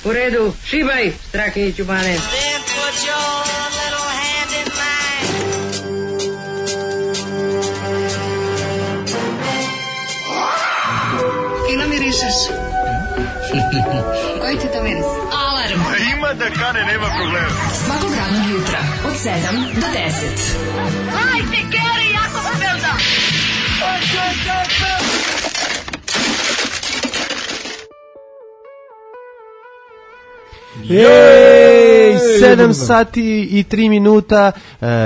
U redu, šibaj, Strahinjiću Bane. Fino mirišeš. Koji ti to miris? Alarm. Ima da kane, nema problema. Svakog radnog jutra od 7 do 10. Hajde, Geri, jako se velda. Jej, 7 sati i 3 minuta.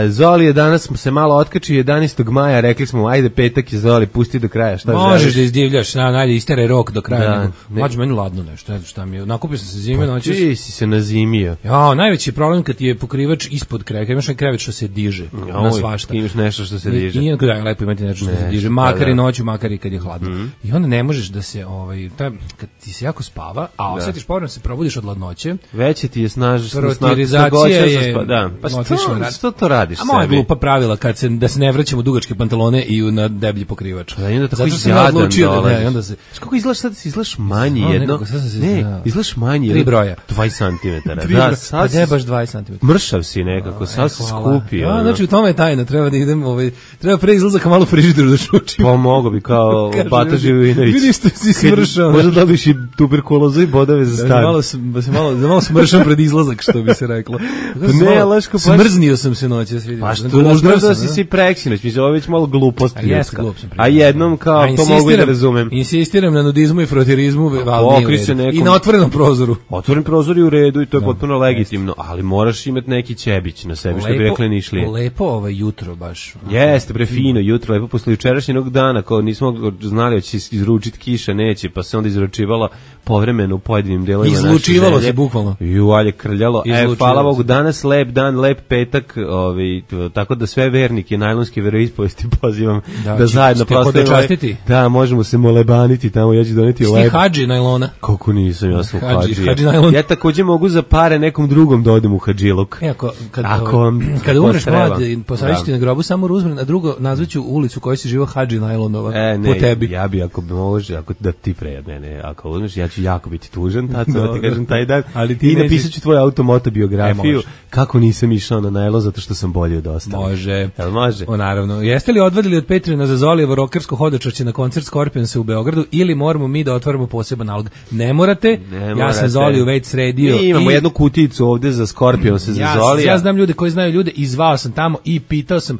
Zoli je danas se malo otkačio 11. maja, rekli smo ajde petak je Zoli, pusti do kraja, šta želiš? Možeš da izdivljaš, najde istere rok do kraja. Da, Mađu meni ladno nešto, ne znam šta mi je. Nakupio sam se zime noći. Ti si se nazimio. Ja, najveći problem kad ti je pokrivač ispod kreveta, imaš krevet što se diže na svašta. Imaš nešto što se diže. I da je lepo imati nešto što se diže, makar i noću, makar i kad je hladno. I onda ne možeš da se kad ti se jako spava, a osjetiš povremeno se probudiš od hladnoće. Veće ti je Protirizacija je Pa što to radiš sebi? A moja glupa pravila da se ne vraćamo u dugačke pantalone i na deblji pokrivač. Da, i onda tako jadan dolaziš. onda se... Kako izgledaš sad? Izgledaš manji jedno? Ne, izgledaš manji jedno. 3 broja. 20 cm. Da, sad je baš 20 cm. Mršav si nekako, sad se skupi. Znači u tome je tajna, treba da idem, treba pre izlazaka malo frižideru da šučim. Pa mogo bi kao Bata Živinović. Vidiš što si smršao. Možda dobiš i tuberkulozu i bodove za stan. Malo smršam pred izlazak, što bi se reklo. Ne, Laško, smrznio sam se noćas, vidim. Pa što možda si si preksinoć, mislim, ovo je već malo glupost. A jednom kao to mogu da razumem. Insistiram na nudizmu i frotirizmu, i na otvorenom prozoru. Otvoren prozor je u redu i to je potpuno legitimno, ali moraš imati neki ćebić na sebi, što bi rekli Nišlije. Lepo jutro baš. Jeste, bre fino jutro, lepo posle jučerašnjeg dana, kao nismo znali da će izručiti kiša, neće, pa se onda izručivala povremeno u pojedinim delovima naše zemlje. Izlučivalo se bukvalno. Alje krljalo. Hvala Bogu, danas lep dan, lep petak, tako da sve vernike najlonske veroispovesti pozivam da zajedno proslavimo. Da, možemo se molebaniti tamo, ja ću doneti lepo. Sti hadži najlona? Kako nisam, ja sam hadži. Najlon. Ja takođe mogu za pare nekom drugom da odem u hadžiluk. Kada umreš mlad, posavićete na grobu samo Ruzmren, a drugo nazvaću ulicu u kojoj si živo Hadži Najlonova po tebi. Ja bi ako može, ako da ti pre mene, ako uzmeš, ja ću jako biti tužan, tačno ti kažem taj dan. I napisat ću tvoju automotobiografiju kako nisam išao na najlo zato što sam bolje od ostalih. Može. Jel može? Naravno. Jeste li odvadili od Patreona za Zolijevo rokersko hodočašće na koncert Scorpionsa u Beogradu ili moramo mi da otvaramo poseban nalog? Ne morate. Ja sam Zoliju već sredio. Mi imamo jednu kuticu ovde za Scorpionsa za Zolija. Ja znam ljude koji znaju ljude i zvao sam tamo i pitao sam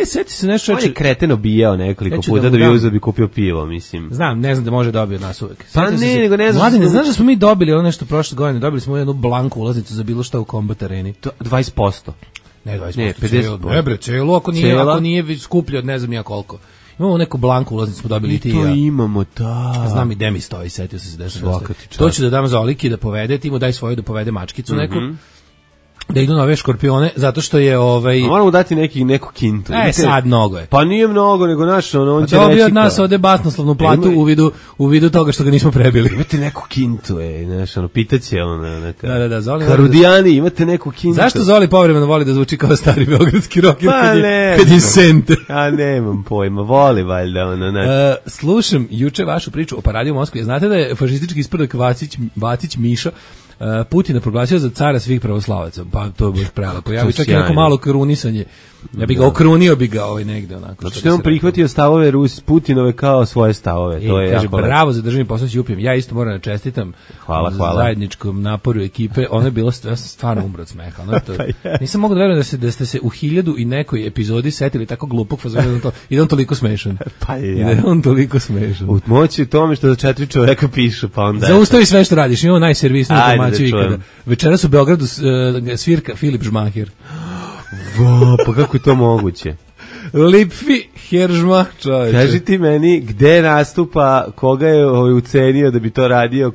sjeti se nešto. On je kreteno bijao nekoliko puta da bi uzeo bi kupio pivo, mislim. Znam, ne znam da može dobiti od nas uvek. Pa ne, nego ne znam. Mladine, znaš da smo mi dobili ono nešto prošle godine, dobili smo jednu blanku ulaznicu za bilo šta u Combat Areni. 20%. Ne, 20%. Ne, 50%. Ne bre, celo, ako nije skuplje od ne znam ja koliko. Imamo neku blanku ulaznicu, smo dobili ti. To imamo, da. Znam i gde mi stoji, setio sam se da to ću da dam Zoliki da povede, ti mu daj svoju da povede mačkicu neku. Da idu na ove škorpione, zato što je moramo dati neku kintu. Sad mnogo je. Pa nije mnogo, nego naš on će reći. Dobio od nas ovde basnoslovnu platu u vidu toga što ga nismo prebili. Imate neku kintu, pitaće neka. Da, Zoli. Karudijani, imate neku kintu. Zašto Zoli povremeno voli da zvuči kao stari beogradski rocker kad je sente? A nemam pojma, voli valjda slušam juče vašu priču o paradi u Moskvi. Znate da je fašistički isprdak Vacić Mišo Putina proglasio za cara svih pravoslavaca, pa to je baš prelepo. Ja bih čak i neko malo krunisanje. Ja bih ga okrunio negde onako. Zato što je on prihvatio stavove Putinove kao svoje stavove. To je jako bravo za državni posao s Jupijem. Ja isto moram da čestitam. Hvala. Zajedničkom naporu ekipe. Ono je bilo, ja sam stvarno umro od smeha. Nisam mogao da verujem da ste se u 1000 i nekoj epizodi setili tako glupog fazona i da on toliko smešan. Pa je. I da je on toliko smešan. U moći u tome što za 4 čoveka pišu, pa onda. Zaustavi sve što radiš. Imamo najservisniju informaciju ikada. Večeras u Beogradu svirka Filip Žmahir. Pa kako je to moguće? Lipfi Heržma, čovječe. Kaži ti meni gde nastupa, koga je ucenio da bi to radio,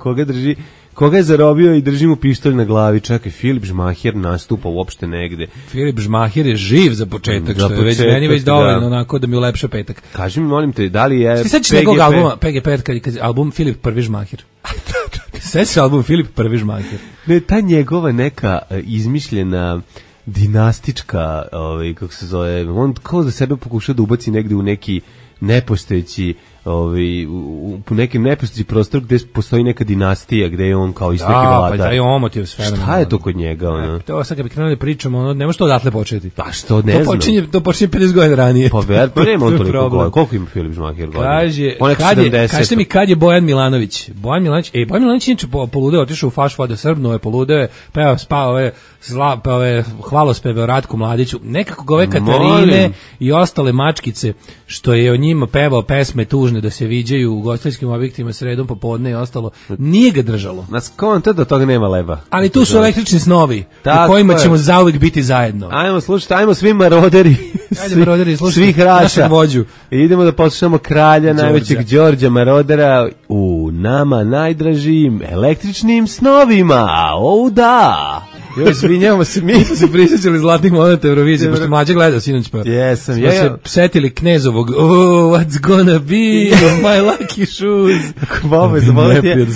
koga je zarobio i drži mu pištolj na glavi. Čekaj, Filip Žmahir nastupa uopšte negde. Filip Žmahir je živ za početak, što je meni već dovoljno onako da mi ulepša petak. Kaži mi, molim te, da li je Sećaš nekog albuma, PGP, kad album Filip Prvi Žmahir? Sećaš album Filip Prvi Žmahir? Ne, ta njegova neka izmišljena dinastička, kako se zove, on kao da sebe pokuša da ubaci negde u neki nepostojeći u nekim nepostoji prostor gde postoji neka dinastija, gde je on kao isto neki vladar. Pa taj omot je sve. Šta je to kod njega? Ono? To sad kad bi krenuli da pričamo, ne može to odatle početi. Pa što, ne znam. To počinje 50 godina ranije. Pa nema on toliko godina. Koliko ima Filip Žmaher godina? Kažete mi kad je Bojan Milanović? Bojan Milanović je inače poludeo, otišao u faš vode Srbno, je poludeo, peo, spao ove hvalospeve o Ratku Mladiću. Nekako ove Katarine i ostale mačkice što je o njima pevao pesme tužne da se viđaju u ugostiteljskim objektima sredom popodne i ostalo, nije ga držalo. Nas konta da toga nema leba. Ali tu su električni snovi u kojima ćemo zauvijek biti zajedno. Ajmo slušati, ajmo svi maroderi, svih raša. Idemo da poslušamo kralja najvećeg Đorđa Marodera u nama najdražim električnim snovima. Da! Još izvinjavamo se, mi smo se prisjećali zlatnih momenta Eurovizije, pošto mlađe gledao sinoć, pa jesam, smo se setili Knezovog what's gonna be my lucky shoes. Baba, zaboravio.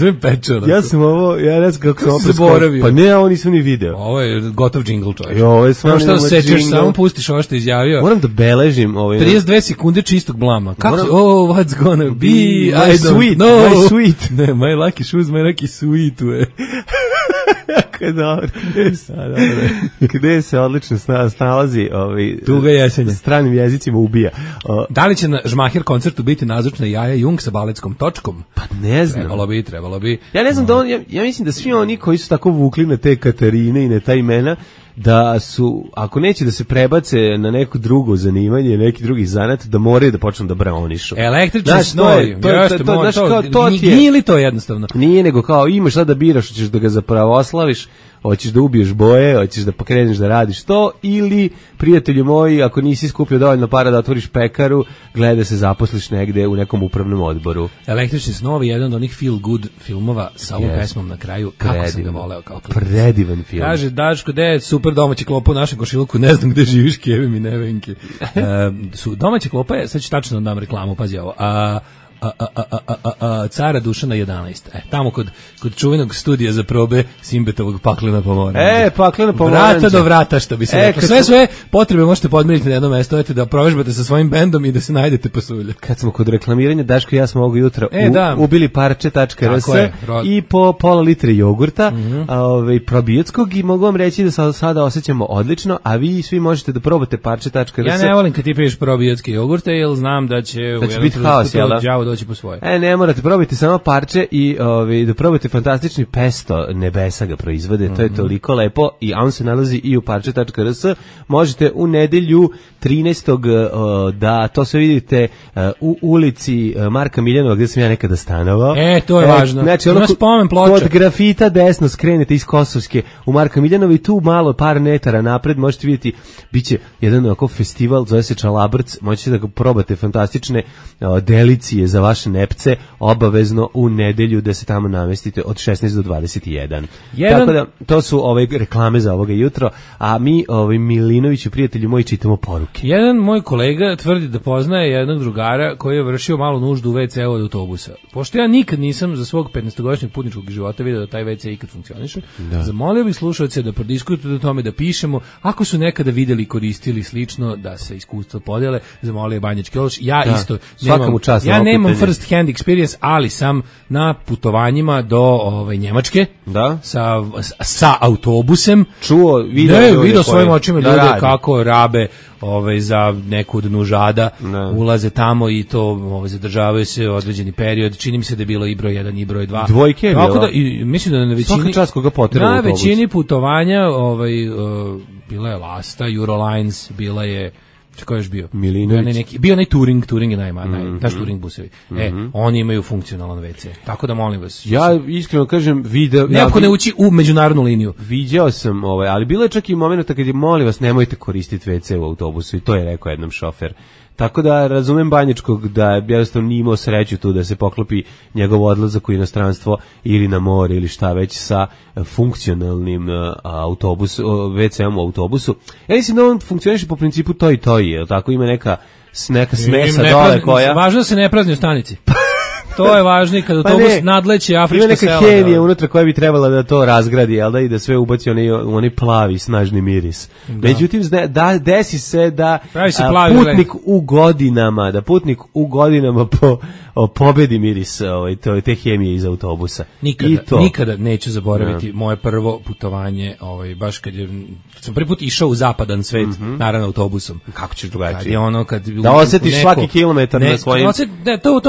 Ja sam ovo, ja ne znam kako sam zaboravio. Pa ne, ovo nisam ni video. Ovo je gotov džingl, čovječ. Ovo je stvarno šta sećaš, samo pustiš ovo što je izjavio. Moram da beležim ovo. 32 sekunde čistog blama. Kako what's gonna be my sweet, my sweet. Ne, my lucky shoes, my lucky sweet. Dobro. Gde se odlično snalazi tuga jesenja. Stranim jezicima ubija. Da li će na Žmaher koncertu biti nazočna Jaja Jung sa baletskom točkom? Pa ne znam. Trebalo bi. Ja ne znam da ja mislim da svi oni koji su tako vukli na te Katarine i na ta imena, da su, ako neće da se prebace na neko drugo zanimanje, neki drugi zanat, da moraju da počnu da braonišu. Električni snovi. Nije li to jednostavno? Nije, nego kao imaš sad da biraš, hoćeš da ga zapravoslaviš, hoćeš da ubiješ boje, hoćeš da pokreneš da radiš to, ili, prijatelju moji, ako nisi skupio dovoljno para da otvoriš pekaru, gledaj da se zaposliš negde u nekom upravnom odboru. Električni snovi je jedan od onih feel good filmova sa ovom pesmom na kraju. Kako sam ga voleo kao klinac. Predivan film. Kaže, Daško, gde je super domaća klopa u našem košiluku, ne znam gde živiš, Keve mi nevenke. Domaća klopa je, sad ću tačno da dam reklamu, pazi ovo, Cara Dušana 11. Tamo kod čuvenog studija za probe Simbetovog Paklena pomoranđa. Paklena pomoranđa. Vrata do vrata, što bi se reklo. Sve potrebe možete podmiriti na jedno mesto, da provežbate sa svojim bendom i da se najdete pasulja. Kad smo kod reklamiranja, Daško i ja smo ovog jutra ubili parče.rs i po pola litre jogurta, probiotskog, i mogu vam reći da sada osjećamo odlično, a vi svi možete da probate parče.rs. Ja ne volim kad ti piješ probiotske jogurte, jer znam da će biti haos, jel da? Doći po svoje. Ne morate, probajte samo parče i da probajte fantastični pesto Nebesa ga proizvode, to je toliko lepo, i on se nalazi i u parče.rs. Možete u nedelju 13. da to sve vidite u ulici Marka Miljanova, gdje sam ja nekada stanovao. To je važno. Znači, kod grafita desno skrenete iz Kosovske u Marka Miljanova i tu malo par metara napred možete vidjeti, biće jedan ovako festival, zove se Čalabrc, možete da ga probate fantastične delicije za vaše nepce, obavezno u nedelju da se tamo namestite od 16 do 21. Tako da, to su reklame za ovoga jutro, a mi, Milinoviću, prijatelji moji, čitamo poruke. Jedan moj kolega tvrdi da poznaje jednog drugara koji je vršio malu nuždu u WC-u od autobusa. Pošto ja nikad nisam za svog 15-godišnjeg putničkog života vidio da taj WC ikad funkcioniše, zamolio bih slušalce da prodiskutuju o tome, da pišemo, ako su nekada videli, koristili slično, da se iskustvo podele, zamolio Banjački Ološ. Ja isto nemam first hand experience, ali sam na putovanjima do Njemačke sa autobusem video svojim očima ljude kako rabe za neku dnu žada, ulaze tamo i to zadržavaju se određeni period. Čini mi se da je bilo i broj 1 i broj 2. Dvojke je bilo. Mislim da na većini putovanja bila je Lasta, Eurolines, bila je Ko je još bio? Milinović. Bio onaj Turing je naš Turing busevi. Oni imaju funkcionalan WC. Tako da molim vas. Ja iskreno kažem, Neko ne ući u međunarodnu liniju. Viđao sam, ali bilo je čak i momenta kad je, molim vas, nemojte koristiti WC u autobusu, i to je rekao jednom šofer. Tako da razumem Banjačkog da je jednostavno nije imao sreću tu da se poklopi njegov odlazak u inostranstvo ili na more ili šta već sa funkcionalnim WC-om u autobusu. Ja mislim da on funkcioniše po principu to i to, je tako, ima neka smesa dole koja... Važno da se ne prazni u stanici. To je važno, kad autobus nadleće afrička sela. Ima neka hemija unutra koja bi trebala da to razgradi, jel da, i da sve ubaci onaj plavi, snažni miris. Međutim, desi se da putnik u godinama po pobedi miris te hemije iz autobusa. Nikada neću zaboraviti moje prvo putovanje, baš kad sam prvi put išao u zapadan svet, naravno autobusom. Kako ćeš drugačije? Kad je ono, da osjetiš svaki kilometar na svojim to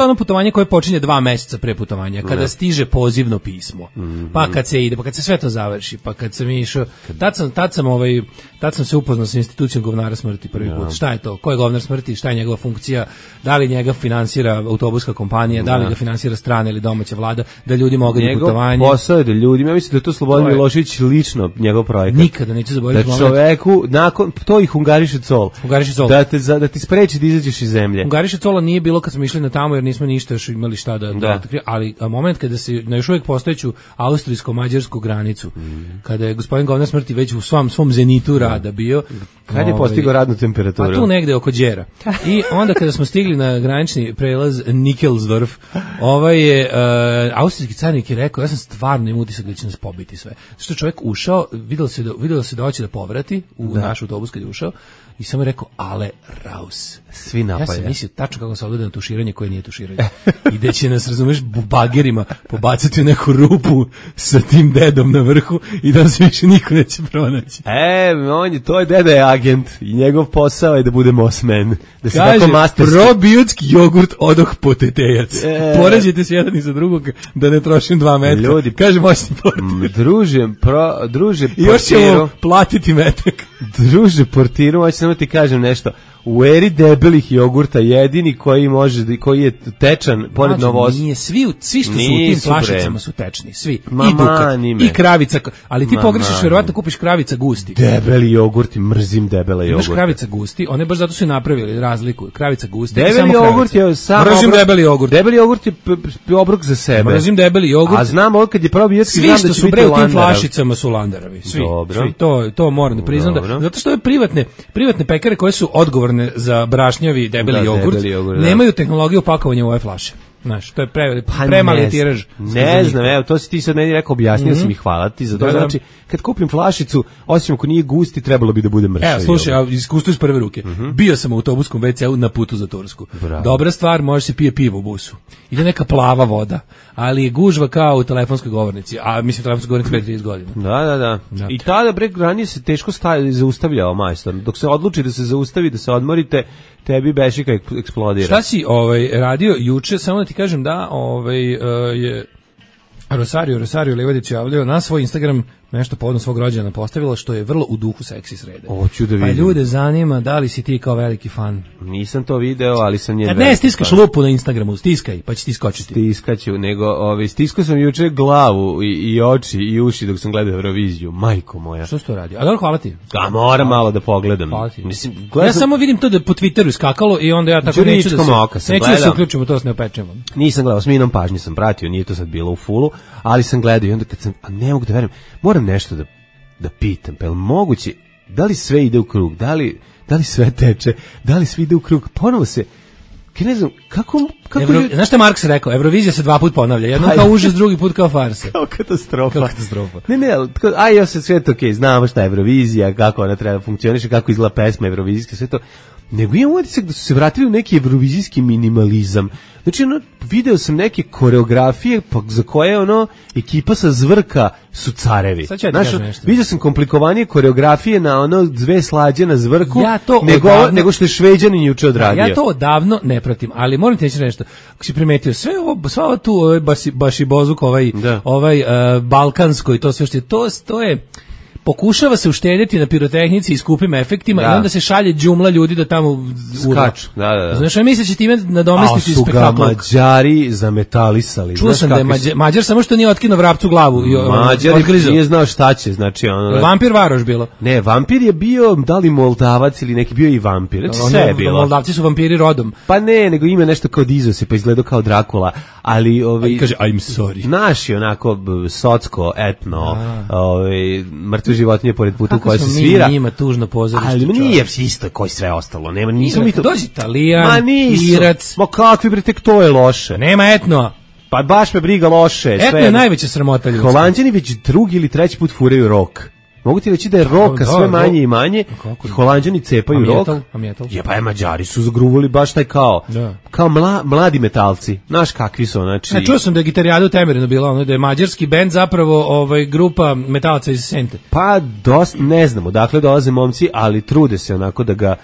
ono putovanje koje počinje 2 meseca pre putovanja, kada stiže pozivno pismo, pa kad se ide, pa kad se sve to završi, pa kad sam išao, tad sam se upoznao sa institucijom govnara smrti prvi put. Šta je to? Ko je govnar smrti? Šta je njegova funkcija? Da li njega finansira autobuska kompanija? Da li ga finansira strana ili domaća vlada? Da ljudi mogu na putovanje? Njegov posao je da ljudima, ja mislim da je to Slobodan Milošević lično njegov projekat. Nikada neću zaboraviti da čoveku, nakon, to i Hungariše Col. Da ti spreči da izađeš iz zemlje. Hungariše Cola nije bilo kad smo išli na tamo, jer nismo ništa još imali šta da ali moment kada se na još uvijek postojeću austrijsko-mađarsku granicu, kada je gospodin govnar smrti već u svom zenitu rada bio. Kad je postigao radnu temperaturu? Pa tu negde oko Đera. I onda kada smo stigli na granični prelaz Nikelsdorf, austrijski carnik je rekao, ja sam stvarno imao utisak da će nas pobiti sve. Što čovjek ušao, vidjelo se da hoće da povrati u naš autobus kad je ušao, i samo je rekao, ale raus. Svi napalja. Ja sam mislio tačno kako se odgleda na tuširanje koje nije tuširanje. I da će nas, razumeš, bagerima pobacati u neku rupu sa tim dedom na vrhu i da se više niko neće pronaći. To je deda je agent i njegov posao je da bude mosmen. Da se kaže, probiotski jogurt odoh potetejac. Poređite se jedan iza drugog da ne trošim 2 metra. Ljudi, kaže moćni portir. Druže, i još ćemo platiti metak. Druže portiru, hoće samo ti kažem nešto. U eri debelih jogurta jedini koji je tečan pored Novosti. Nije, svi što su u tim flašicama su tečni, svi. I Dukat, i kravica, ali ti pogrešiš, verovatno kupiš kravica gusti. Debeli jogurti, mrzim debele jogurte. Imaš kravica gusti, one baš zato su napravili razliku. Kravica gusti, debeli jogurt je samo mrzim debeli jogurt. Debeli jogurt je obrok za sebe. Mrzim debeli jogurt. A znam ovo kad je probiotski, znam da će biti u tim flašicama su Landarovi. Svi, to moram da priznam, zato što ove privatne pekare koje su odgovorne za brašnjavi debeli jogurt, nemaju tehnologiju pakovanja u ove flaše. Znaš, to je premali tiraž. Ne znam, evo, to si ti sad meni rekao, objasnio si mi, hvala ti za to. Znači, kad kupim flašicu, osim ako nije gusti, trebalo bi da bude mršavi. Evo, slušaj, iskustvo iz prve ruke. Bio sam u autobuskom WC-u na putu za Tursku. Dobra stvar, može se pije pivo u busu. Ide neka plava voda, ali je gužva kao u telefonskoj govornici, a mislim telefonskoj govornici pre 30 godina. Da. I tada ranije se teško zaustavljao majstor. Dok se odluči da se zaustavi, da se odmorite, tebi bešika eksplodira. Šta si radio juče, samo da ti kažem da je Rosario Levadić javljao na svoj Instagram nešto povodom svog rođendana postavilo, što je vrlo u duhu seksi srede. Hoću da vidim. Pa ljude zanima da li si ti kao veliki fan. Nisam to video, ali sam njen. Kad ne stiskaš lupu na Instagramu, stiskaj, pa će ti skočiti. Stiskaću, nego stiskao sam juče glavu i oči i uši dok sam gledao Euroviziju, majko moja. Što si to radio? A dobro, hvala ti. Moram malo da pogledam. Mislim, ja samo vidim to da po Twitteru skakalo i onda ja tako neću da se uključimo, to se ne opečemo. Nisam gledao, s minom pažnje sam pratio, nije to sad bilo u fullu, ali sam gledao i onda kad sam, ne mogu da verujem, moram nešto da pitam, pa je li moguće, da li sve ide u krug, da li sve teče, da li sve ide u krug, ponovo se, ne znam, kako znaš što je Marks rekao, Eurovizija se 2 puta ponavlja, jednom kao užas, drugi put kao farsa. Kao katastrofa. Ne, ja se sve to okej, znamo šta je Eurovizija, kako ona treba funkcioniše, kako izgleda pesma Eurovizijska, sve to. Nego imam utisak da su se vratili u neki evrovizijski minimalizam. Znači, video sam neke koreografije za koje ekipa sa Zvrka su carevi. Vidio sam komplikovanije koreografije na 2 slađe na Zvrku, nego što je Šveđanin juče odradio. Ja to odavno ne pratim, ali moram ti reći nešto. Ako si primetio, sva ova tu baš i bozuk, ovaj balkansko i to sve što je, to je... Pokušava se uštedjeti na pirotehnici i skupim efektima i onda se šalje džumla ljudi da tamo skaču. Da. Znaš, ja mislim da će time nadomestiti spektakl. A su ga Mađari zametalisali. Čuo sam da je Mađar samo što nije otkinuo vrapcu glavu. Mađar nije znao šta će. Znači, vampir Varoš bilo. Ne, vampir je bio, da li Moldavac ili neki, bio i vampir. Znači, sve je bilo. Moldavci su vampiri rodom. Pa ne, nego ima nešto kao Dizose, pa izgledao kao Drakula. Ali, kaže, I'm sorry. Naši, onako, socko, etno, mrtve životinje pored puta u kojoj se svira. Kako smo njima tužno pozorište. Ali nije isto koji sve ostalo. Nismo mi to... Dođi Italijan, Irac. Ma kakvi bre, tek to je loše. Nema etno. Pa baš me briga loše. Etno je najveća sramota ljudska. Holanđani već 2. ili 3. put furaju rok. Mogu ti reći da je roka sve manje i manje, i Holanđani cepaju rok. Je, pa Mađari su zagruvali baš taj kao mladi metalci. Znaš kakvi su, znači... Čuo sam da je Gitarijada u Temerinu bila, da je mađarski bend zapravo grupa metalaca iz Sente. Pa, ne znamo, dakle dolaze momci, ali trude se onako da ga,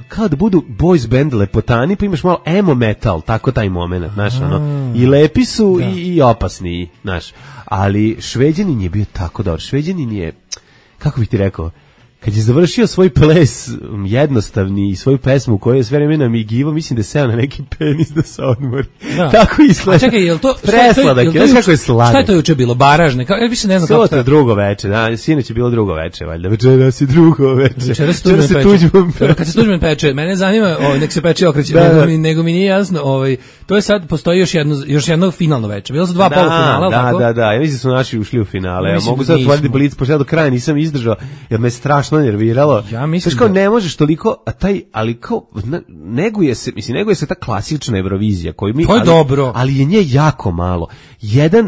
kao da budu boys band lepotani, pa imaš malo emo metal, tako taj moment, znaš, i lepi su i opasni, znaš. Ali Šveđanin je bio tako dobar. Šveđanin je, kako bih ti rekao, kad je završio svoj ples jednostavni i svoju pesmu koju je sve vreme namigivao, mislim da je seo na neki penis da se odmori. Tako izgleda. A čekaj, je li to... Presladak, znaš kako je sladak. Šta je to juče bilo? Baražne? Ja više ne znam kako to je drugo veče, da, sinoć je bilo drugo veče, valjda. Večeras je drugo veče. Večeras se Tuđman peče. Kad se Tuđman peče, mene zanima, nek se peče okreće, nego mi nije jasno, to je sad, postoji još jedno finalno veče. Bilo su 2 polufinala, tako? Da, ja mislim da su naši ušli u finale. Ja mogu sad otvoriti blic, pošto ja do kraja nisam izdržao, jer me strašno nerviralo. Ja mislim kao ne možeš toliko, ali kao neguje se ta klasična Eurovizija koju mi, to je dobro, ali je nje jako malo.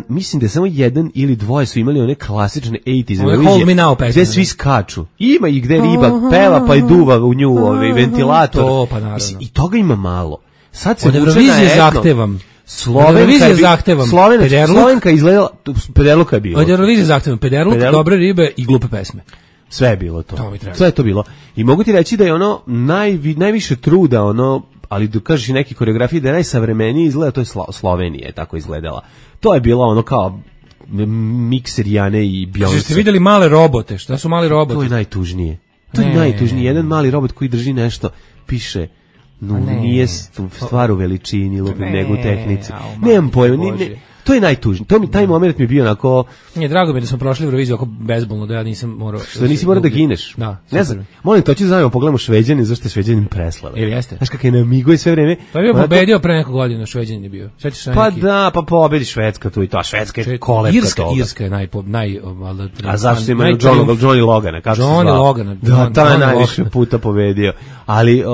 Mislim da je samo jedan ili dvoje su imali one klasične 80s Eurovizije gde svi skaču. Ima i gde riba peva pa i duva u nju ventilator. To, pa naravno. I toga ima malo. Sad se od Eurovizije zahtevam. Slovenka izgledala, Pederluka je bilo. Od Eurovizije zahtevam Pederluk, dobre ribe i glupe pesme. Sve je bilo to. Sve je to bilo. I mogu ti reći da je najviše truda, ali da kažeš i neke koreografije, da je najsavremeniji izgleda, to je Slovenija je tako izgledala. To je bilo kao mikser Jane i Beyoncé. Ste vidjeli male robote? Šta su mali roboti? To je najtužnije. Jedan mali robot koji drži nešto, piše... nije stvar u veličini, nego u tehnici. Nemam pojma, to je najtužnije. Taj moment mi je bio onako... Nije, drago mi je da smo prošli Euroviziju oko bezbolno, da ja nisam morao... Što nisi morao da gineš? Da. Ne znam, molim, to ću zajedno pogledamo Šveđanin, zašto je Šveđanin preslava. Ili jeste? Znaš kako je namigo i sve vreme... Pa je bio pobedio pre neko godina, Šveđanin je bio. Pa da, pa pobedi Švedska tu i to, a Švedska je kolevka toga. Irska je A zašto ima Johnny Logana? Johnny Logana. Da, ta je najviše puta pobedio. Ali,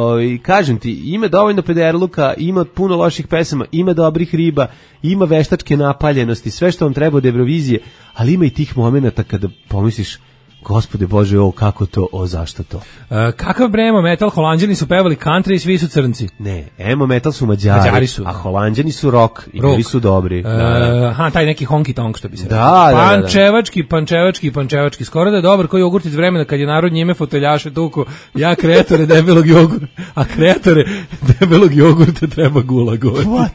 kažem ti, ima dovoljno Pederluka, ima puno loših pesama, ima dobrih riba, ima veštačke napaljenosti, sve što vam treba od Eurovizije, ali ima i tih momenata kada pomisliš, Gospode Bože, kako to, zašto to? Kakav bre emo metal, Holanđani su pevali country i svi su crnci. Ne, emo metal su Mađari su, a Holanđani su rock i bili su dobri. Taj neki honky tonk što bi se rekao. Pančevački, skoro da je dobar koji jogurt iz vremena kad je narod njime foteljaše tuku, ja kreatore debelog jogurta, a kreatore debelog jogurta treba gulag.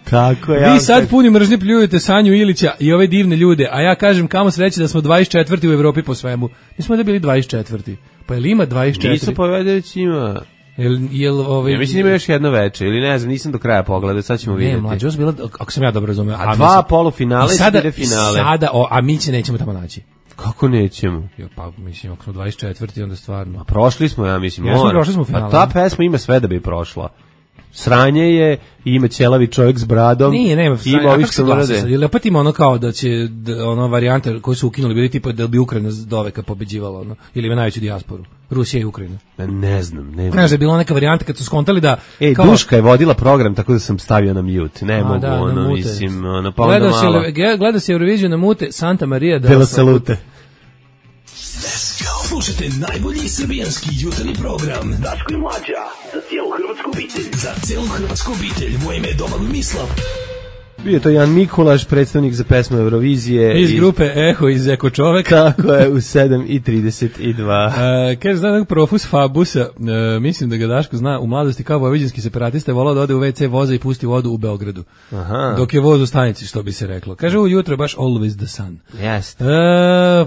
Tako je. Vi sad puni mržnje pljujete Sanju Ilića i ove divne ljude, a ja kažem kamo sreće da smo 24. u Evropi po svemu. Mi smo da bili 24. Pa je li ima 24? Nisu povedeći ima. Ja mislim ima još jedno veče, ili ne znam, nisam do kraja pogledao, sad ćemo vidjeti. Ne, mlađe, bila, ako sam ja dobro razumio. A 2 polufinale i 4 finale. A mi se nećemo tamo naći. Kako nećemo? Pa mislim, ako smo 24. onda stvarno. A prošli smo, ja mislim. Prošli smo finale. A ta pesma ima sve da bi prošla. Sranje je, ima ćelavi čovjek s bradom. Nema sranje, a kako se glasa sad? Ili opet ima kao da će, varijante koje su ukinuli, bili tipa da bi Ukrajina doveka pobeđivala, ili ima najveću dijasporu. Rusija i Ukrajina. Ne znam. Znaš da je bila neka varijanta kad su skontali da... Duška je vodila program, tako da sam stavio na mute. Ne mogu, mislim, pa onda malo. Gleda se Euroviziju na mute, Santa Maria de la Salute. Slušajte najbolji srbijanski jutarnji program Daško i Mlađa, za cijelu hrvatsku obitelj. Za cijelu hrvatsku obitelj, moje ime je Domagoj Mislav. Bio to Jan Mikulaš, predstavnik za pesmu Eurovizije. Iz grupe Eho iz Eko čovek. Tako je, u 7:32. Kaže, zna nekog Profus Fabusa, mislim da ga Daško zna, u mladosti kao vojvođanski separatista je volao da ode u WC voza i pusti vodu u Beogradu. Aha. Dok je voz u stanici, što bi se reklo. Kaže, ujutro baš always the sun. Jeste.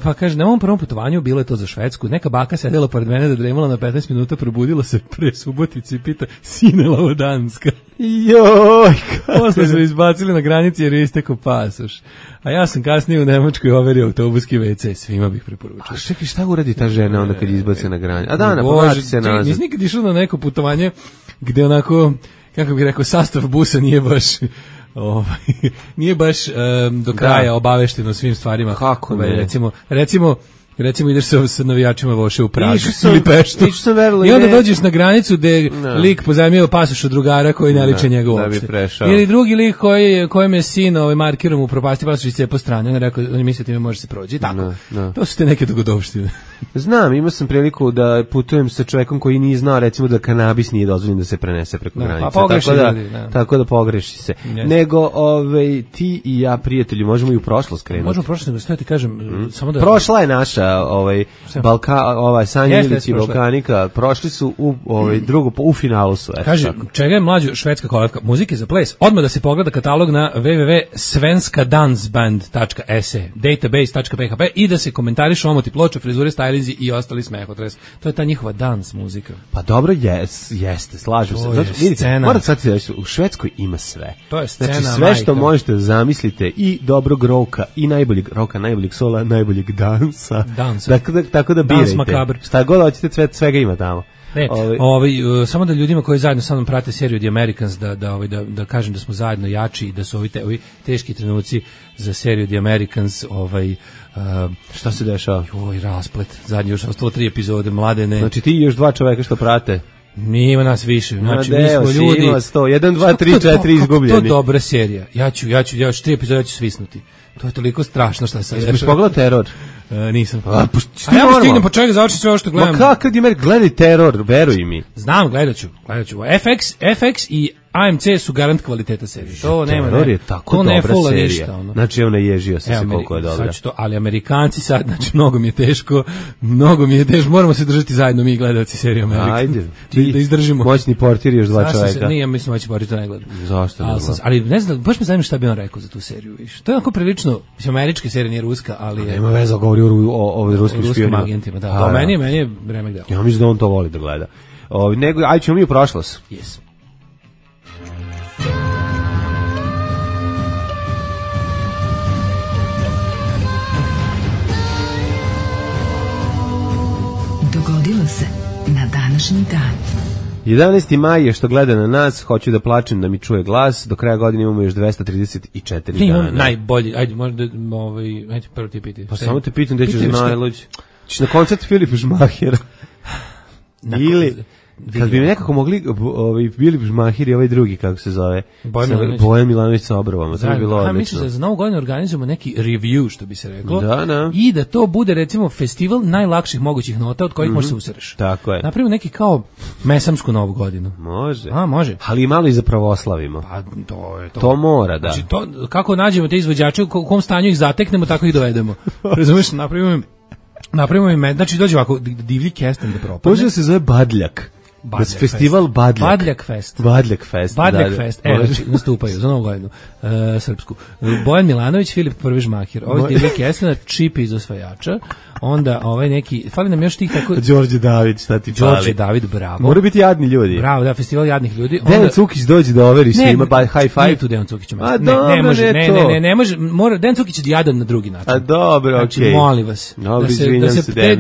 Pa kaže, na ovom prvom putovanju, bilo je to za Švedsku, neka baka sedela pored mene da dremala na 15 minuta, probudila se pre Subotici i pita, sine Lavodanska. Joj, posle su izbacili na granici jer je istekao pasoš. A ja sam kasnije u Nemačkoj overio autobuski WC, svima bih preporučio. A čekaj, šta uradi ta žena onda kad izbace na granicu? A da, povlači se nazad. Nisi nikad išao na neko putovanje gde onako, kako bih rekao, sastav busa nije baš do kraja obavešteno svim stvarima. Kako ne? Recimo recimo ideš sa navijačima voše u Prag ili Peštu. I onda dođeš na granicu gde lik pozajmio pasoš od drugara koji ne liče njega uopšte. Ili drugi lik kojem je sin markirom upropastio pasoš i cepo strane. On je mislio ti me može se prođi. Tako. To su te neke dogodovštine. Znam, imao sam priliku da putujem sa čovekom koji nije znao recimo da kanabis nije dozvoljen da se prenese preko granice. Tako da pogreši se. Nego ti i ja, prijatelji, možemo i u prošlost krenuti. Možemo u prošlost, nego sve ti kažem, samo da prošla je naša Sanja Ilić i Balkanika, prošli su u u finalu su. Kaže, čega je mlađu švedska kolevka? Muzike za ples. Odmah da se pogleda katalog na www.svenskadansband.se, database.php i da se komentarišu omoti ploča, frizure, stylinzi i ostali smehotres. To je ta njihova dans muzika. Pa dobro, jeste, slažem se. Zato, vidite, moram sad ti reći, u Švedskoj ima sve. To je scena, znači, sve što možete zamislite, i dobrog roka, i najboljeg roka, najboljeg sola, najboljeg dansa. Tako da birajte. Šta god hoćete, svega ima tamo. Samo da ljudima koji zajedno sa mnom prate seriju The Americans da kažem da smo zajedno jači i da su ovi teški trenuci za seriju The Americans šta se dešava? Rasplet. Zadnji još ostalo 3 epizode, Mladene. Znači ti i još 2 čoveka što prate. Nije nas više. Znači mi smo ljudi. Ima 100, 1, 2, 3, 4 izgubljeni. To dobra serija. Ja ću 3 epizode ja ću svisnuti. To je toliko strašno šta se dešava. Jesi pogledao Teror? Nisam. Ja stignem po čovjek zaoči sve ovo što gledam. Ma kakav je gledaj Teror, veruj mi. Znam, gledat ću. FX i AMC su garant kvaliteta serije. To nema. Teror je tako dobra serija. Ništa, znači evo naježio sam se koliko je dobra. Ali Amerikanci sad, znači mnogo mi je teško, moramo se držati zajedno mi gledaoci serije Amerikan. Ajde. Da izdržimo. Moćni portir još 2 čoveka. Nije, mislim moćni portir to ne gledam. Zašto ne gledam? Ali ne znam, baš me zanima šta bi on rekao za tu seriju. To je onako prilično, mislim američka serija nije ruska, ali je... Nema veze, govori o ruskim agentima, da. Meni je remek deo. Ja mislim da on to voli da gleda. Ajde ćemo mi u prošlost. Yes. Dogodilo se na današnji dan. 11. maj je što gleda na nas, hoću da plačem da mi čuje glas, do kraja godine imamo još 234 dana. Imam najbolji, ajde prvo ti piti. Pa samo te pitam gde ćeš najluđi. Ćeš na koncert Filipa Žmahira. Ili... Kad bi nekako mogli Filip Žmahir i ovaj drugi, kako se zove, Bojan Milanović sa obrovama, to bi bilo odlično. Mislim da za novu godinu organizujemo neki review, što bi se reklo, da. I da to bude recimo festival najlakših mogućih nota od kojih možeš se usereš. Tako je. Napravimo neki kao mesamsku novu godinu. Može. Može. Ali i malo i za pravoslavimo. Pa to je to. To mora, da. Znači, kako nađemo te izvođače, u kom stanju ih zateknemo, tako ih dovedemo. Razumiješ, napravimo im, znači dođe ovako divlji kesten da propadne. Može da se zove Badljak. Festival Badljak. Badljak Fest. Znači, nastupaju za novu godinu srpsku. Bojan Milanović, Filip Prvi Žmahir, ovaj divljak Jesena, Čipi iz osvajača, onda ovaj neki, fali nam još tih tako... Đorđe David, šta ti fali? Đorđe David, bravo. Mora biti jadni ljudi. Bravo, da, festival jadnih ljudi. Dejan Cukić dođe da overi svima, high five. Nije tu Dejan Cukić. Ne može, mora, Dejan Cukić je jadan na drugi način. A dobro, znači, molim vas.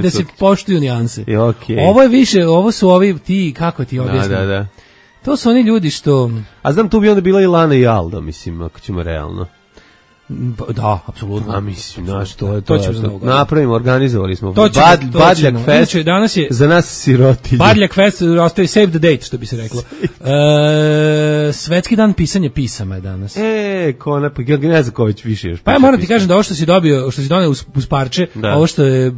Da se poštuju nijanse. Ovo je više, ovo su ovi ti, kako ti objasnim? Da. To su oni ljudi što... A znam, tu bi onda bila i Lana i Alda, mislim, ako ćemo realno. Da, apsolutno. A mislim, znaš, to ćemo napravimo, organizovali smo. Badljak Fest, danas je za nas sirotilje. Badljak Fest, ostaje save the date, što bi se reklo. Svetski dan pisanja pisama je danas. Ja ne znam ko već više još. Pa ja moram ti kažem da ovo što si dobio, što si doneo uz parče, ovo što je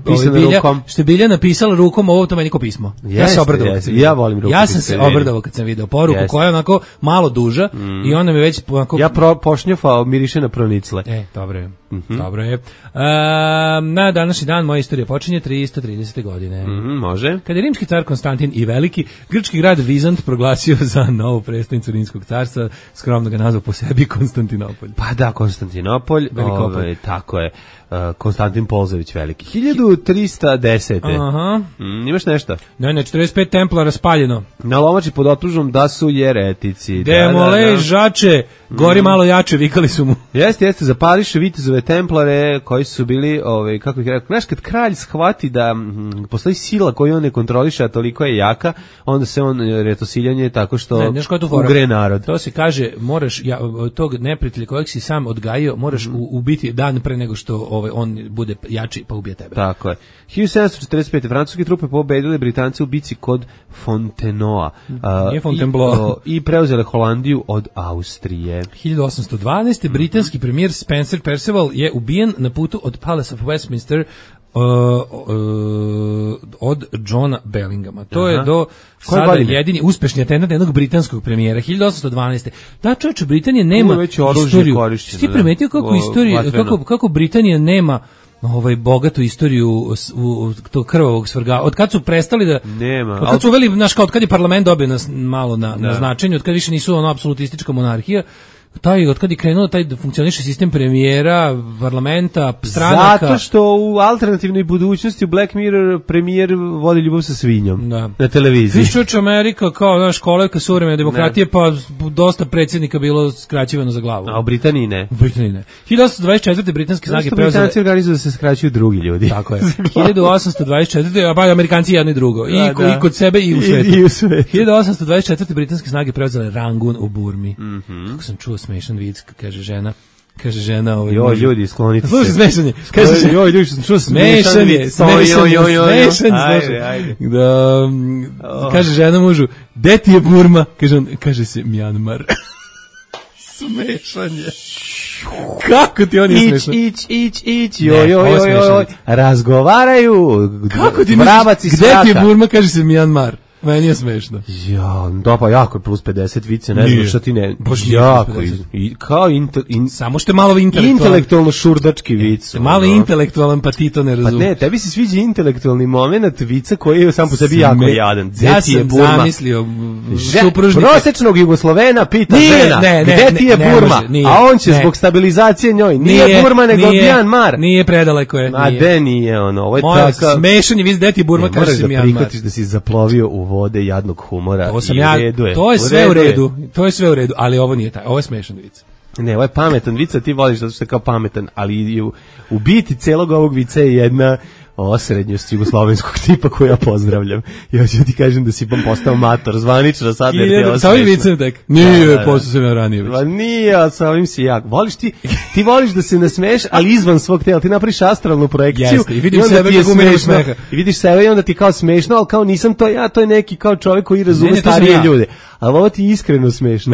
Bilja napisala rukom, ovo to meni ko pismo. Ja se obradovao. Ja volim rukom. Ja sam se obradovao kad sam video poruku koja je onako malo duža i onda mi već onako... Ja pošnjofao, miriše na pronicle. Dobro je. Dobro je. Na današnji dan moja istorija počinje 330. godine. Može. Kada je rimski car Konstantin i Veliki, grčki grad Vizant proglasio za novu prestonicu Rimskog carstva, skromno ga nazvao po sebi Konstantinopolj. Pa da, Konstantinopolj. Tako je. Konstantin Polzević Veliki. 1310. Aha. Imaš nešto? Ne, 45 templara spaljeno. Na Lomači pod optužbom da su jeretici. Demole žače, Gori malo jače, vikali su mu. Jeste, zapališe vitezove templare koji su bili, kako ih rekao, znaš, kad kralj shvati da postoji sila koju on ne kontroliše, a toliko je jaka, onda se on retosiljanje tako što ugre narod. To se kaže, moraš tog neprijatelja kojeg si sam odgajio, moraš ubiti dan pre nego što on bude jači pa ubije tebe. Tako je. 1745. francuske trupe pobedile Britance u bici kod Fontenoa. Nije Fontainebleau. I preuzele Holandiju od Austrije. 1812. britanski premijer Spencer Perceval je ubijen na putu od Palace of Westminster od Johna Bellingama. To je do sada jedini uspešni atentat jednog britanskog premijera. 1812. Da, čovječe, Britanija nema istoriju. Ti primetio kako Britanija nema bogatu istoriju tog krvavog svrga. Od kad su prestali da... Nema. Od kad su uveli, od kad je parlament dobio malo na značenju, od kad više nisu apsolutistička monarhija, od kad je krenuo taj funkcioniše sistem premijera, parlamenta, stranaka. Zato što u alternativnoj budućnosti u Black Mirror premijer vodi ljubav sa svinjom na televiziji. Viš Amerika kao kolevka suvremene demokratije, pa dosta predsjednika bilo skraćivano za glavu. A u Britaniji ne. U Britaniji ne. 1824. britanske snage preuzele... Britanci organizuju da se skraćuju drugi ljudi. Tako je. 1824. pa Amerikanci jedno i drugo. I kod sebe i u svetu. 1824. britanske snage preuzele Rangun u Burmi. Kako sam čuo smešan vic, kaže žena. Joj, ljudi, sklonite se. Slušaj, smešan je. Kaže, joj, ljudi, što smešan je. Ajde. Kaže žena mužu, gde ti je Burma? Kaže se Mjanmar. Smešan je. Kako ti on je smešan? Ić, joj, razgovaraju. Kako ti misliš, gde ti je Burma? Kaže se Mjanmar. Meni je smešno. Ja, da pa jako plus 50 vice, ne znam šta ti ne. Baš jako. Kao samo što je malo intelektualno šurdački vic. Malo intelektualan, pa ti to ne razumeš. Pa ne, tebi se sviđa intelektualni moment vica koji je sam po sebi jako jadan. Ja sam zamislio supružnika. Prosečnog Jugoslovena pita žena, gde ti je Burma? A on će zbog stabilizacije njoj. Nije Burma, nego Mjanmar. Nije predaleko je. A de nije ono. Ovo je tako. Smešan je vic, gde ti je Burma, kaže se Mjanmar. Prihvatiš da si zaplovio u vode jadnog humora. To je sve u redu. To je sve u redu, ali ovo nije taj. Ovo je smešan vic. Ne, ovo je pametan vic, a ti voliš zato što je kao pametan, ali u biti celog ovog vica je jedna osrednjost jugoslovenskog tipa koju ja pozdravljam. Ja ću ti kažem da si postao mator, zvanično sad. Sa ovim vicem tek? Nije, postao sam ja ranije već. Nije, a sa ovim si jak. Voliš ti voliš da se nasmeješ, ali izvan svog tela. Ti napraviš astralnu projekciju. Jeste, i vidim sebe kako umiram smeha. I vidiš sebe i onda ti kao smešno, ali kao nisam to ja, to je neki kao čovjek koji razume starije ljude. Ali ovo ti iskreno smešno.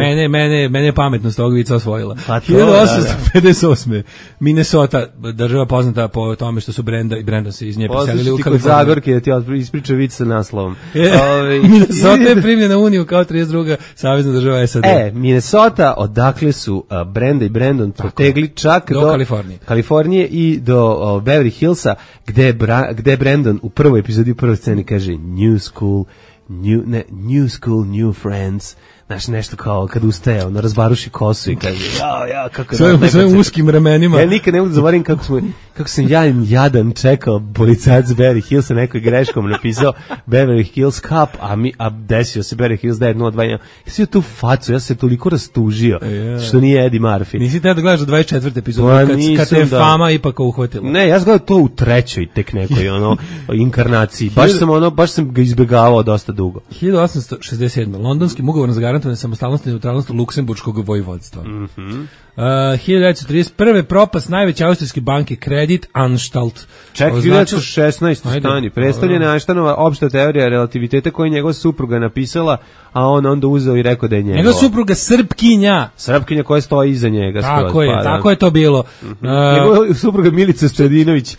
Mene je pametnost ovog vica osvojila. 1858. Minnesota, država poznata po tome što su Brenda i Brenda se iz nje preselili u Kaliforniju. Zagorke da ti ispriča vic sa naslovom. Minnesota je primljena u Uniju kao 32. savezna država SAD. Minnesota, odakle su Brenda i Brandon protegli čak do Kalifornije i do Beverly Hillsa, gde Brandon u prvoj epizodi, u prvoj sceni kaže New school, new friends. Znaš, nešto kao kad ustaje, ono razbaruši kosu i kaže, kako je sve uskim ramenima. Ja nikad ne mogu zaboravim kako sam ja jadan čekao policajac Beverly Hills, nekoj greškom napisao Beverly Hills Cup, a desio se Beverly Hills 902. Ja sam tu facu, ja sam se toliko rastužio, što nije Eddie Murphy. Nisi te da gledaš 24. epizodu, kad te fama ipak uhvatila. Ne, ja sam gledao to u trećoj tek nekoj inkarnaciji. Baš sam ga izbjegavao dosta dugo. 1867. Londonskim ugovorom za garantovane samostalnosti i neutralnost Luksemburškog vojvodstva. 1931. propast najveće austrijske banke Credit Anstalt. Ček, 1916. stani. Predstavljena je Einsteinova opšta teorija relativiteta koju njegova supruga napisala, a on onda uzeo i rekao da je njegova. Njegova supruga Srpkinja koja stoji iza njega. Tako je to bilo. Njegova supruga Milica Stradinović,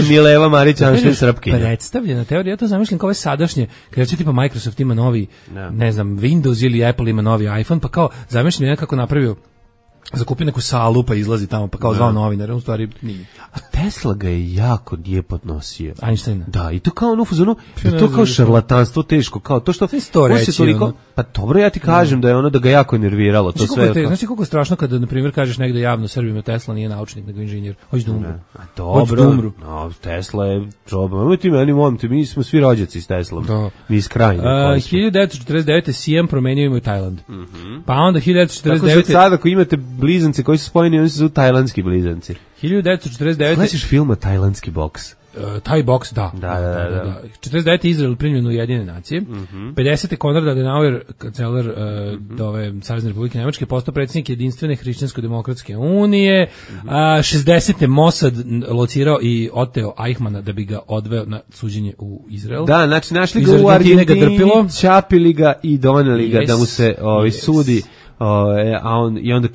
Mileva Marić, Einstein Srpkinja. Predstavljena teorija, ja to zamišljam kao ove sadašnje, kada će tipa Microsoft ima novi, ne znam, Windows ili Apple ima novi iPhone, pa kao zamišljam nekako napravio zakupi neku salu pa izlazi tamo pa kao zvao novinar, u stvari nije. A Tesla ga je jako nije podnosio. Einstein. Da, i to kao ono fuzonu, to kao šarlatanstvo teško, kao to što to reći, toliko, ono. Pa dobro, ja ti kažem da je ono da ga jako nerviralo, to sve. Znači koliko je strašno kada na primjer kažeš negde javno Srbima Tesla nije naučnik nego inženjer. Hoće da umru. Dobro. No, Tesla je čoba. Mi smo svi rođaci s Teslom. Da. Mi iz Krajine. 1949. Siam promenio ime u Tajland. Pa onda 1949. Tako sad ako imate blizance koji su spojeni, oni su zovu tajlandski blizanci. 1949. Gledaš filma Tajlandski boks? Taj boks, da. 49. Izrael primljen u Ujedinjene nacije. 50. Konrad Adenauer, kancelar ove Savezne Republike Nemačke, postao predsjednik Jedinstvene hrišćansko-demokratske unije. 60. Mossad locirao i oteo Eichmana da bi ga odveo na suđenje u Izrael. Da, znači našli ga u Argentini, čapili ga i doneli ga da mu se sudi. I onda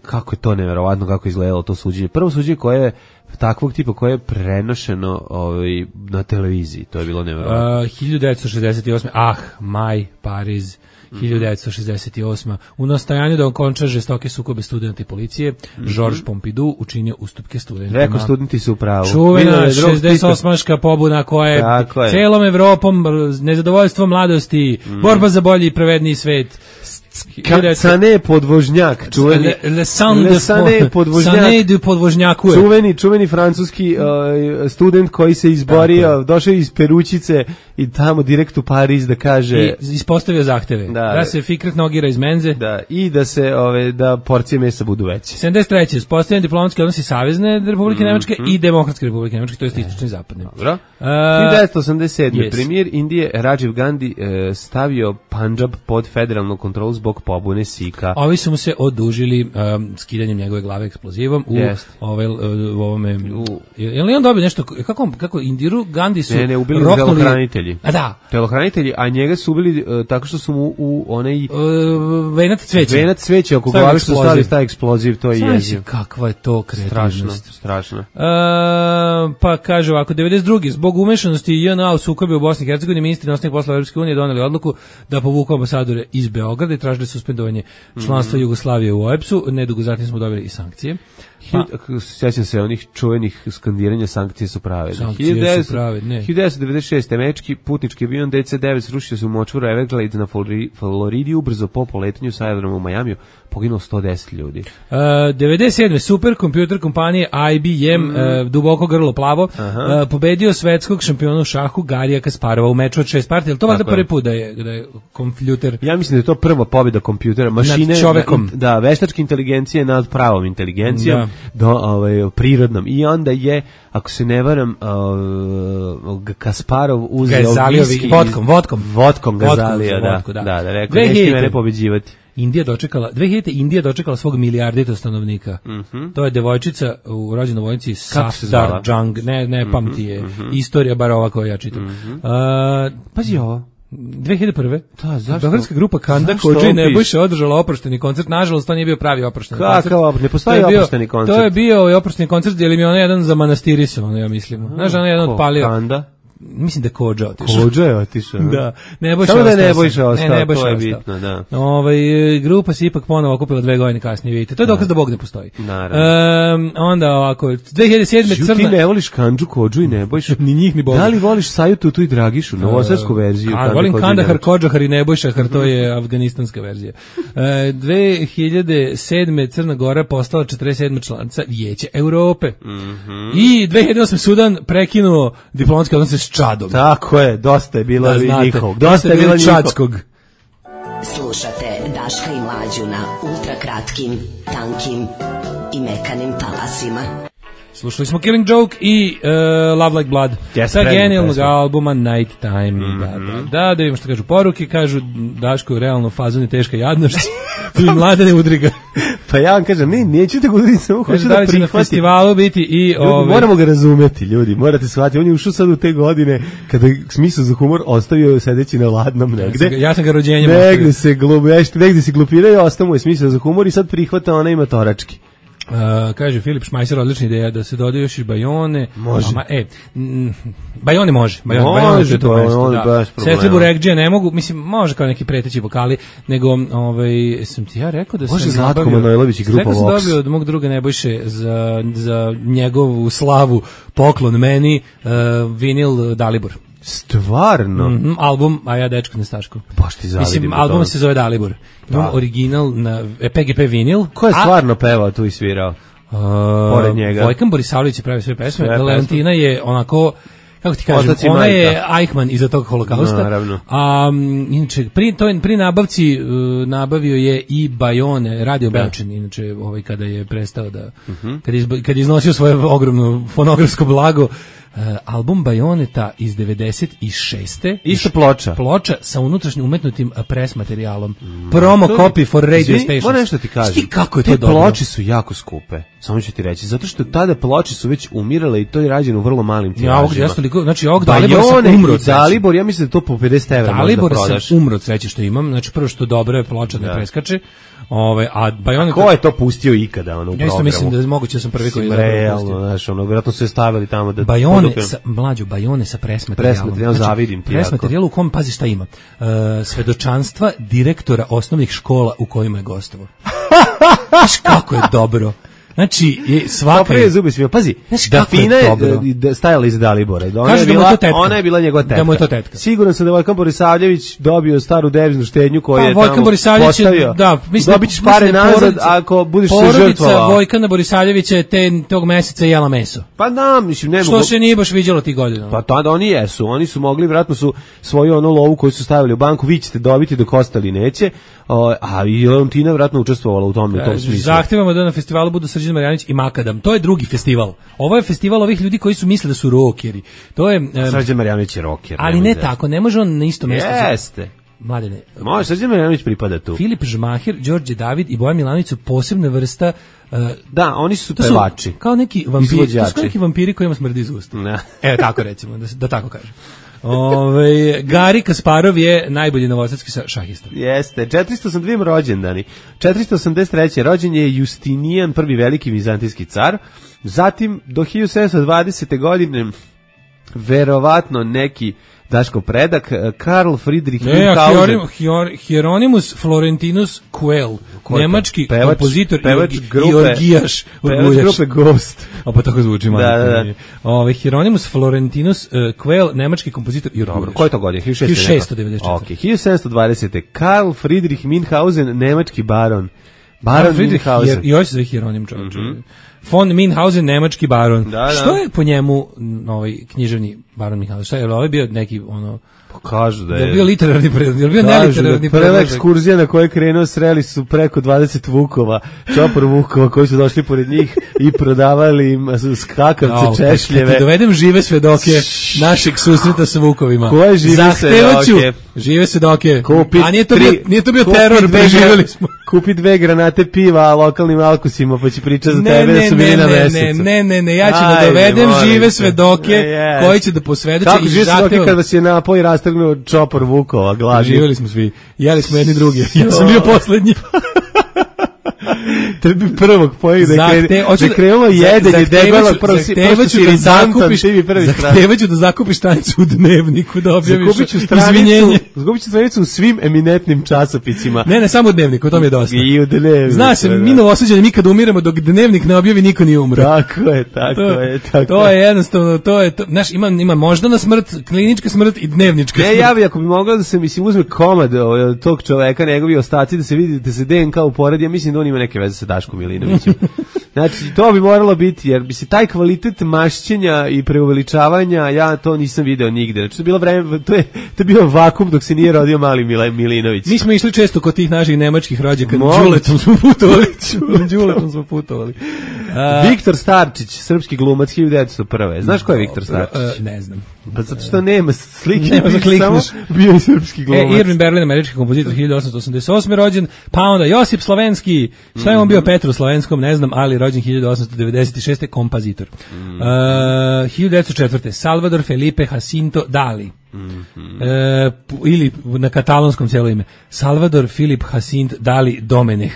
kako je to neverovatno kako izgledalo to suđenje. Prvo suđenje koje je takvog tipa koje je prenošeno na televiziji, to je bilo neverovatno. 1968. Maj, Pariz. 1968. U nastojanju da okonča žestoke sukobe studenta i policije, Georges Pompidou učinio ustupke studentima. Rekao, studenti su u pravu. Čuvena 68-ška pobuna koja je celom Evropom, nezadovoljstvo mladosti, borba za bolji i pravedniji svet. Sané podvožnjak, čuveni čuveni francuski student koji se izborio, došao iz Peručice i tamo direkt u Pariz da kaže i ispostavio zahteve da se Fikret nogira iz menze i da se da porcije mesa budu veće. 73. uspostavljen diplomatski odnosi Savezne Republike Nemačke i Demokratske Republike Nemačke, to je istočni i zapadni. Dobro. 1987. Premijer Indije Rajiv Gandhi stavio Punjab pod federalnu kontrolu zbog pobune Sika. Ovi su mu se odužili skidanjem njegove glave eksplozivom u ovome. Je li on dobio nešto, kako Indiru Gandhi su ubili telohranitelji. A da. Telohranitelji, a njega su ubili tako što su mu u onaj venac cveće oko glave što stavili taj eksploziv, to je jezivo. Kakva je to kreativnost. Strašno. Pa kaže ovako, 92. zbog umešanosti JNA u sukobe u Bosni i Hercegovini, ministri inostranih poslova Evropske unije doneli odluku da povuku ambasadore iz Beograda i tražili suspendovanje članstva Jugoslavije u OEBS-u. Nedugo zatim smo dobili i sankcije. Sjećam se onih čuvenih skandiranja, sankcije su prave. Sankcije su prave, ne. 1996. američki putnički avion DC-9 srušio se u močvaru Everglades na Floridi, ubrzo po poletanju sa aerodroma u Majamiju, poginulo 110 ljudi. 97. superkompjuter kompanije IBM, duboko grlo plavo, pobedio svetskog šampiona u šahu Garija Kasparova u meču od 6 partija. To valjda prvi put da je kompjuter. Ja mislim da je to prva pobjeda kompjutera, mašine nad čovekom. Da, veštačke inteligencije nad pravom inteligencijom, prirodnom. I onda je, ako se ne varam, Kasparov uzeo vodkom Gazalija, da, rekao, nećete mene pobeđivati. 2000. Indija dočekala svog milijardita stanovnika. To je devojčica rođena u vojnici Safdar Jung, ne pamti je istorija bar ova koju ja čitam. Pazi ovo. 2001. Zašto? Beogradska grupa Kanda Kodži Nebojša održala oprošteni koncert. Nažalost, to nije bio pravi oprošteni koncert. Kakav, ne postoji oprošteni koncert. To je bio oprošteni koncert, jer im je ono jedan zamanastirisao, ja mislim. Znaš, ono jedan odpalio. Kanda? Mislim da Kodža otišao. Kodža je otišao. Da. Samo da je Nebojša ostao, to je bitno, da. Grupa se ipak ponovo okupila 2 godine kasnije, vidite. To je dokaz da Bog ne postoji. Naravno. Onda ovako, 2007. Crna... Ti ne voliš Kandžu, Kodžu i Nebojšu? Ni njih, ni Boga. Da li voliš Saju Tutu i Dragišu, novosadsku verziju? Volim Kandahar, Kodžahar i Nebojšahar, to je afganistanska verzija. 2007. Crna Gora postala 47. članica Vijeća Europe. I 2008. Sudan prekinuo diplomatske odnose s Čadom. Tako je, dosta je bilo njihovog. Dosta je bilo čadskog. Slušate Daška i Mlađu na ultrakratkim, tankim i mekanim talasima. Slušali smo Killing Joke i Love Like Blood sa genijalnog albuma Night Time. Da vidimo što kažu poruke. Kažu Daško je realno fazon i teška jadnošć i Mladene udriga. Pa ja vam kažem, neću te udriti, samo hoću da prihvati. Na festivalu biti i... Moramo ga razumeti, ljudi, morate shvatiti. On je ušao sad u te godine kada smisao za humor ostavio sedeći na ladnom negde. Ja sam ga rođenjem negde se glupirao, ostao mu je smisao za humor i sad prihvata ona ima torački. Kaže Filip Šmajser, odlična ideja da se dodaju još i Bajone. Može. Bajone može. Može, to mesto, da. Sestri Burekđe ne mogu, mislim, može kao neki preteći vokali, nego, sam ti ja rekao da može sam Zlatko Manojlović i grupa Vox. Rekao sam dobio od mog druga Nebojše za njegovu slavu poklon meni vinil Dalibor. Stvarno? Album, a ja dečko Nestaško. Baš ti zavidim. Mislim, album se zove Dalibor. Imam original na PGP vinil. Ko je stvarno pevao tu i svirao? Pored njega. Vojkan Borisavljević je pravio sve pesme. Leontina je onako, kako ti kažem, ona je Eichmann iza tog holokausta. Naravno. Inače, pri nabavci nabavio je i Bajone, Radio Beočin, inače kada je prestao da, kad je iznosio svoje ogromno fonografsko blago, album Bajoneta iz 96. Isto ploča sa unutrašnjim umetnutim pres materijalom. Promo copy for radio stations. Moram nešto ti kažem. Šti kako je to dobro. Te ploče su jako skupe. Samo ću ti reći, zato što tada ploče su već umirale i to je rađeno u vrlo malim tiražima. Znači ovog Dalibora sam umro. Dalibor, ja mislim da to po 50 evra Dalibor sam umro od sreće što imam. Znači prvo što dobra je ploča ne preskače. A Bajonet, ko je to pustio ikada u programu? Ja isto mislim da je moguće da sam prvi koji je realno, znaš, vjerojatno su je stavili tamo da Bajone sa presmaterijalom. Zavidim ti. Presmaterijal u kom, pazi šta ima. Svedočanstva direktora osnovnih škola u kojima je gostovao. Znaš kako je dobro. Znači, svaka prije zubi svio. Pazi, da Fina je stajala iz Dalibora. Ona je bila njegova tetka. Da mu je to tetka. Siguran sam da Vojkan Borisavljević dobio staru deviznu štednju koju je tamo postavio. Dobit ćeš pare nazad ako budeš se žrtvovao. Porodica Vojkana Borisavljevića je tog meseca jela meso. Pa da, mislim, ne mogu. Što se nije baš viđalo tih godina. Pa tada oni jesu. Oni su mogli, vjerojatno su svoju ono lovu koju su stavili u banku, vi ćete dobiti dok ostali neće. A i Leontina vjerojatno učestvovala u tom smislu. Zahtevamo da na festivalu budu Srđan Marjanović i Makadam. To je drugi festival. Ovo je festival ovih ljudi koji su mislili da su rokeri. To je Srđan Marjanović je roker. Ali ne tako, ne može on na isto mjesto. Jeste. Mladene. Može, Srđan Marjanović pripada tu. Filip Žmahir, Đorđe David i Bojan Milanović su posebna vrsta. Da, oni su pevači. Kao neki vampiri, to su neki vampiri kojima smrdi iz usta. Evo tako recimo, da tako kažem. Gari Kasparov je najbolji novosadski šahista. Jeste, 482 rođendani. 483. rođen je Justinijan, prvi veliki vizantijski car. Zatim do 1720. godine verovatno neki Daško predak, Karl Friedrich Münchhausen. Hieronymus Florentinus Quell, nemački kompozitor i orgijaš. Pevač grupe Ghost. Pa tako zvuči malo. Hieronymus Florentinus Quell, nemački kompozitor i orgijaš. Dobro, koji to godin? 1694. Ok, 1720. Karl Friedrich Münchhausen, nemački baron. Baron Münchhausen. I ovo se zove Hieronim čovječ. Von Münchhausen, nemački baron. Što je po njemu književni baron Münchhausen? Šta je, ovo je bio neki kažu da je bio literarni predlog, je bio neliterarni predlog. Prva ekskurzija na kojoj je krenuo, sreli su preko 20 vukova, čopor vukova koji su došli pored njih i prodavali im skakavce, češljeve. Da dovedem žive svedoke našeg susreta sa vukovima. Koje žive svedoke? Žive svedoke. A nije to bio teror, preživjeli smo. Kupi 2 granate piva lokalnim alkusima, pa će pričati za tebe da su bili na mesecu. Ne, ja ću da dovedem žive svedoke koji će da posvedoče. Kako žive svedoke kad vas je napoj rastrgnuo čopor vukova, gladni? Živjeli smo svi, jeli smo jedni drugi, ja sam bio poslednji. Tebi prvog pojeg da krenulo jedenje debelog prvog zahtevaću da zakupiš stranicu u Dnevniku, da objaviš izvinjenje. Zakupit ću stranicu u svim eminentnim časopisima. Ne, samo u Dnevniku, to mi je dosta. I u Dnevniku. Zna se, mi novosađani nikad umiramo dok Dnevnik ne objavi, niko nije umro. Tako je. To je jednostavno, znaš, ima moždana smrt, klinička smrt i dnevnička smrt. Ja bi, ako bi mogla da se, mislim, uzme komad tog čoveka, njegovi ostaci, da se vidi, da se DNK uporedi, ja mislim da on ima neke veze sa Daškom Milinovićem. Znači, to bi moralo biti, jer bi se taj kvalitet mašćenja i preuveličavanja, ja to nisam video nigde. Znači, to je bio vakum dok se nije rodio mali Milinović. Mi smo išli često kod tih naših nemačkih rođaka, Đuletom smo putovali. Viktor Starčić, srpski glumac, 1901. Znaš ko je Viktor Starčić? Ne znam. Pa zato što nema slike, nema za klikneš. Bio je srpski glumac. Irvin Berlin, američki kompozitor, 1888. rođen, pa onda Josip Slovenski, šta je on bio Petru Slovenskom, ne znam, ali rođen 1896. kompozitor. 1904. Salvador Felipe Jacinto Dali. Ili na katalonskom cijelo ime Salvador Filip Jacint Dali Domenech,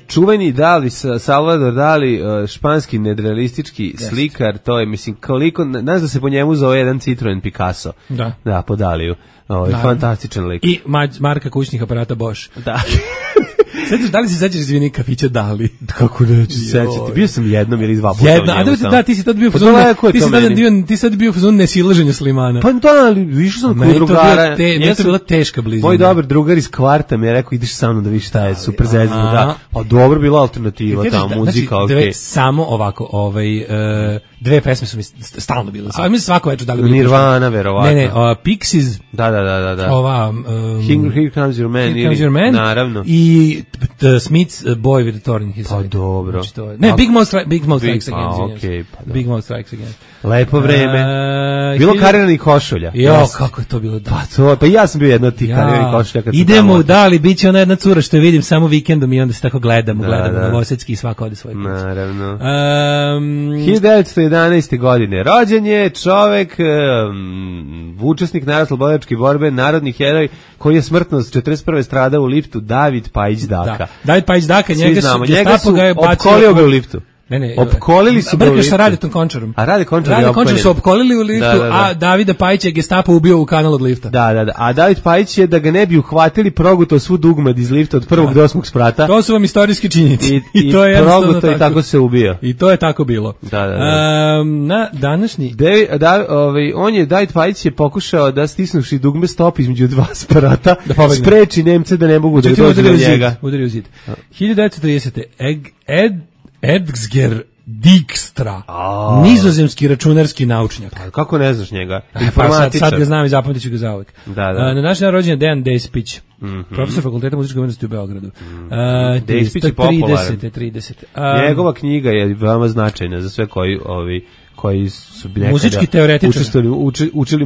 Čuveni Dali, Salvador Dali, španski nedrealistički slikar, to je, mislim, koliko, znaš da se po njemu zove jedan Citroen Picasso. Da, po Daliju. Fantastičan lik. I marka kućnih aparata Bosch. Da. Da li se sećaš izvini kafića Dali? Kako neću sećati? Bio sam jednom ili dva puta. Da, ti si tad bio ti sad bio u fazonu nesilaženja Slimana. Pa da, ali išao sam kod drugara. Meni to bila teška blizina. Moj dobar drugar iz kvarta mi je rekao ideš sa mnom da vidiš šta je, super zezno, da. Pa dobro, bila alternativa, ta muzika, okej. Samo ovako, dve pesme su mi stalno bile. A mi svako večer dali Nirvana, verovatno. Ne, Pixies. Da. Ova Here Comes Your Man, naravno. I Smith's Boy with the Thorn in His Side. Pa dobro. Ne, Big Mouth Strikes Again. Okay, pa da. Big Mouth Strikes Again. Lepo vreme. Bilo kariranih košulja. Kako je to bilo da. Pa ja sam bio jedno od tih kariranih košulja. Idemo u Dali, bit će ona jedna cura što je vidim samo vikendom i onda se tako gledamo Novosadski i svako ode svoj put. Naravno. 1911. godine rođen je čovek, učesnik narodnooslobodilačke borbe, narodni heroj koji je smrtno s 41. stradao u liftu, David Pajić Daka. David Pajić Daka, njega su opkolio ga u liftu. Ne, opkolili su ga u liftu. Sa Radetom Končarom. A Rade Končar su opkolili u liftu, a Davida Pajića je Gestapo ubio u kanal od lifta. Da. A David Pajić je, da ga ne bi uhvatili, progutao svu dugmad iz lifta od prvog do 8. sprata. To su vam istorijski činjenici. I to je jednostavno tako. I tako se ubio. I to je tako bilo. Da. Na današnji... David Pajić je pokušao da stisnuši dugme stop između dva sprata, spreči Nemce da ne mogu da dođu do njega. Udari u zid. 1930. Edsger Dijkstra, nizozemski računarski naučnjak. Kako ne znaš njega? Sad ga znam i zapamtit ću ga zauvek. Da. Na naš dan rođen je Dejan Despić, profesor fakulteta muzičke umetnosti u Beogradu. Despić je popularan. 30. Njegova knjiga je veoma značajna za sve koji su muzički teoretičari učili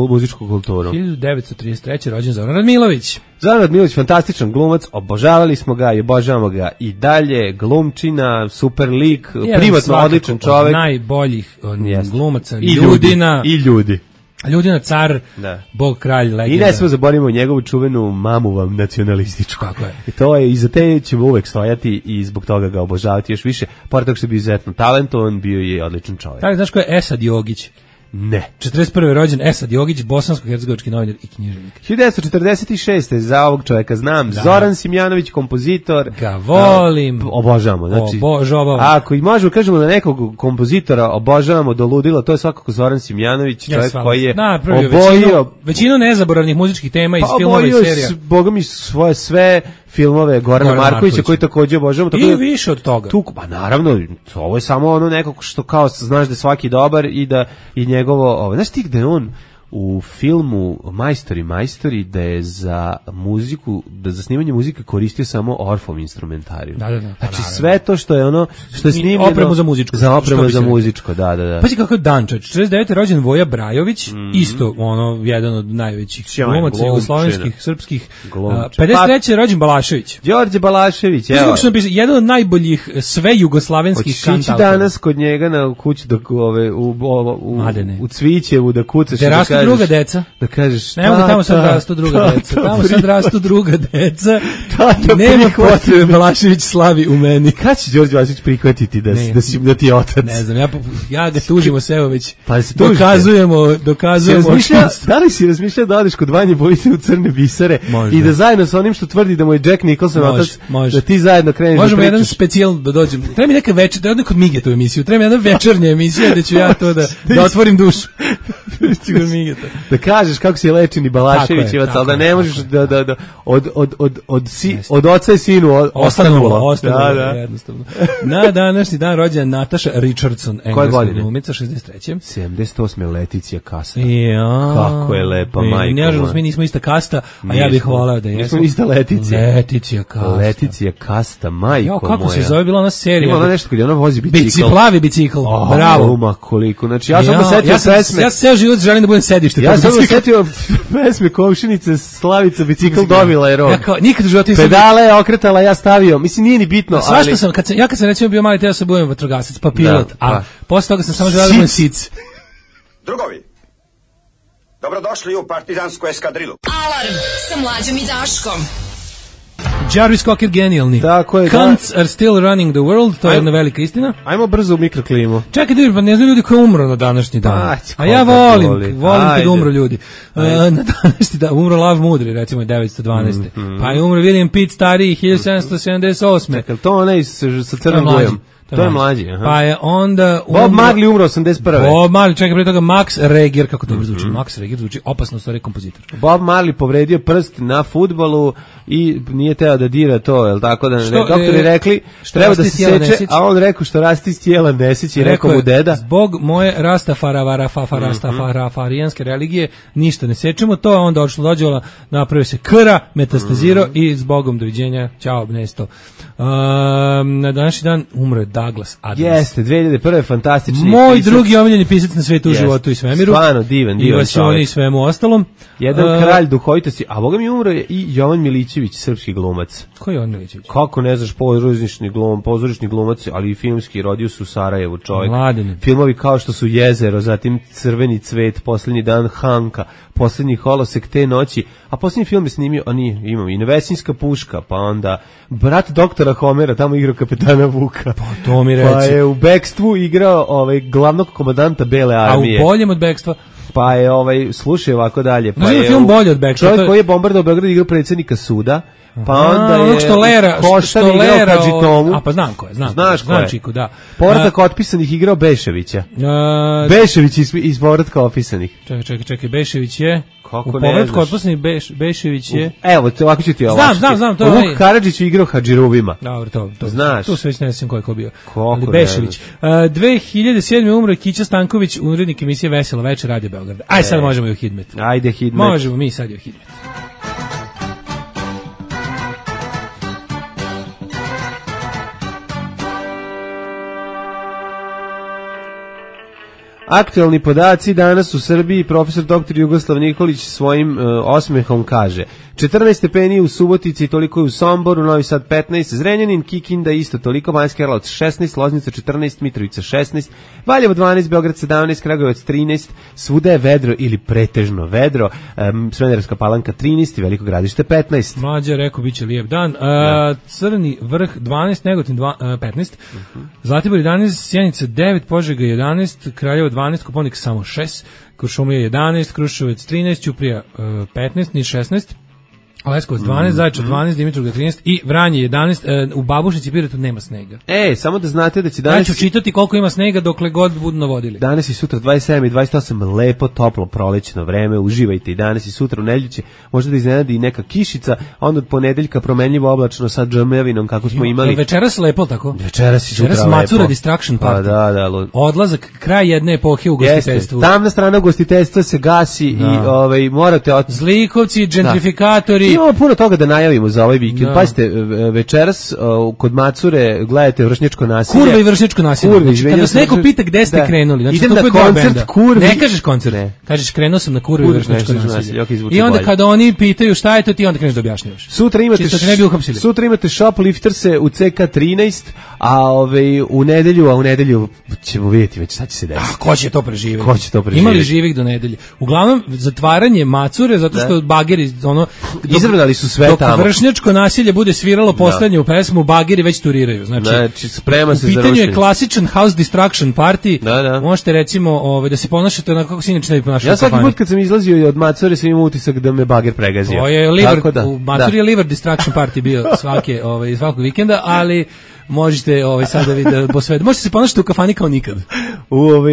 muzičku kulturu. 1933. rođen Zoran Radmilović. Zoran Radmilović, fantastičan glumac, obožavali smo ga i obožavamo ga i dalje, glumčina, super lik, privatno odličan čovjek. Najboljih glumaca, Ljudina car, bog, kralj, legenda. I ne smo zaboravimo njegovu čuvenu mamu vam nacionalističku. Tako je. I to je, i za te ćemo uvek stojati i zbog toga ga obožavati još više. Pored toga što je bio izuzetno talentovan, bio je odličan čovjek. Tako, znaš ko je Esad Jogić? Ne. 41. rođen Esad Jogić, bosansko-hercegovački novinar i književnik. 1946. za ovog čovjeka znam. Zoran Simjanović, kompozitor. Ga volim. Obožavamo. Znači, ako i možemo kažemo da nekog kompozitora obožavamo do ludila, to je svakako Zoran Simjanović, čovjek koji je obojio većinu nezaboravnih muzičkih tema iz filmova i serija. Boga mi svoje sve filmove Gorana Markovića koji takođe obožavamo. I više od toga. Pa naravno, ovo je samo ono nekako što kao znaš da je svaki dobar i da i njegovo, znaš ti gde je on u filmu Majstori da je za muziku, da za snimanje muzike koristio samo Orffov instrumentariju. Da. Znači sve to što je ono što je snimljeno opremu za muzičko. Za opremu za muzičko, da. Pa si kako dan, čovječ. 49. rođen Voja Brajović, isto ono jedan od najvećih glumaca jugoslovenskih, srpskih. 53. rođen Balašević. Đorđe Balašević, evo. Jedan od najboljih sve jugoslavenskih kantautora. Hoćeš danas kod njega na kući u Cvićevu da kucaš druga deca. Da kažeš, tamo sad rastu druga deca. Tamo sad rastu druga deca. Nema potrebe Balašević slavi u meni. Kad će Đorđe Balašević prihvatiti da ti je otac? Ne znam, ja ga tužimo se evo već. Pa se dokazujemo. Da li si razmišljao da odeš kod Vanje Bojice u Crne bisere i da zajedno sa onim što tvrdi da mu je Jack Nicholson otac, da ti zajedno kreneš da pričaš? Možemo jedan specijal da dođem. Treba mi neka večer, da odem kod Mige tu emisiju. Treba mi jedna večernja emisija gde ću ja to da otvorim dušu. Da kažeš kako si lečeni Balaševićevac, ali da ne možeš da od oca i sinu ostanulo. Da, jednostavno. Na današnji dan rođena Nataša Richardson, engleska glumica, 63. 78. Leticija Kasta. Kako je lepa majka. Nažalost, mi nismo ista kasta, a ja bih volao da jesmo. Nismo ista Leticija. Leticija Kasta, majko moja. Kako se zove bila ona serija? Ima ona nešto kad je ona vozi bicikl. Plavi bicikl, bravo. Ma koliko, znači ja sam ga setio pesme. Ja ceo život želim da budem sedište. Ja sam setio pesme Komšinice, Slavica, bicikl dobila je rog. Nikad u životu pedale je okretala, ja stavio. Mislim, nije ni bitno. Svašta sam, kad sam recimo bio mali, teo sam budem vatrogasac, pa pilot, a posle toga sam samo želeo da budem sic. Drugovi, dobrodošli u partizansku eskadrilu. Alarm sa Mlađom i Daškom. Jarvis Cocker genijalni. Tako je, Cunts are still running the world, to je jedna velika istina. Ajmo brzo u mikroklimu. Čekaj, pa ne znam ljudi ko je umro na današnji dan. A ja volim kad umro ljudi. Na današnji dan umro Lav Mudri, recimo 912. Pa je umro William Pitt stariji 1778. Čekaj, to onaj sa crnom bojom. To je mlađi, aha. Pa je onda Bob Marley umro 81. Bob Marley, čekaj, pre toga Max Reger, kako to zvuči? Max Reger zvuči opasno, stvari kompozitor. Bob Marley povredio prst na fudbalu i nije teo da dira to, jel tako da doktori rekli treba da se seče, a on rekao što rasti iz tijela Nesić i rekao mu deda. Zbog moje rastafarijanske religije ništa ne sečemo, to je onda odšlo dođevala, napravio se kra, metastazirao i zbogom doviđenja, ćao Nesto. Na današnji dan umre Douglas Adams. Jeste, 2001. fantastični moj pisac. Drugi omiljeni pisac na svetu u životu i svemiru. Stvarno divan čovjek. I svemu ostalom. Jedan kralj duhovitosti, a boga mi umro je i Jovan Milićević, srpski glumac. Ko je Jovan Milićević? Kako ne znaš, pozorišni glumac, ali i filmski, rodio su u Sarajevu čovjek. Mladine. Filmovi kao što su Jezero, zatim Crveni cvet, Posljednji dan Hanka, Posljednji holosek te noći, a posljednji film je snimio, imamo i Nevesinjska puška, pa onda brat doktora Homera, tamo igrao kapetana Vuka. Pa to mi reci. Pa je u Bekstvu igrao glavnog komandanta Bele armije. A u boljem od Bekstva? Pa je slušaj ovako dalje. Pa je film bolji od Bekstva. Čovjek koji je bombardovao Beograd igrao predsjednika suda. Pa onda je Koštar igrao Kadžitomu. A pa znam ko je, Znaš ko je. Čiku, da. Povratak otpisanih igrao Beševića. Bešević iz povratka otpisanih. Čekaj, Bešević je... Kako u povratku otpisanih Bešević je... Evo, ovako ću ti ovako. Znam. Vuk Karadžić je igrao Hadžiruvima. Dobro, to. Znaš. Tu se već ne znam ko je bio. Ali Bešević. 2007. umro Kića Stanković, urednik emisije Veselo večer Radio Beograd. Aj sad možemo i u Hidmet. Ajde Hidmet. Možemo mi sad i u Hidmet. Aktualni podaci danas u Srbiji, profesor dr. Jugoslav Nikolić svojim osmehom kaže 14 stepeni u Subotici, toliko je u Somboru, Novi Sad 15, Zrenjanin, Kikinda isto toliko, Banjski Karlovac 16, Loznica 14, Mitrovica 16, Valjevo 12, Beograd 17, Kragujevac 13, svuda je vedro ili pretežno vedro, Smederevska Palanka 13 i Veliko Gradište 15. Mlađa rekao biće lijep dan. Crni vrh 12, Negotin 15, Zlatibor 11, Sjenica 9, Požega 11, Kraljevo 12, Koponik samo 6, Kuršumlija 11, Kruševac 13, Ćuprija 15, Niš 16, Leskovac 12, Zaječar 12, Dimitrovgrad 13 i Vranje 11, u Babušnici i Pirotu nema snega. Samo da znate da će danas... Ja ću čitati koliko ima snega dokle god budu navodili. Danas i sutra 27 i 28, lepo, toplo, prolećno vreme, uživajte i danas i sutra u nedelju će možda da iznenadi i neka kišica, a onda od ponedeljka promenljivo oblačno sa džemevinom kako smo imali. Večeras lepo tako? Večeras i sutra lepo. Macura Distraction Party. Pa da. Odlazak, kraj jedne epohe u gostiteljstvu. Tamna strana ugostiteljstva se gasi i morate... Zlikovci, gentrifikatori... Imamo puno toga da najavimo za ovaj vikend. Pazite, večeras kod Macure gledajte vršnjačko nasilje. Kurva i vršnjačko nasilje. Kad vas neko pita gde ste krenuli, znači idem na koncert Kurvi. Ne kažeš koncert, kažeš krenuo sam na Kurvi i vršnjačko nasilje. I onda kada oni pitaju šta je to, ti onda kreneš da objašnjavaš. Sutra imate Shoplifterse u CK13, a u nedelju ćemo vidjeti već šta će se desiti. Ko će to preživjeti? Ima li živih do nedelje? Uglavnom, zatvaranje Macure, zato što bageri, izravnali su sve tamo. Dok vršnjačko nasilje bude sviralo poslednju pesmu, bageri već turiraju. Znači sprema se za rušenje. U pitanju je klasičan house distraction party. Možete recimo da se ponašate onako kako se inače ne bi ponašali. Ja svaki put kad sam izlazio od Macore sam imao utisak da me bager pregazio. To je u Macuri je liver distraction party bio svakog vikenda, ali možete sada vidjeti posvede. Možete se ponašati u kafani kao nikad.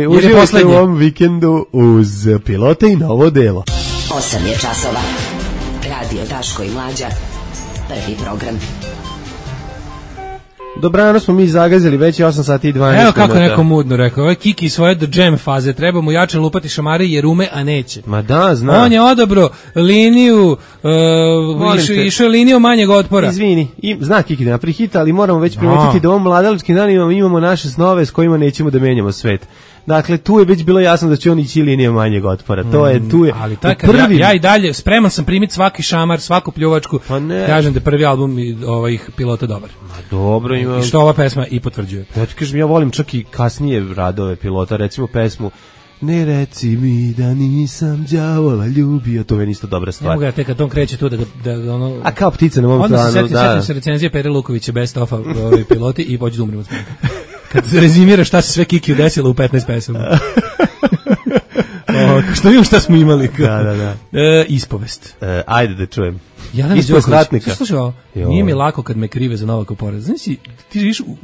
Uživajte u ovom vikendu uz Pilote i novo delo. 8 je časova. Radio Daško i Mlađa. Prvi program. Dobrano smo mi zagazili, već je 8 sati i 12 minuta. Evo kako neko mudno rekao, ovo je Kiki svoje do jam faze, treba mu jače lupati šamare jer ume, a neće. Ma da, znam. On je odobro liniju, išao je liniju manjeg otpora. Izvini, zna Kiki da napravi hit, ali moramo već primetiti da u ovom mladalačkim danima imamo naše snove s kojima nećemo da menjamo svet. Dakle, tu je već bilo jasno da će on ići linija manjeg otpora. Tu je. Ali ja i dalje spreman sam primiti svaki šamar, svaku pljuvačku. Kažem da je prvi album ovih Pilota dobar. Dobro ima. I što ova pesma i potvrđuje. Ja ti kažem, ja volim čak i kasnije radove Pilota, recimo pesmu ne reci mi da nisam đavola ljubio, to je isto dobra stvar. Ne mogu ja tek kad on kreće tu da ono... A kao ptica na mom planu, da. Onda se setim se recenzije Pere Lukovića Best of piloti i pođu da umrem od smeka. Kad se rezimira šta se sve Kikiju desilo u 15 pesama. Što vidimo šta smo imali. Da. Ispovest. Ajde da čujem. Ispovest ratnika. Slušaj, nije mi lako kad me krive za Novaka porez. Znaš, ti živiš u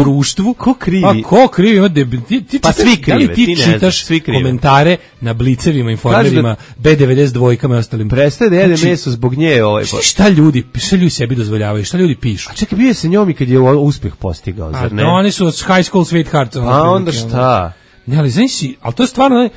društvu. Ko krivi? Pa ko krivi? Pa svi krive. Da li ti čitaš komentare na Blicevima, Informerima, B92 i ostalim? Prestaje da jede meso zbog nje. Šta ljudi sebi dozvoljavaju? Šta ljudi pišu? A čekaj, bio se njom i kad je uspeh postigao, zar ne? Oni su high school sweethearts. A onda šta? Ne, ali znaš si, ali to je stvarno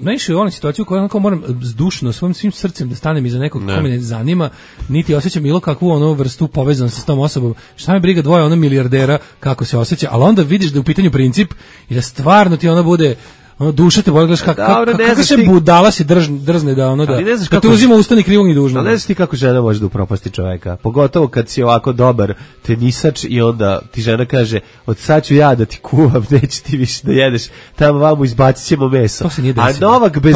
najviše u onoj situaciji u kojoj onako moram zdušno svim srcem da stanem iza nekog ko me ne zanima, niti osjećam bilo kakvu onu vrstu povezanosti s tom osobom. Šta me briga dvoje ono milijardera kako se osjeća, ali onda vidiš da je u pitanju princip i da stvarno ti ona bude duša te boli, kako se budala se drzne da ono da te uzima ustani krivog i dužnog. Ali ne znaš ti kako žena može da upropasti čoveka, pogotovo kad si ovako dobar tenisač i onda ti žena kaže od sad ću ja da ti kuvam, neće ti više da jedeš, tamo vamo izbacit ćemo meso. To se nije desilo. A Novak bez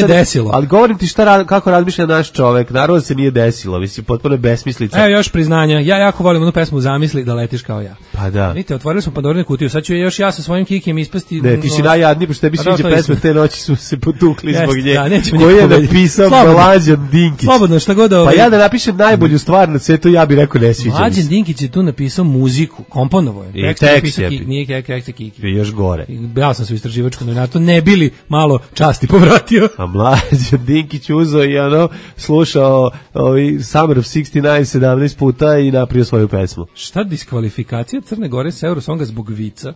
mesa, ali govorim ti kako razmišlja naš čovek, naravno se nije desilo, mislim, potpuno je besmislica. Evo još priznanja, ja jako volim onu pesmu Zamisli da letiš kao ja. Pa da. Vidite, otvorili smo Pandorinu kutiju, sad ću još ja sa svojim Kikijem ispasti. Ne, ti si najjadniji, pošto tebi sviđa pesme, te noći su se potukli zbog nje. Da, koji je napisao Mlađan Dinkić. Slobodno, šta god Pa ja da napišem najbolju stvar na svetu, ja bih rekao ne sviđa. Mlađan Dinkić je tu napisao muziku, komponovo je. I tekst je. Nije tekst Kiki. I još gore. Ja sam se u istraživačkom novinarstvu, ne bili malo časti povratio. A Mlađan Dinkić uzeo i slušao Summer of 69 17 puta i napravio svoju pesmu. Šta diskvalifikacija Crne Gore sa Eurosonga zbog vica?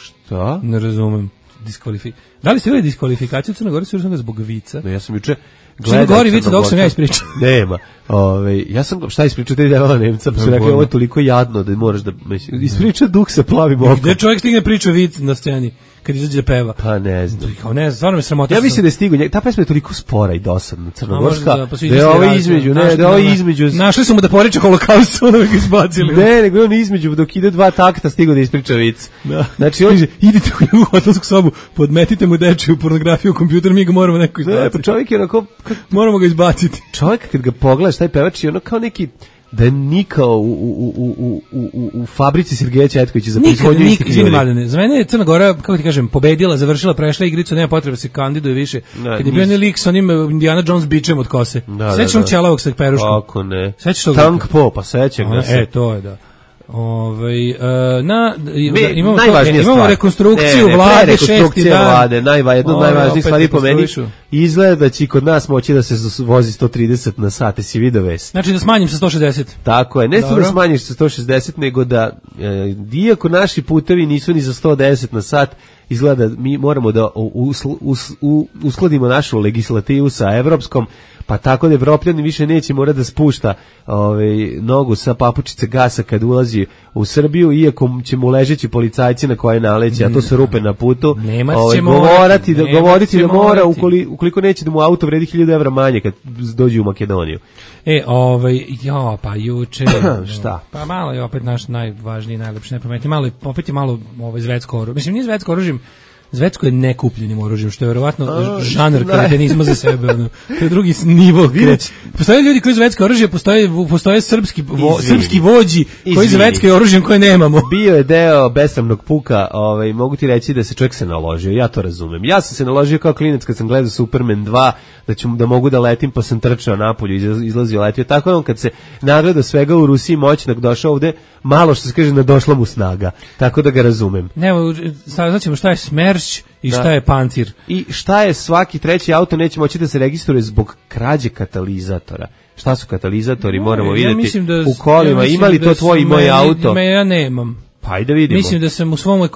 Šta? Ne razumem. Da li ste vidjeli diskvalifikaciju Crne Gore zbog vica? No, ja sam juče Crne Gore vica dok sam ja ispričao. Nema. Ja sam šta ispričao, te devala Nemca, pa su rekli ovo je toliko jadno da moraš da ispriča duh sa plavim okom. Gde čovjek stigne priča vic na sceni kad izađe da peva? Pa ne znam. Kao ne, stvarno me sramota. Ja mislim da je stigao, ta pesma je toliko spora i dosadna, crnogorska, da je ovo između, našli su mu da poriče holokaust, ono ga izbacili. Ne, nego on između, dok ide 2 takta stigao da ispriča vic. Znači, on idite u hotelsku sobu, podmetite mu dečiju pornografiju u kompjuter, mi ga moramo neko izbaciti. Ne, pa čovjek je onako, moramo ga izbaciti. Čovjek kad ga pogledaš, taj pevač je ono kao neki da je nikao u fabrici Sergeja Četkovića za proizvodnju istih ljudi. Za mene je Crna Gora, kako ti kažem, pobedila, završila, prešla igricu, nema potrebe se kandiduje više. Kad je bio onaj lik s onim Indiana Jones bičem od kose. Sećaš on Čelavog sa peruškom? Kako ne. Sećaš Tank Po, pa sećam ga se. To je da. Imamo rekonstrukciju vlade, jedno od najvažnijih stvari po meni, izgleda da će kod nas moći da se vozi 130 na sat, si vidio vest. Znači da smanjim sa 160. Tako je, ne samo da smanjiš sa 160, nego da iako naši putevi nisu ni za 110 na sat, izgleda da mi moramo da uskladimo našu legislativu sa evropskom, pa tako da Evropljani više neće morati da spušta nogu sa papučice gasa kad ulazi u Srbiju, iako će mu ležeći policajci na koje naleće, a to su rupe na putu, govoriti da mora ukoliko neće da mu auto vredi 1000 evra manje kad dođe u Makedoniju. Pa juče šta? Pa malo je opet naš najvažniji, najlepši, najpametniji, opet je malo zvetsko oružje. Mislim, nije zvetsko oružjem, zvetsko je nekupljenim oružjem, što je verovatno žanr kretenizma za sebe. To je drugi nivo. Postoje ljudi koji zvetsko oružje, postoje srpski vođi koji zvetsko oružjem koje nemamo. Bio je deo besramnog puka, mogu ti reći da se čovjek se naložio, ja to razumem. Ja sam se naložio kao klinac kad sam gledao Superman 2, da mogu da letim, pa sam trčao napolju, izlazio, letio. Tako je on kad se nagledao svega u Rusiji moćnog, došao ovde, malo što se kaže, nadošla mu snaga. Tako da ga razumem. Evo, sad ćemo šta je Smerš i šta je Pancir. I šta je svaki treći auto neće moći da se registruje zbog krađe katalizatora. Šta su katalizatori, moramo vidjeti u kolima. Ima li to tvoj i moj auto? Ja nemam. Pa ajde vidimo. Mislim da sam u svom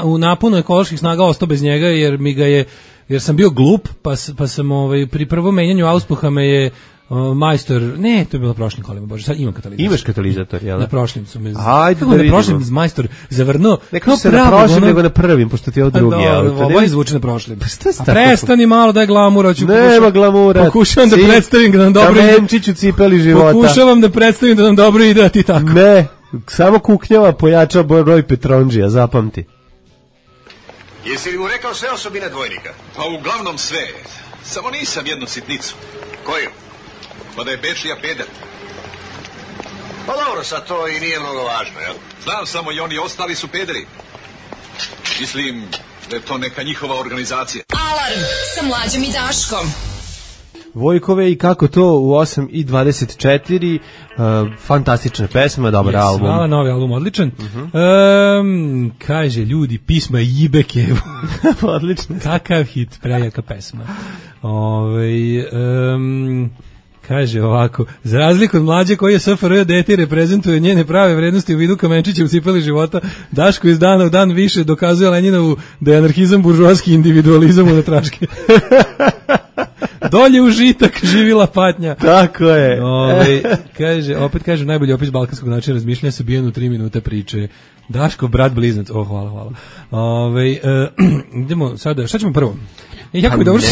u naponu ekoloških snaga ostao bez njega, jer sam bio glup, pa sam pri prvom menjanju auspuha me je majstor, ne, to je bilo prošlim kolima, bože, sad imam katalizator. Imaš katalizator, jel? Na prošlim su me. Ajde da vidimo. Na prošlim majstor zavrnuo. Neko se na prošlim, nego na prvim, pošto ti je ovo drugi auto. Ovo je zvuči na prošlim. A prestani malo da je glamura. Nema glamura. Pokušavam da predstavim da nam dobro ide. Kamenčić u cipeli života. Pokušavam da predstavim da nam dobro ide, a ti tako. Ne, samo kuknjava pojača broj Petronđija, zapamti. Jesi li mu rekao sve osobine dvojnika? Pa uglavnom sve. Samo nisam jednu sitnicu. Koju? Pa da je Bečija peder. Pa dobro, sad to i nije mnogo važno, jel? Znam samo i oni ostali su pederi. Mislim da je to neka njihova organizacija. Alarm sa Mlađom i Daškom. Vojkove i kako to u 8:24, fantastična pesma, dobar album. Hvala, novi album, odličan. Kaže, ljudi, pisma Jibekevu. Odlično. Kakav hit, prejaka pesma. Kaže ovako, za razliku od Mlađe koji je SFRJ dete i reprezentuje njene prave vrednosti u vidu kamenčića u cipeli života, Daško iz dana u dan više dokazuje Lenjinovu da je anarhizam buržoaski individualizam u natraške. Dolje užitak, živila patnja. Tako je. Opet kaže, najbolji opis balkanskog načina razmišljanja se bijen u 3 minute priče. Daško, brat blizanac. Hvala. Idemo sada, šta ćemo prvo? Jako dobro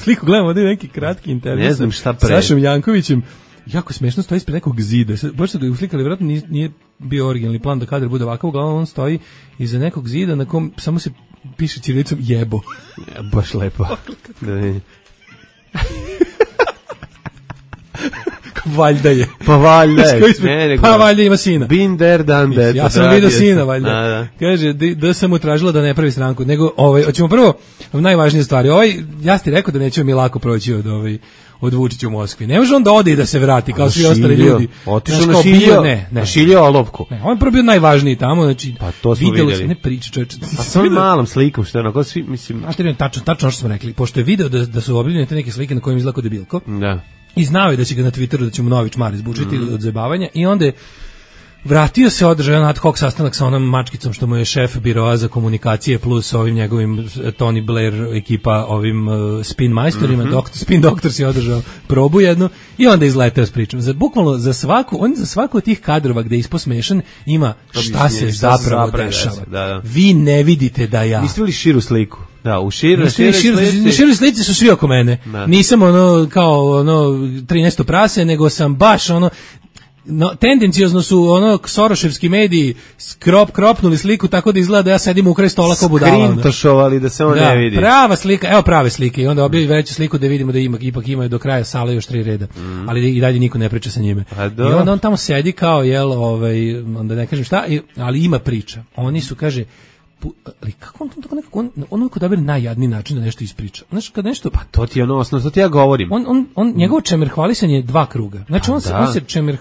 sliku gledamo, ovdje neki kratki intervju. Ne znam šta pre. Sašom Jankovićem. Jako smešno stoji ispred nekog zida. Baš su ga uslikali, vjerojatno nije bio originalni plan da kadar bude ovakav, uglavnom on stoji iza nekog zida na kom samo se piše ćirilicom jebo. Baš lepo. Valjda je. Pa valjda je. Pa valjda ima sina. Been there, done that. Ja sam vidio sina, valjda. Da. Kaže, da sam mu tražila da ne pravi stranku. Nego, hoćemo prvo najvažnije stvari. Ja ti rekao da nećemo mi lako proći od Vučića u Moskvi. Ne može on da ode i da se vrati kao svi ostali ljudi. Otišao na šilio olovku. Ne, on je prvo bio najvažniji tamo, znači pa to smo vidjeli. Ne priča, čoveče. Pa sa ovim malom slikom, što je onako svi, mislim... Tačno što smo rekli, pošto je video da su objavljene te neke slike na kojim izlako debilko. Da. I znao je da će ga na Twitteru, da će mu novi čmar izbučiti od zajebavanja i onda je vratio se, održao jedan ad hoc sastanak sa onom mačkicom što mu je šef biroa za komunikacije plus ovim njegovim Tony Blair ekipa ovim spin majstorima, spin doktor si održao probu jednu i onda izleteo s pričom. Bukvalno za svaku od tih kadrova gde je isposmešan ima šta se zapravo dešava. Da. Vi ne vidite da ja... Niste li širu sliku? Da, u široj slici su svi oko mene. Da. Nisam kao 13. prase, nego sam baš tendencijozno su soroševski mediji kropnuli sliku tako da izgleda da ja sedim u kraj stola kao budala. Skrintošovali da se on ne vidi. Prava slika, evo prave slike i onda objavi veću sliku da vidimo da ipak imaju do kraja sale još 3 reda. Ali i dalje niko ne priča sa njime. I onda on tamo sedi kao onda ne kažem šta, ali ima priča. Oni su, kaže, ali kako on tako nekako, on uvijek odabere najjadniji način da nešto ispriča. Znaš, kad nešto... Pa to ti je osnovno, to ti ja govorim. Njegovo čemerhvalisanje je 2 kruga. Znači, on se čemer...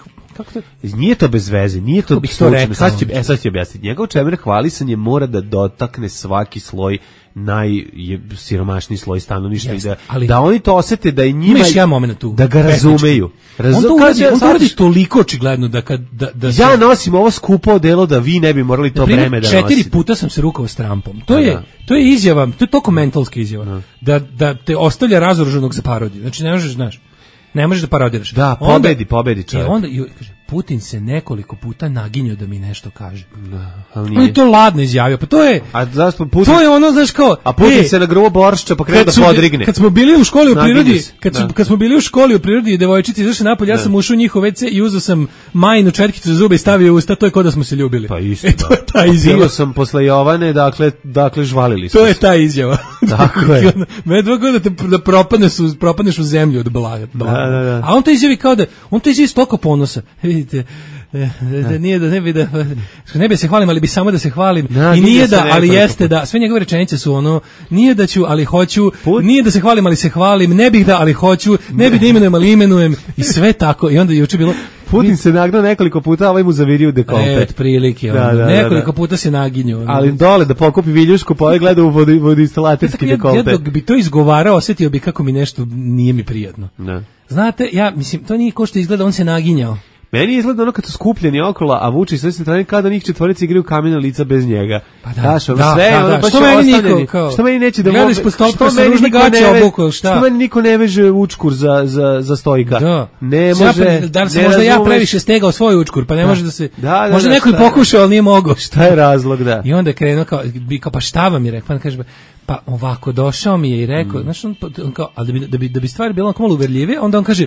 Nije to bez veze, nije to slučajno. Sad ću objasniti. Njegovo čemerhvalisanje mora da dotakne svaki sloj, najsiromašniji sloj stanovništva i da oni to osete da je njima, da ga razumeju. On to uradi toliko očigledno da ja nosim ovo skupo odelo da vi ne bi morali to breme da nosite. 4 puta sam se rukao s Trumpom. To je izjava, to je toko mentalska izjava. Da te ostavlja razoruženog za parodiju. Znači ne možeš, znaš, ne možeš da parodiraš. Da, pobedi čovjek. Onda kaže, Putin se nekoliko puta naginjao da mi nešto kaže. Da, on je to ladno izjavio. Pa to je... A zašto Putin... To je ono, znaš kao... A Putin se na grubo boršća pa krenuo da podrigne. Kad smo bili u školi u prirodi, kad smo bili u školi u prirodi i devojčice izašle napolje, ja sam ušao u njihov WC i uzeo sam majinu četkicu za zube i stavio u usta, to je kao da smo se ljubili. Pa isto. To je ta izjava. Bio sam posle Jovane, dakle žvalili smo. To je ta izjava. Tako je. Me 2 godine da propadneš u zemlju od blaga. Da. A on to izjavi kao da, on to izjavi s toliko ponosa. Vidite, nije da ne bi se hvalim, ali bi samo da se hvalim. I nije da, ali jeste da, sve njegove rečenice su ono, nije da ću, ali hoću, nije da se hvalim, ali se hvalim, ne bih da, ali hoću, ne bih da imenujem, ali imenujem, i sve tako. I onda je juče bilo... Putin se nagnao nekoliko puta, a ovaj mu zavirio dekolte. Prilike, nekoliko puta se naginju. Ali dole da pokupi viljušku, pa ovaj gleda u vodoinstalaterski dekolte. Ja dok bi to izgovarao, osjetio bi kako mi nešto nije mi prijatno. Znate, mislim, to nije ko što izgleda, on se naginjao. Meni izgleda ono kad su skupljeni okolo, a Vučić sve se strane kada njih 4 igraju kamena lica bez njega. Pa da, sve ono baš što meni niko, kao, što meni neće da gleda ispod stolpa sa ružne gaće obukao, šta? Što meni niko ne veže učkur za stojka. Da. Ne može. Da li možda ja previše stegao svoj učkur, pa ne može da se. Možda neko je pokušao, ali nije mogao. Šta je razlog, da? I onda je krenuo kao pa šta vam je rekao, pa kaže pa ovako došao mi je i rekao, znači on kao, ali da bi stvar bila malo uverljivije, onda on kaže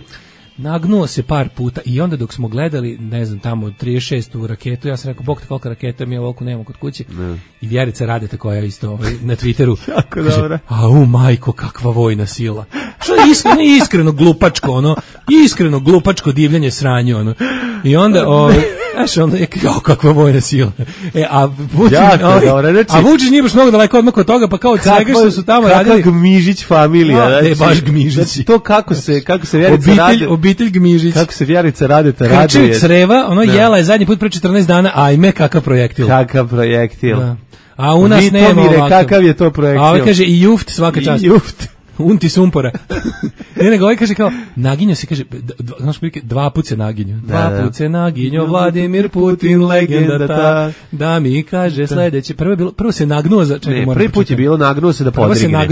nagnuo se par puta i onda dok smo gledali, ne znam, tamo 36. raketu, ja sam rekao, bog te koliko raketa mi je ovoliko nemamo kod kuće. I Vjerica Radeta koja je isto na Twitteru. Jako dobro. Au majko, kakva vojna sila. Što je iskreno glupačko, ono, iskreno glupačko divljanje sranje, ono. I onda, znaš, onda je kao kakva vojna sila. A Vučić nije baš mnogo daleko odmah od toga, pa kao od svega što su tamo radili. Kakva Gmižić familija. Ne, baš Gmižić. To kako se Vjerica Radeta. Obitelj Gmižić. Kako se Vjerica Radeta raduje. Krčev creva, jela je zadnji put pre 14 dana, ajme, kakav projektil. Kakav projektil. Da. A u nas nema ovakav. Kakav je to projektil. A ovaj kaže i juft svaka čast. I juft. Unti sumpora. Nego ovaj kaže kao, naginjo se, kaže, znaš prilike, 2 put se naginjo. 2 put se naginjo, Vladimir Putin, legenda ta, da mi kaže sledeće. Prvo se nagnuo za... Prvi put je bilo nagnuo se da podrigne.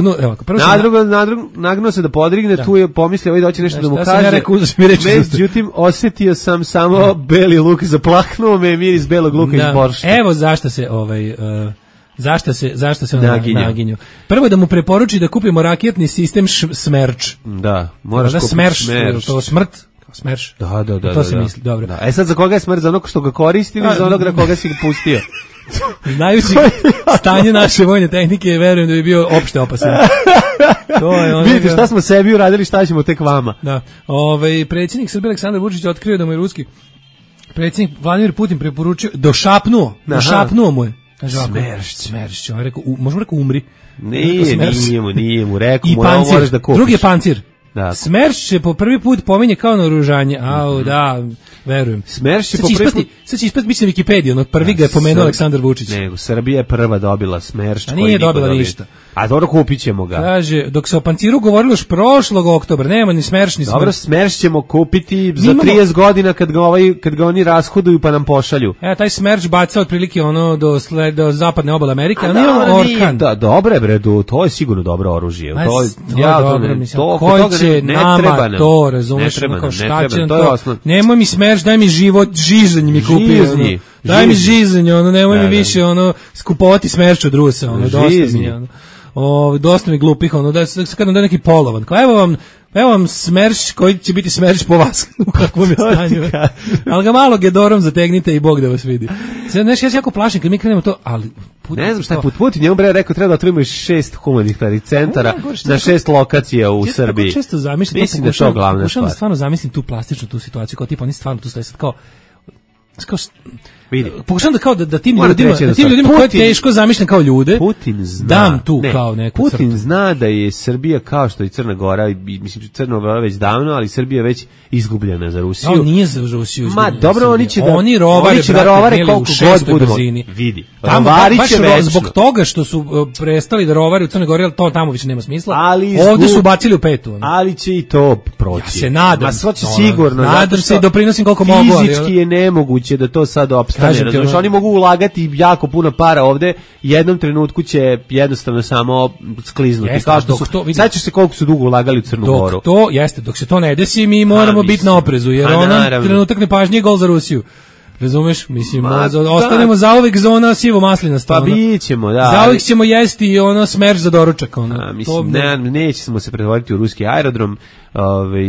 Nagnuo se da podrigne, tu je pomislio, ovaj doći nešto da mu kaže. Međutim, osjetio sam samo beli luk, zaplaknuo me miris belog luka iz boršta. Evo zašto se Zašto se naginju? Prvo da mu preporuči da kupimo raketni sistem Smerč. Da, moraš kupiti Smerč. To smrt? Smerč. Da. To se misli, dobro. Da. Sad za koga je Smerč? Za onog što ga koristi ili za onog na koga si ga pustio? Znajući stanje naše vojne tehnike, verujem da bi bio opšte opasan. Vidite šta smo sebi uradili, šta ćemo tek vama. Da. Predsjednik Srbije Aleksandar Vučić otkrio da mu je ruski predsjednik Vladimir Putin preporučio, došapnuo mu je. Smeršć, on je rekao, možemo rekao umri. Nije mu rekao, moraš da kupiš. Drugi je pancir. Da. Smerš će po prvi put pominje kao naoružanje. Da, verujem. Smerš će po prvi put... Sad će ispast biti na Wikipediji, prvi ga je pomenuo Aleksandar Vučić. Nego, Srbija je prva dobila Smerš. A nije dobila ništa. A dobro, kupit ćemo ga. Kaže, dok se o panciru govorilo još prošlog oktobra, nema ni Smerš ni Smerš. Dobro, Smerš ćemo kupiti za 30 godina kad ga oni rashoduju pa nam pošalju. Taj Smerš baca otprilike do zapadne obale Amerike, a nije Orkan. Da, dobro je, bre, to je sigurno dobro oružje. Koji će nama to, razumeš, kao šta će nam to. Nemoj mi Smerš, daj mi žizanj mi kupi. Daj mi žizanj, nemoj mi više skupovati Smerš od Rusa, dosta mi. Dosta mi glupih, da se kada da neki polovan. Evo vam Smerš koji će biti Smerš po vas u kakvom je stanju. Ali ga malo gedorom zategnite i Bog da vas vidi. Ja se jako plašim kad mi krenemo to, ali... Ne znam šta je Putin, njemu bre rekao treba da otvorimo 6 humanitarnih centara na 6 lokacija u Srbiji. Jako često zamišljam, mislim da je to glavna stvar. Da stvarno zamislim tu plastičnu tu situaciju, kao tipa oni stvarno tu stoje sad kao vidi. Pokušam da tim ljudima koje teško zamišljam kao ljude, Putin zna, dam tu kao neku Putin crtu. zna da je Srbija kao što i Crna Gora, mislim Crna Gora već davno, ali Srbija već izgubljena za Rusiju. On nije za Rusiju izgubljena. Ma dobro, oni će da rovare koliko god budemo. Vidi. Rovari će večno. Zbog toga što su prestali da rovare u Crnoj Gori, ali to tamo više nema smisla. Ovdje su bacili u petu. Ali će i to proći. Ja se nadam. Ma sva će sigurno. Nadam se i doprinosim koliko mogu. Fizički je nemoguće da to sad opstane. Razumiješ, oni mogu ulagati jako puno para ovde, jednom trenutku će jednostavno samo skliznuti. Kao što sad će se koliko su dugo ulagali u Crnu Goru. Dok se to ne desi, mi moramo biti na oprezu, jer trenutak nepažnje je gol za Rusiju. Razumeš? Mislim, ostanemo zauvek zona sivo maslinasta. Pa bićemo, da. Zauvek ćemo jesti Smerš za doručak. Mislim, nećemo se pretvoriti u ruski aerodrom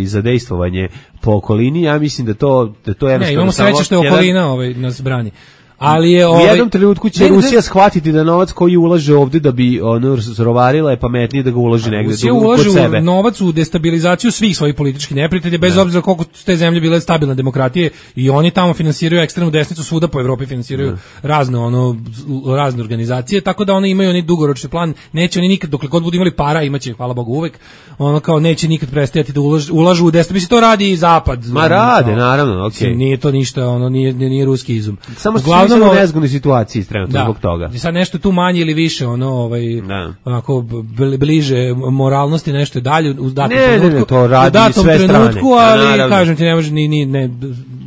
za dejstvovanje po okolini. Ja mislim da to jednostavno... Ne, imamo sreće što je okolina nas brani. Ali je u jednom trenutku će Rusija shvatiti da novac koji ulaže ovde da bi rovarila je pametnije da ga uloži negde kod sebe. Rusija ulaže novac u destabilizaciju svih svojih političkih neprijatelja, bez obzira koliko su te zemlje bile stabilne demokratije, i oni tamo finansiraju ekstremnu desnicu, svuda po Evropi finansiraju razne organizacije, tako da oni imaju oni dugoročni plan, neće oni nikad, dokle god budu imali para, imaće, hvala Bogu, uvek, kao neće nikad prestajati da ulažu u desnicu. Mislim, to radi i zapad. Ma rade, naravno, okej. Nije to ništa, nije ruski izum. Samo u nezgodnoj situaciji trenutno zbog toga. Sad nešto tu manje ili više onako bliže moralnosti, nešto dalje u datom trenutku. Ne, to radi sve strane. Ali kažem ti, ne može ni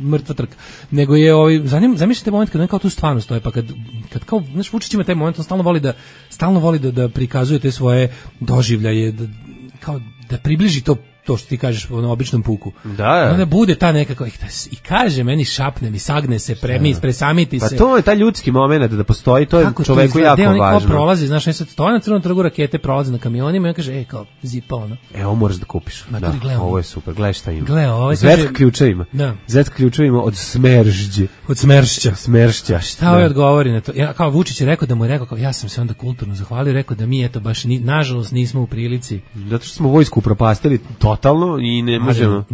mrtva trka. Nego je zamislite moment kad on kao tu stvarno stoje, pa kad kao, znaš, Vučić ima taj moment, on stalno voli da prikazuje te svoje doživljaje, kao da približi to to što ti kažeš na običnom puku. Da. Onda bude ta nekako i kaže meni šapne mi, sagne se, presamiti se. Pa to je taj ljudski momenat da postoji, to je čoveku jako važno. Oni kao prolazi, znaš, sad stoje na Crvenom trgu, rakete prolaze na kamionima i on kaže, kao, zipa ono. Ovo moraš da kupiš. Da, ovo je super, gledaj šta ima. Zetka ključevima. Zetka ključevima od Smeržđe. Od Smeršća. Šta ovaj odgovori na to? Ja, kao Vučić je rekao da mu je rekao, ja sam se onda kulturno zahvalio, rekao da mi eto baš nažalost nismo u prilici. Zato što smo vojsku upropastili totalno i ne možemo.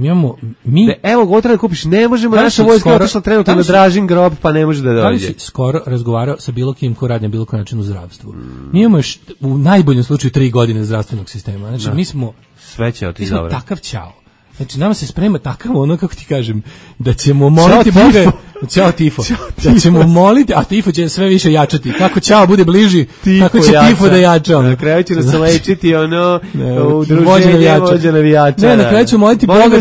Evo, ovo treba da kupiš, ne možemo, naša vojska je otišla trenutno na Dražin grob, pa ne može da dođe. Da li si skoro razgovarao sa bilo kim ko radi na bilo koji način u zdravstvu? Mi imamo još u najboljem slučaju 3 godine zdravstvenog sistema. Znači, mi smo takav ćao. Znači, nama se sprema takav ono, kako ti kažem, da ćemo moliti Boga... Ćao tifo. Da ćemo moliti, a tifo će sve više jačati. Kako ćao bude bliži, tako će tifo da jača. Na kraju će nas lečiti udruženje vođa navijača. Ne, na kraju ćemo moliti Boga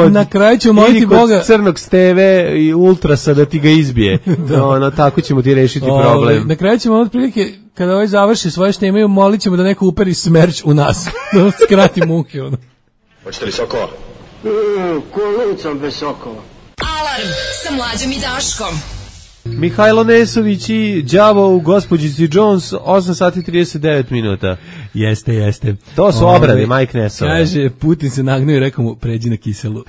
na kraju ćemo moliti Boga crnog steve i ultrasa da ti ga izbije. Tako ćemo ti rešiti problem. Na kraju ćemo otprilike kada ovaj završi svoje što imaju, molit ćemo da neko uperi Smerč u nas. Da skrati muke. Hoćete li sokova? Kolicom bez sokova. Alarm sa Mlađom i Daškom. Mihajlo Nesović i đavo u Gospođici Jones, 8 sati 39 minuta. Jeste. To su obrade, Mike Nesova. Kaže, Putin se nagnuo i rekao mu, pređi na kiselu.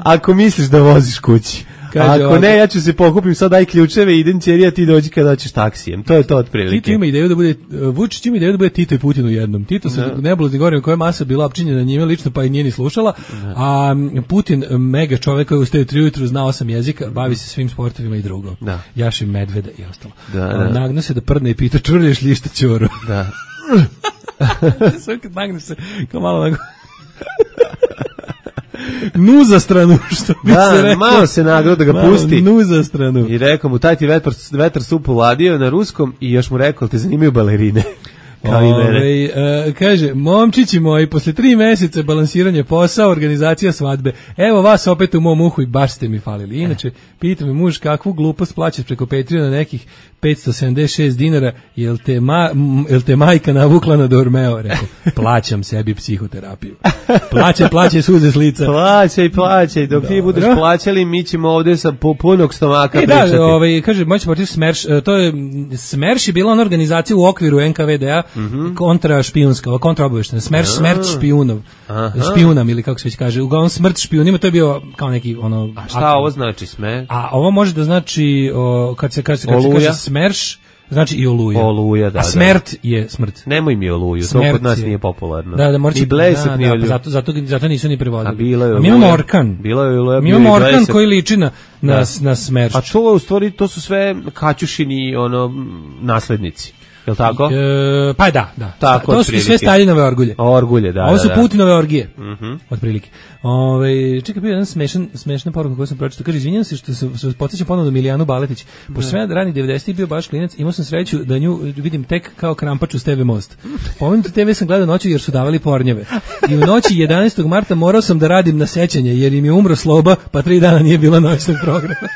Ako misliš da voziš kući. Ako ne, ja ću se pokupim, sad daj ključeve, idem ćerija, ti dođi kada hoćeš taksijem. To je to otprilike. Tito ima ideju da bude, Vučić ima ideju da bude Tito i Putin u jednom. Tito se nebuloznim govorima koja je masa bila opčinjena njime lično, pa i nije ni slušala, a Putin, mega čovek koji ustaje 3 ujutru, zna 8 jezika, bavi se svim sportovima i drugo. Jaši medveda i ostalo. Nagnu se da prdne i pita, čvrlješ li šta ćoru? Da. Sve kad nagneš se, kao malo nuza stranu, što bi se rekao. Malo se nagrao da ga pusti. Nuza stranu. I rekao mu, taj ti vetar supu ladio na ruskom i još mu rekao, te zanimaju balerine. Kaže, momčići moji, posle 3 meseca balansiranje posao, organizacija svadbe, evo vas opet u mom uhu i baš ste mi falili. Inače, pita me muž kakvu glupost plaćaš preko Patreona nekih 576 dinara, jel te majka navukla na Dormeo? Rekao, plaćam sebi psihoterapiju. Plaćaj suze s lica. Plaćaj, dok ti budeš plaćali, mi ćemo ovdje sa punog stomaka pričati. Kaže, moći portir Smerš, to je, Smerš je bila ona organizacija u okviru NKVD-a, kontra špijunska, kontra obaveštena, smrt špijunov, špijunam ili kako se već kaže, uglavnom smrt špijunima, to je bio kao neki ono... A šta ovo znači smer? A ovo može da znači, kad se kaže smerš, znači i oluja. Da, a smrt je smrt. Nemoj mi oluju, to kod nas nije popularno. Da, ni blesak, ni oluju. Zato nisu ni prevodili. A bilo je oluja. Mi imamo orkan. Mi imamo orkan koji liči na smrš. A to u stvari, to su sve Kaćušini naslednici. Jel' tako? Pa da. Tako, to su sve Staljinove orgulje. Orgulje, da. Ovo su Putinove orgije, otprilike. Čekaj, bio jedan smešna poruka koju sam pročitao. Kaže, izvinjam se što se podsjećam ponovno Milijanu Baletić. Pošto sam ja ranih 90-ih bio baš klinac, imao sam sreću da nju vidim tek kao krampač uz TV Most. Pomenuti TV sam gledao noću jer su davali pornjeve. I u noći 11. marta morao sam da radim na sećanje jer im je umro Sloba, pa 3 dana nije bilo noćnog programa.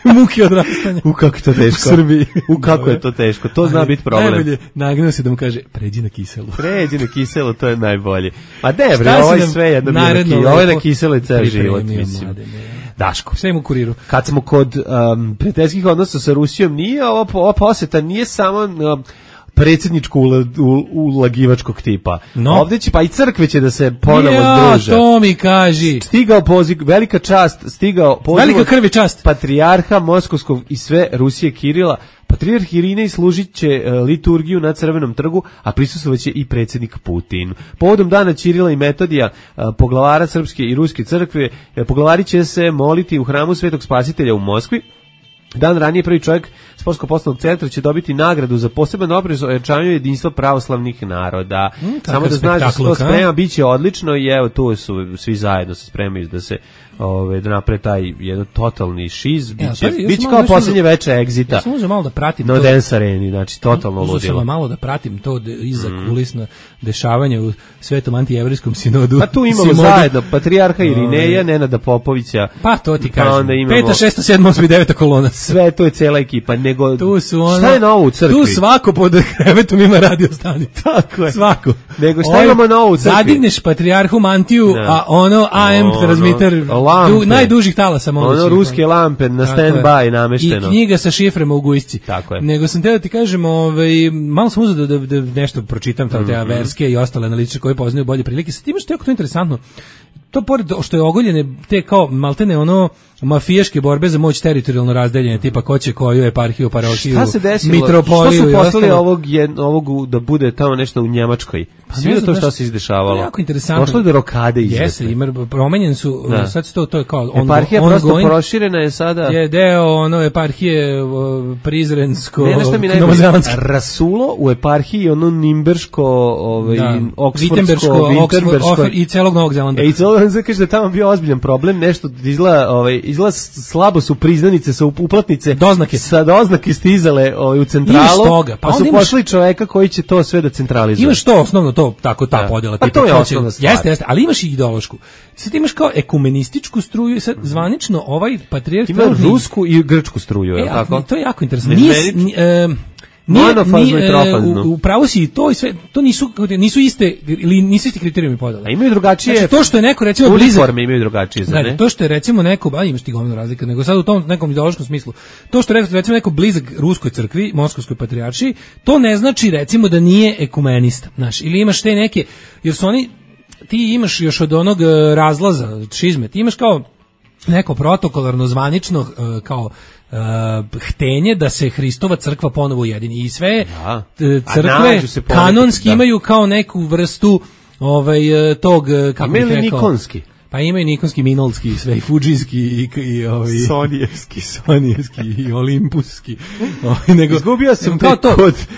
Muke odrastanja. Kako je to teško. U Srbiji. Kako je to teško. To zna biti problem. Najbolje, nagnuo se da mu kaže, pređi na kiselu. Pređi na kiselu, to je najbolje. Ma bre, ovo je sve jedno bilo. Ovo je na kiselu i ceo život, mislim. Daško. Sve im u kuriru. Kad smo kod prijateljskih odnosa sa Rusijom, nije ova poseta, nije samo... predsjedničko ulagivačkog tipa. Ovdje će, pa i crkve će da se ponovo združe. To mi kaži. Stigao poziv, velika čast, velika krvi čast. Patrijarha Moskovskog i sve Rusije Kirila. Patrijarh Irinej služit će liturgiju na Crvenom trgu, a prisustvovaće i predsjednik Putin. Povodom dana Ćirila i Metodija, poglavara Srpske i Ruske crkve, poglavari će se moliti u hramu Svetog Spasitelja u Moskvi. Dan ranije prvi čovjek Sportsko-poslovnog centra će dobiti nagradu za poseban doprinos ojačavanju jedinstva pravoslavnih naroda. Samo da znaš da se to sprema, bit će odlično i evo tu su svi zajedno se spremaju da se da naprave taj jedan totalni šiz, biće kao posljednje veče Exita. Ja sam uzeo malo da pratim na Dance Areni, znači totalno ludilo. Uzeo sam malo da pratim to iza kulisna dešavanja u Svetom antijevrijskom sinodu. Pa tu imamo zajedno Patrijarha Irineja, Nenada Popovića. Pa to ti kažem. 5., 6., 7., 8. i 9. kolona. Sve to je cela ekipa, nego tu su šta je novo u crkvi? Tu svako pod krevetom ima radio stanicu. Tako je. Svako. Nego šta imamo novo u crkvi? Zadigneš Patrijarhu mantiju, a AM transmiter najdužih talasa ono ruske lampe na stand-by namešteno. I knjiga sa šiframa u gujsci. Tako je. Nego sam teo da ti kažem, malo sam uzeo da nešto pročitam te verske i ostale analitičare koji poznaju bolje prilike. Sad imaš to jako interesantno. To pored što je ogoljene te kao maltene mafijaške borbe za moć teritorijalno razdeljenje, tipa ko će koju eparhiju, parohiju, mitropoliju. Što su poslali ovog da bude tamo nešto u Njemačkoj? Sve to što se izdešavalo. Jako interesantno. Došlo do rokade izvete. Jeste, promenjen su, sad to je kao eparhija prosto proširena je sada. Je deo eparhije prizrensko, novozelandsko. Rasulo u eparhiji, nimberško, oksfordsko, vinterberško i celog Novog Zelanda. I celog Zelanda kaže da tamo bio ozbiljan problem, nešto izgleda slabo su priznanice, su uplatnice. Doznake. Sa doznake stizale u centralu, pa su pošli čoveka koji će to sve da centralizuje. Imaš to osnovno, ta podjela. Pa to je osnovna stvar. Jeste, ali imaš i ideološku. Sad imaš kao ekumenističku struju, sad zvanično ovaj patrijarh ima rusku i grčku struju, je tako? To je jako interesantno. U pravu si i to i sve, to nisu iste ili nisu isti kriterijumi podele. A imaju drugačije. Znači to što je neko recimo blizak, imaju drugačije, ne? To što je recimo neko, imaš ti gomila razlika, nego sad u tom nekom ideološkom smislu. To što je recimo neko blizak ruskoj crkvi, moskovskoj patrijaršiji, to ne znači recimo da nije ekumenista, znaš, ili imaš te neke, jer su oni, ti imaš još od onog razlaza, šizme, ti imaš kao neko protokolarno zvanično kao htenje da se Hristova crkva ponovo ujedini i sve crkve kanonski imaju kao neku vrstu tog, kako bih rekao, nikonski. Pa imaju nikonski, minolski, sve i fudžijski i sonijevski i olimpuski. Nego izgubio sam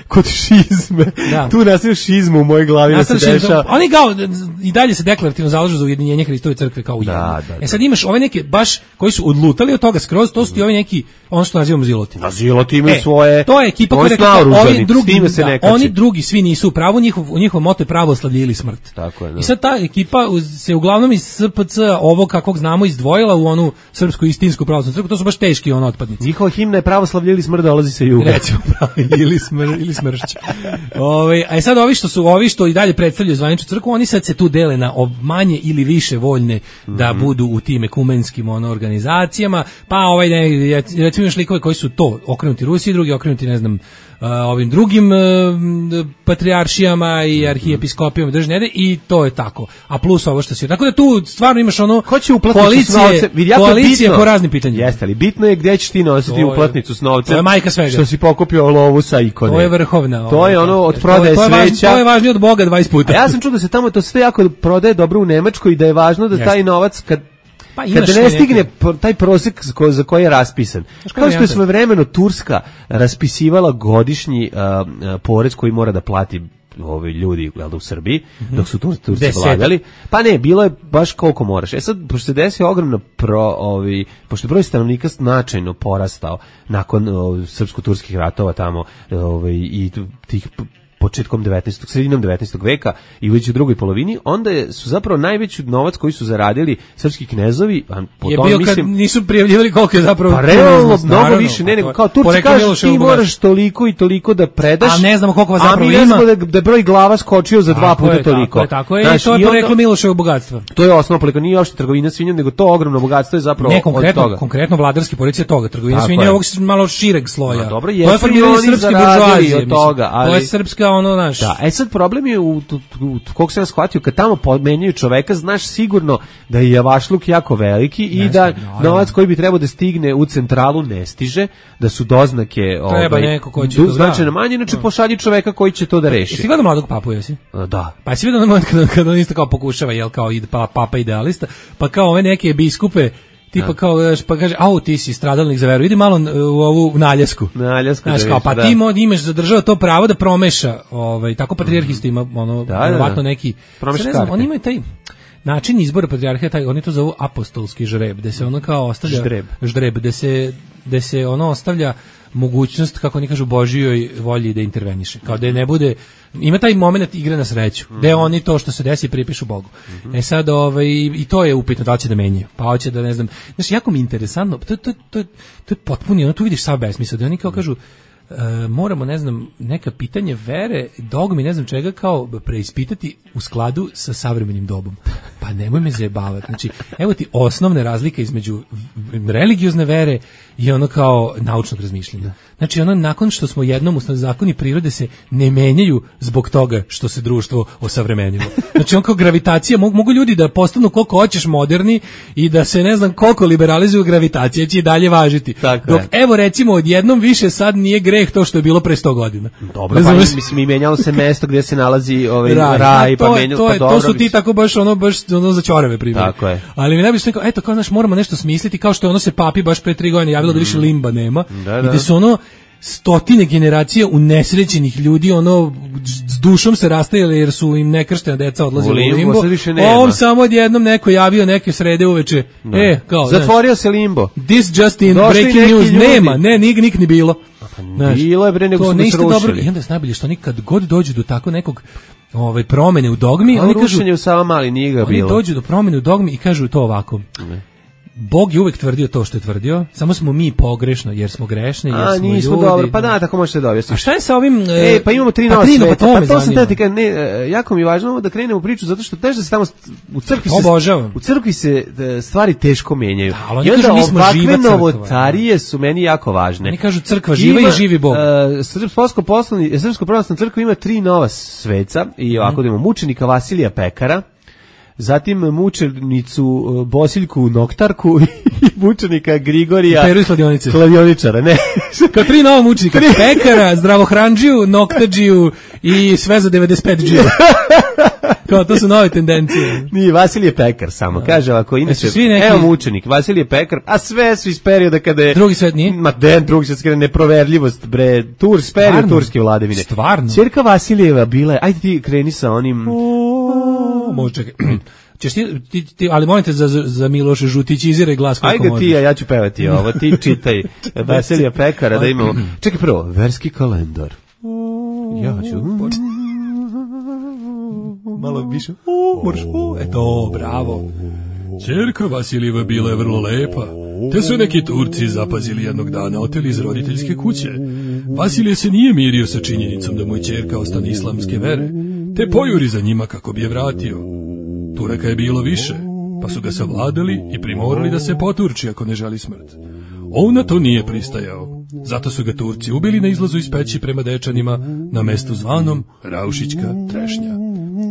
kod šizme. Da. Tu nastavio šizmu u mojoj glavi da se dešava. Oni kao i dalje se deklarativno zalažu za ujedinjenje Hristove crkve kao ujedinjenje. Sad imaš ove neke baš koji su odlutali od toga skroz, to su ti ovi neki, ono što nazivamo ziloti. A ziloti imaju svoje. To je ekipa koja oni drugi svi nisu u pravu, njihov moto je pravoslavlje ili smrt. Tako je. I sad ta ekipa se uglavnom iz SPC ovo kakvog znamo izdvojila u onu srpsku istinsku pravoslavnu crkvu, to su baš teški otpadnici. Njihova himna je pravoslavlje ili smrt, dolazi se juga. Recimo ili smršć. A sad ovi što i dalje predstavljaju zvaničnu crkvu, oni sad se tu dele na manje ili više voljne da budu u tim ekumenskim organizacijama, pa recimo još likove koji su to okrenuti Rusiji, drugi okrenuti ovim drugim patrijaršijama i arhijepiskopijama držnede i to je tako. A plus ovo što se... Tako da tu stvarno imaš koalicije po raznim pitanjima. Jeste, ali bitno je gdje ćeš ti nositi uplatnicu s novcem. To je majka svega. Što si pokupio lovu sa ikone. To je vrhovna. To je od prodaje sveća. To je važnije od Boga 20 puta. A ja sam čuo da se tamo to sve jako prodaje dobro u Nemačkoj i da je važno da taj novac kad ne stigne taj prosek za koji je raspisan. Kao što je svojevremeno Turska raspisivala godišnji porez koji mora da plati ljudi u Srbiji, dok su Turci vladali. Pa ne, bilo je baš koliko moraš. Sad, pošto se desio ogromno pošto je broj stanovnika značajno porastao nakon srpsko-turskih ratova tamo i tih sredinom 19. veka i već u drugoj polovini, onda su zapravo najveći novac koji su zaradili srpski knezovi, je bio kad nisu prijavljivali koliko je zapravo... Pa realno, mnogo više, nego kao Turci kažu ti moraš toliko i toliko da predaš, a ne znamo koliko vas zapravo ima. A mi ne znamo da je broj glava skočio za 2 puta toliko. Tako je, i to je poreklo Miloševo bogatstva. To je osnovno poreklo, nije uopšte trgovina svinjom, nego to ogromno bogatstvo je zapravo od toga. Konkretno vladarski policija toga, trgovina svinjom ovog malo šireg sloja. Dobro, jesu i oni zaradili od toga, ali... To je srpska naš... Sad problem je koliko sam shvatio, kad tamo menjaju čoveka, znaš sigurno da je javašluk jako veliki i da novac koji bi trebao da stigne u centralu ne stiže, da su doznake značajno manje, inače pošalji čoveka koji će to da reši. Jesi gledao Mladog papu, jesi? Da. Pa jesi vidio na moment kada on isto kao pokušava, kao papa idealista, pa kao ove neke biskupe tipa kao, pa kaže, ti si stradalnik za veru, idi malo u ovu naljasku. Znaš, kao, pa ti imaš zadržava to pravo da promeša, tako patrijarh isto ima, verovatno neki, promeša karte. Oni imaju taj, način izbora patrijarha taj, oni to zovu apostolski žreb, gde se ono kao ostavlja ždreb, gde se ono ostavlja mogućnost, kako oni kažu, Božijoj volji da interveniše. Kao da ne bude, ima taj moment igre na sreću, gde oni to što se desi pripišu Bogu. E sad, i to je upitno, da li će da menjaju, pa hoće da, ne znam, znaš, jako mi je interesantno, to je potpuno, ono, tu vidiš sav besmisao, da oni kao kažu, moramo, ne znam, neka pitanje vere, dogmi, ne znam čega, kao preispitati u skladu sa savremenim dobom. Pa nemoj me zajebavati. Znači, evo ti osnovne razlike između religiozne vere i ono kao naučnog razmišljanja. Znači, ono, nakon što smo jednom zakoni prirode se ne menjaju zbog toga što se društvo osavremenilo. Znači, on kao gravitacija, mogu ljudi da postanu koliko hoćeš moderni i da se, ne znam, koliko liberalizuju, gravitacija će i dalje važiti. Tako dok, evo, recimo, odjednom više sad nije greh to što je bilo pre 100 godina. Dobro, pa mislim, i menjalo se mesto gdje se nalazi raj, pa menjalo, pa dobro. To su ti tako baš ono za ćorave primjer. Tako je. Ali mi ne bi se rekao, eto, kao, znaš, moramo nešto smisliti, kao što je ono se papi baš pre 3 godine javilo da više limba nema. I da su ono stotine generacija unesrećenih ljudi, ono, s dušom se rastajali jer su im nekrštena deca odlazili u limbo. On samo odjednom neko javio neke srede uveče. Kao, zatvorio se limbo. This just in breaking news. Nema, nik ni bilo. Bilo je bre, nego su se rušili. I onda je najbolje što oni kad god dođu do tako nekog promene u dogmi, oni kažu, rušenje u Savamali nije ga bilo. Oni dođu do promene u dogmi i kažu to ovako. Bog je uvek tvrdio to što je tvrdio, samo smo mi pogrešno, jer smo grešni, jer smo nismo ljudi. Dobro, pa da, tako možete dobiti. A šta je sa ovim... pa imamo 3 nova sveta, pa to sam tati kažem, jako mi je važno da krenemo u priču, zato što teže da se tamo u crkvi se stvari teško menjaju. Da, i onda ovakve novotarije su meni jako važne. Oni kažu crkva živa i živi Bog. Srpsko pravoslavna crkva ima 3 nova sveca, i ovako da imamo mučenika Vasilija Pekara, zatim mučenicu Bosiljku Noktarku i mučenika Grigorija Peru iz kladioničara, ne. Kao 3 nova mučenika, Pekara, Zdravohranđiju, Noktadžiju i sve za 95 džija. Kao, to su nove tendencije. Nije, Vasilije Pekar samo, kaže ovako, inače, evo mučenik, Vasilije Pekar, a sve su iz perioda kada je... Drugi svet nije? Drugi svet, kada je neproverljivost, bre, period turske vladavine. Stvarno? Ćerka Vasilijeva bila je, ajde ti kreni sa onim... Može, čekaj. Ćeš ti, ali molim te za Miloša žutićiziraj glas kako možeš. Ajde ti, ja ću pevati ovo, ti čitaj Vasilija Pekara da imamo... Čekaj prvo, verski kalendar. Ja ću... Malo više. Eto, bravo. Ćerka Vasilijeva bila je vrlo lepa, te su neki Turci zapazili jednog dana, oteli iz roditeljske kuće. Vasilije se nije mirio sa činjenicom da mu je ćerka ostane islamske vere, te pojuri za njima kako bi je vratio. Turaka je bilo više, pa su ga savladali i primorali da se poturči ako ne želi smrt. On na to nije pristajao, zato su ga Turci ubili na izlazu iz peći prema Dečanima, na mestu zvanom Raušićka trešnja.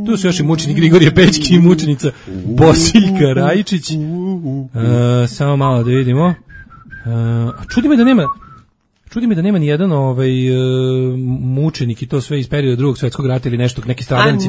Tu su još i mučenik Grigorije Pećki i mučenica Bosiljka Rajičić. Samo malo da vidimo. Čudi me da nema ni jedan mučenik i to sve iz perioda Drugog svjetskog rata ili nešto, neki stradalnici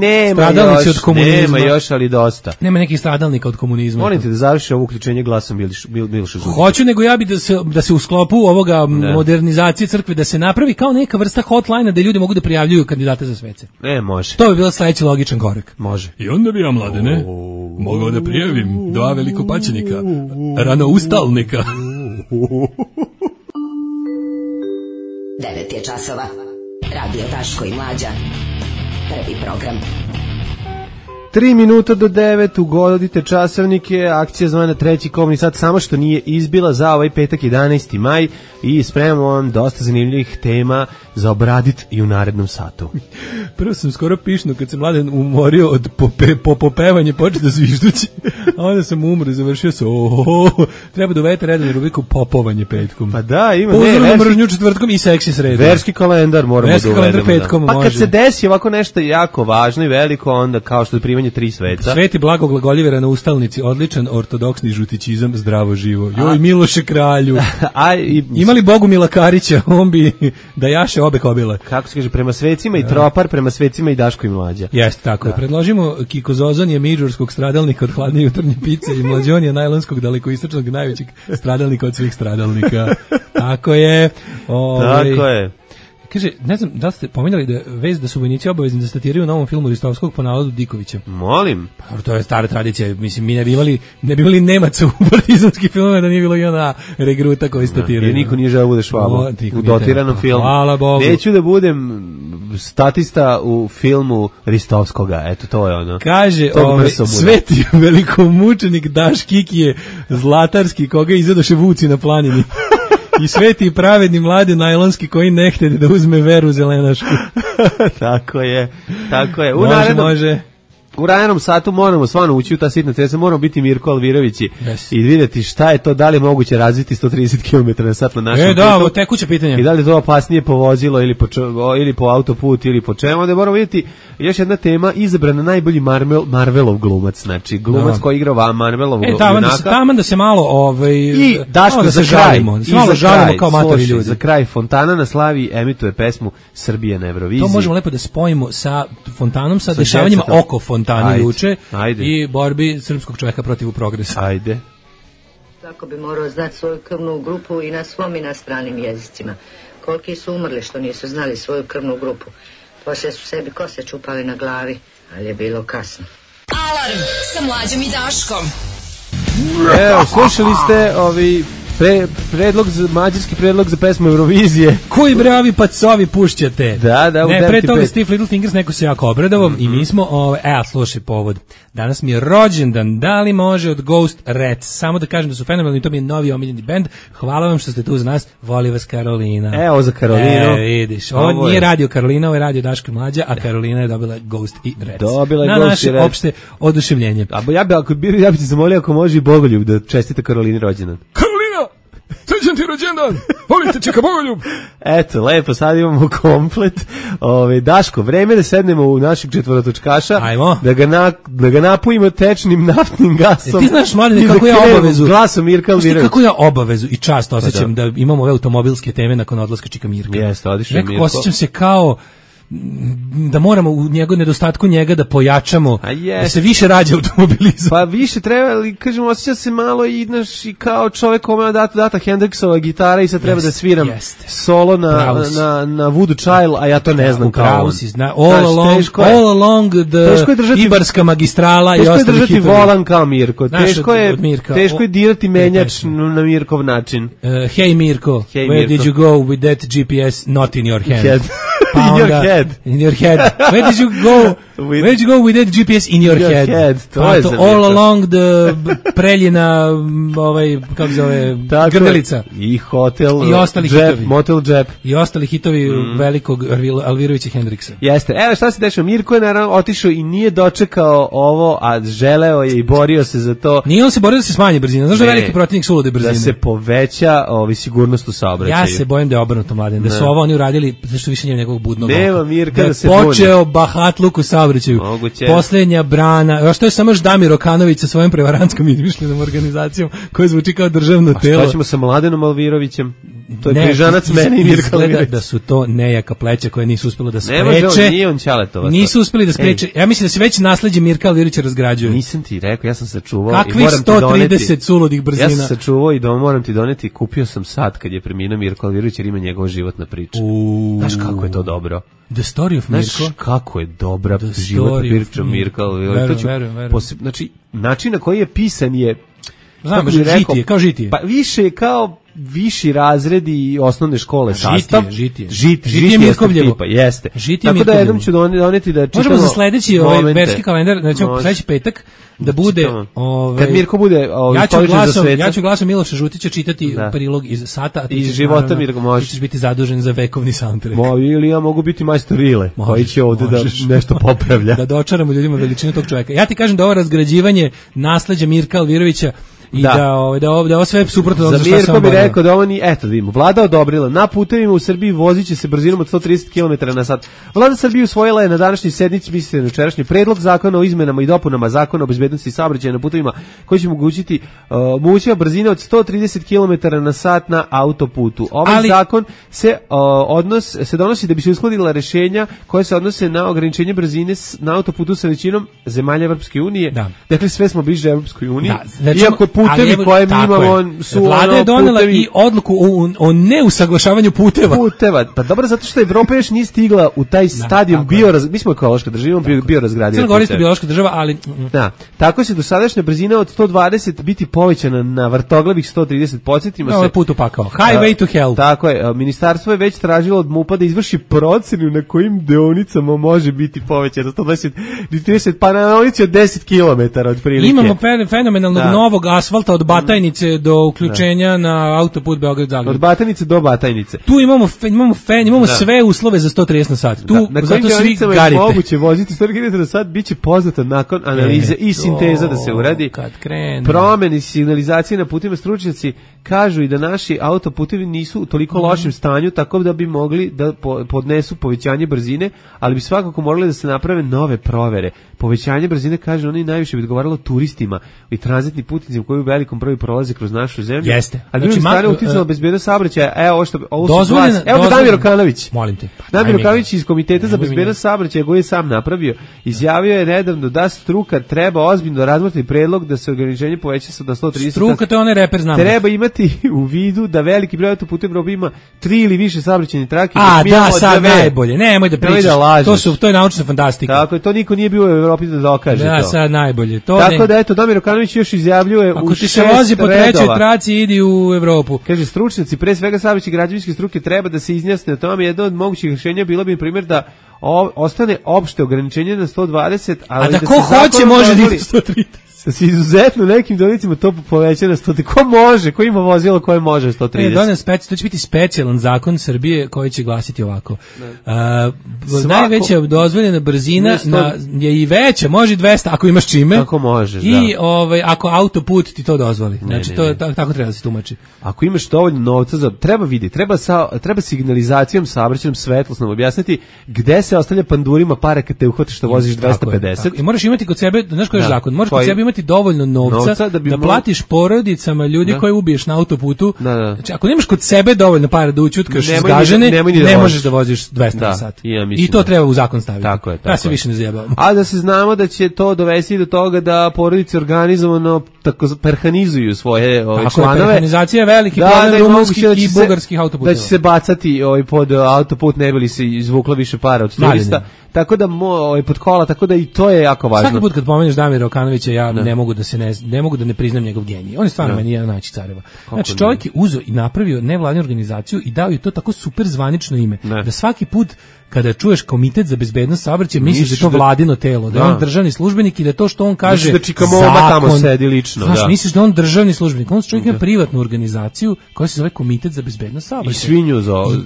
od komunizma. Nema još, ali dosta. Nema nekih stradalnika od komunizma. Molim te da završi ovo uključenje glasom Miloša Žutića. Hoću, nego ja bi da se u sklopu ovoga modernizacije crkve da se napravi kao neka vrsta hotline da ljudi mogu da prijavljuju kandidate za svece. Može. To bi bilo sledeći logičan korak. Može. I onda bi ja, Mladene, mogao da prijavim 2 velikopaćenika, ranoustalnika. 9 je časova. Radio Daško i Mlađa. Prvi program. 3 minuta do 9, ugodite časovnike, akcija zvana treći kobni sat, samo što nije izbila za ovaj petak 11. maj i spremamo vam dosta zanimljivih tema za obradit i u narednom satu. Prvo sam skoro pišno kad se Mladen umorio od popevanje počeo da zviždući, a onda sam umro i završio se treba da uvedete redovnu rubriku popovanje petkom. Pa da, ima uzorno mržnju četvrtkom i seksi sredom. Verski kalendar moramo da uvedemo. Petkom, pa kad se desi ovako nešto jako važno i veliko, onda kao što je primanje 3 sveta. Sveti blagoglagoljive ranoustalnici, odličan ortodoksni žutićizam, zdravo živo. Joj, Miloše kralju. Imali Bogumila Karića, on bi da jaše obe kobile. Kako se kaže, prema svecima i tropar, prema svecima i Daško i Mlađa. Jeste, tako je. Predložimo Kikozozon je midžurskog stradalnika od hladne jutarnje pice i Mlađon je najlonskog dalekoistočnog najvećeg stradalnika od svih stradalnika. Tako je. Tako je. Kaže, ne znam da li ste pominjali da vez da su vojnici obavezni da statiraju u novom filmu Ristovskog po nalogu Dikovića. Molim. Pa to je stara tradicija. Mislim, mi ne bi imali Nemaca u partizanskih filmova da nije bilo jedna regruta koji statiraju. Jer niko nije želeo bude Švabo u dotiranom filmu. Hvala Bogu. Neću da budem statista u filmu Ristovskoga. Eto, to je ono. Kaže, sveti velikomučenik Daš Kikije Zlatarski, koga izvedoše vuci na planini. I sveti i pravedni mladi najlonski koji ne htede da uzme veru zelenašku. Tako je. Može. U ranom satu moramo stvarno ući u ta sitna cesta, moramo biti Mirko Alvirovići i vidjeti šta je to, da li je moguće razviti 130 km na sat na našem putu. Da, tekuće pitanje. I da li je to opasnije po vozilo ili po autoput ili po čemu. Onda moramo vidjeti još jedna tema, izabrana najbolji Marvelov glumac, znači glumac koji igra Marvelov junaka. Taman da se malo i Daško da za kraj. Malo žalimo kao matori ljudi. Za kraj Fontana na Slavi emituje pesmu Srbije na Euroviziji. To možemo lepo da spojimo sa Fontanom, sa dešavanjima oko Fontana juče i borbi srpskog čovjeka protiv progresa. Ajde. Svako bi morao znati svoju krvnu grupu i na svom i na stranim jezicima. Koliki su umrli što nisu znali svoju krvnu grupu. Poslije su sebi kose čupali na glavi, ali je bilo kasno. Alarm sa Mlađom i Daškom. Evo, slušali ste mađarski predlog za pesmu Eurovizije. Koji bravi pacovi pušćate? Da, ne, pre toga Steve Little Fingers, neko se jako obradovao i mi smo, slušaj povod. Danas mi je rođendan, da li može od Ghost Rats? Samo da kažem da su fenomenalni, to mi je novi omiljeni bend. Hvala vam što ste tu za nas, voli vas Karolina. Evo za Karolinu. Vidiš, ovo nije radio Karolina, ovo je radio Daško i Mlađa, a Karolina je dobila Ghost i Rats. Dobila na Ghost naše opšte oduševljenje. Ja bi ti zamolio ako može i Bogoljub da čestita Karolini rođendan. Srećan ti rođendan, volite čeka Bogoljub. Eto, lepo, sad imamo komplet. Daško, vreme da sednemo u našeg četvorotočkaša. Ajmo. Da ga napojimo tečnim naftnim gasom. Ti znaš, Mladine, kako ja obavezu. Glasom Mirka Alvirović. Kako ja obavezu i čast osjećam da imamo ove automobilske teme nakon odlaska čika Mirka. Jeste, odišao je Mirko. Osjećam se kao da moramo u nedostatku njega da pojačamo, da se više rađa automobilizam. Pa više treba, ali kažemo, osjeća se malo i kao čovjek kome data Hendrixova gitara i sad treba da sviram solo na Voodoo Child, a ja to ne znam kao on. All along the Ibarska magistrala i ostali hitovi. Teško je držati volan kao Mirko. Teško je dirati menjač na Mirkov način. Hey Mirko, where did you go with that GPS not in your hand? In your head. In your head. Where did you go with that GPS in your head? To je all along the Preljina, kako zove, Grdelica. I hotel, i ostali hitovi. Motel Jep. I ostali hitovi velikog Alvirovića Hendriksa. Jeste. Evo šta se dešava. Mirko je naravno otišao i nije dočekao ovo, a želeo je i borio se za to. Nije on se borio da se smanji brzina. Znaš da je veliki protivnik sulude brzine? Da se poveća sigurnost u saobraćaju. Ja se bojim da je obrnuto, Mladen. Da su ovo oni uradili, zašto više nije njegovog budnog oka. Nema Mirka da se počeo bahatluk u saobraćaju. Posljednja brana. Što je samo Damir Okanović sa svojom prevarantskom izmišljenom organizacijom koja zvuči kao državno telo. A šta ćemo sa Mladenom Alvirovićem? To je križanac mene i Mirka Alvirović. Da su to nejaka pleća koje nisu uspjela da spreče. Ne može, nije on Ćaletovac. Nisu uspjeli da spreče. Ja mislim da se već nasleđe Mirka Alvirovića razgrađuje. Nisam ti rekao, ja sam sačuvao. Kakvih 130 suludih brzina? Ja sam sačuvao i moram ti doneti. Kupio sam sad kad je preminuo Mirko Alvirović jer ima njegova životna priča. Znaš kako je to dobro? The Story of Mirko. Znaš kako je dobra životna priča Mirka Alvirović. Znači, način na koji je pisan je... Znam, kao žitije. Pa više je kao viši razredi osnovne škole sastav. Žitije Mirkovljevo. Jeste. Tako da jednom ću doneti da čitamo. Možemo za sledeći verski kalendar, recimo sledeći petak, da bude kad Mirko bude ja ću glasom Miloša Žutića čitati prilog iz Sata, iz života Mirko, možeš. Ti ćeš biti zadužen za vekovni soundtrack. Ili ja mogu biti majstor Rile, koji će ovde da nešto popravlja. Da dočaramo ljudima veličinu tog čovjeka. Ja ti kažem da ovo razgrađivanje nasleđa Mirka Alvirovića i da ovo sve suprotno od za Mirko bi rekao da ovo ni, eto da vidimo, vlada odobrila, na putevima u Srbiji voziće se brzinom od 130 km na sat. Vlada Srbije usvojila je na današnjoj sednici, mislite na jučerašnji, predlog zakona o izmenama i dopunama zakona o bezbednosti saobraćaja na putevima koji će omogućiti moguća brzina od 130 km na sat na autoputu. Ovaj zakon se donosi da bi se uskladila rešenja koje se odnose na ograničenje brzine na autoputu sa većinom zemalja Evropske unije. Dakle, sve smo bliže Evropskoj uniji. Iako putevi koje mi imamo su Vlada je donela i odluku o neusaglašavanju puteva. Pa dobro, zato što Evropa još nije stigla u taj stadijum mi smo ekološka država, biorazgradiva. Crna Gora je biološka država, ali da, tako se dosadašnja brzina od 120 biti povećana na vrtoglavih 130. Podsjetimo se. Ovo je put u pakao. Highway to hell. Tako je, ministarstvo je već tražilo od MUP-a da izvrši procenu na kojim deonicama može biti povećana 120 30, pa na deonici od 10 km otprilike. Imamo fenomenalnog novog asfalta od Batajnice do uključenja na autoput Beograd-Zagreb. Od Batajnice do Batajnice. Tu imamo sve uslove za 130 na sat. Tu na zato svi garite. Je moguće voziti 130 na sat, biće poznato nakon analize i sinteza da se uradi. Kad krene. Promeni signalizacije na putima, stručnjaci kažu i da naši autoputevi nisu u toliko lošem stanju, tako da bi mogli da podnesu povećanje brzine, ali bi svakako morali da se naprave nove provere. Povećanje brzine, kaže, oni najviše bi odgovaralo turistima i tranzitnim putnicima koji u velikom broju prolaze kroz našu zemlju. Jeste. Ali znači, strane uticalo bezbednost saobraćaja. Evo Damir Okanović. Molim te. Damir Okanović iz Komiteta za bezbednost saobraćaja, koji je sam napravio, izjavio je nedavno da struka treba ozbiljno razmotriti predlog da se ograničenje poveća sa 130. Struka, to je onaj reper, znamo. Treba imati u vidu da veliki broj autoputeva u Evropi ima 3 ili više saobraćajnih trake. Sad najbolje. Nemoj da pričaš. To je naučna fantastika. Tako je, to niko nije bio u Evropi da dokaže to. Sad najbolje. Tako da eto, Damir Okanović još izjavljuje ako ti se vozi po trećoj traci, idi u Evropu. Kaže, stručnjaci, pre svega saobraćajne građevinske struke, treba da se izjasne o tome. Jedno od mogućih rješenja bilo bi, na primjer, da ostane opšte ograničenje na 120, ali da ko hoće može da ide 130. Da se izuzetno nekim donicima to poveća na 100. Ko može? Ko ima vozilo koje može 130? To će biti specijalan zakon Srbije koji će glasiti ovako. Najveća dozvoljena brzina je i veća, može 200 ako imaš čime. Ako možeš, i ako autoput ti to dozvoli. Znači to tako treba da se tumači. Ako imaš dovoljno novca, treba signalizacijom, saobraćajnom, svetlosnom objasniti gde se ostavlja pandurima pare kad te uhvatiš što voziš 250. I moraš imati kod sebe, znaš koji je zakon, moraš kod sebe imati dovoljno novca da platiš porodicama ljudi koje ubiješ na autoputu. Znači, ako nemaš kod sebe dovoljno para da učutkaš zgažene, ne možeš da voziš 200 na sat. I to treba u zakon staviti. Tako je. Ja se više ne zajebavamo. A da se znamo da će to dovesti do toga da porodice organizovano tako perhanizuju svoje članove. Perhanizacija je veliki problem rumunskih i bugarskih autoputeva. Da će se bacati pod autoput, ne bi li se izvuklo više para od turista. Tako da pod kola, tako da i to je jako važno. Svaki put kad pomeneš Damira Okanovića, ja ne mogu da ne priznam njegov genij. On je stvarno meni jedan najveći careva. Znači, čovjek je uzeo i napravio nevladinu organizaciju i dao je to tako super zvanično ime. Da svaki put kada čuješ Komitet za bezbednost saobraćaja, misliš da je to vladino telo, da je on državni službenik i da to što on kaže da Čika Moba tamo sedi lično. Znaš, misliš da je on državni službenik. On čovjek ima privatnu organizaciju koja se zove Komitet za bezbednost saobraćaja. I svinju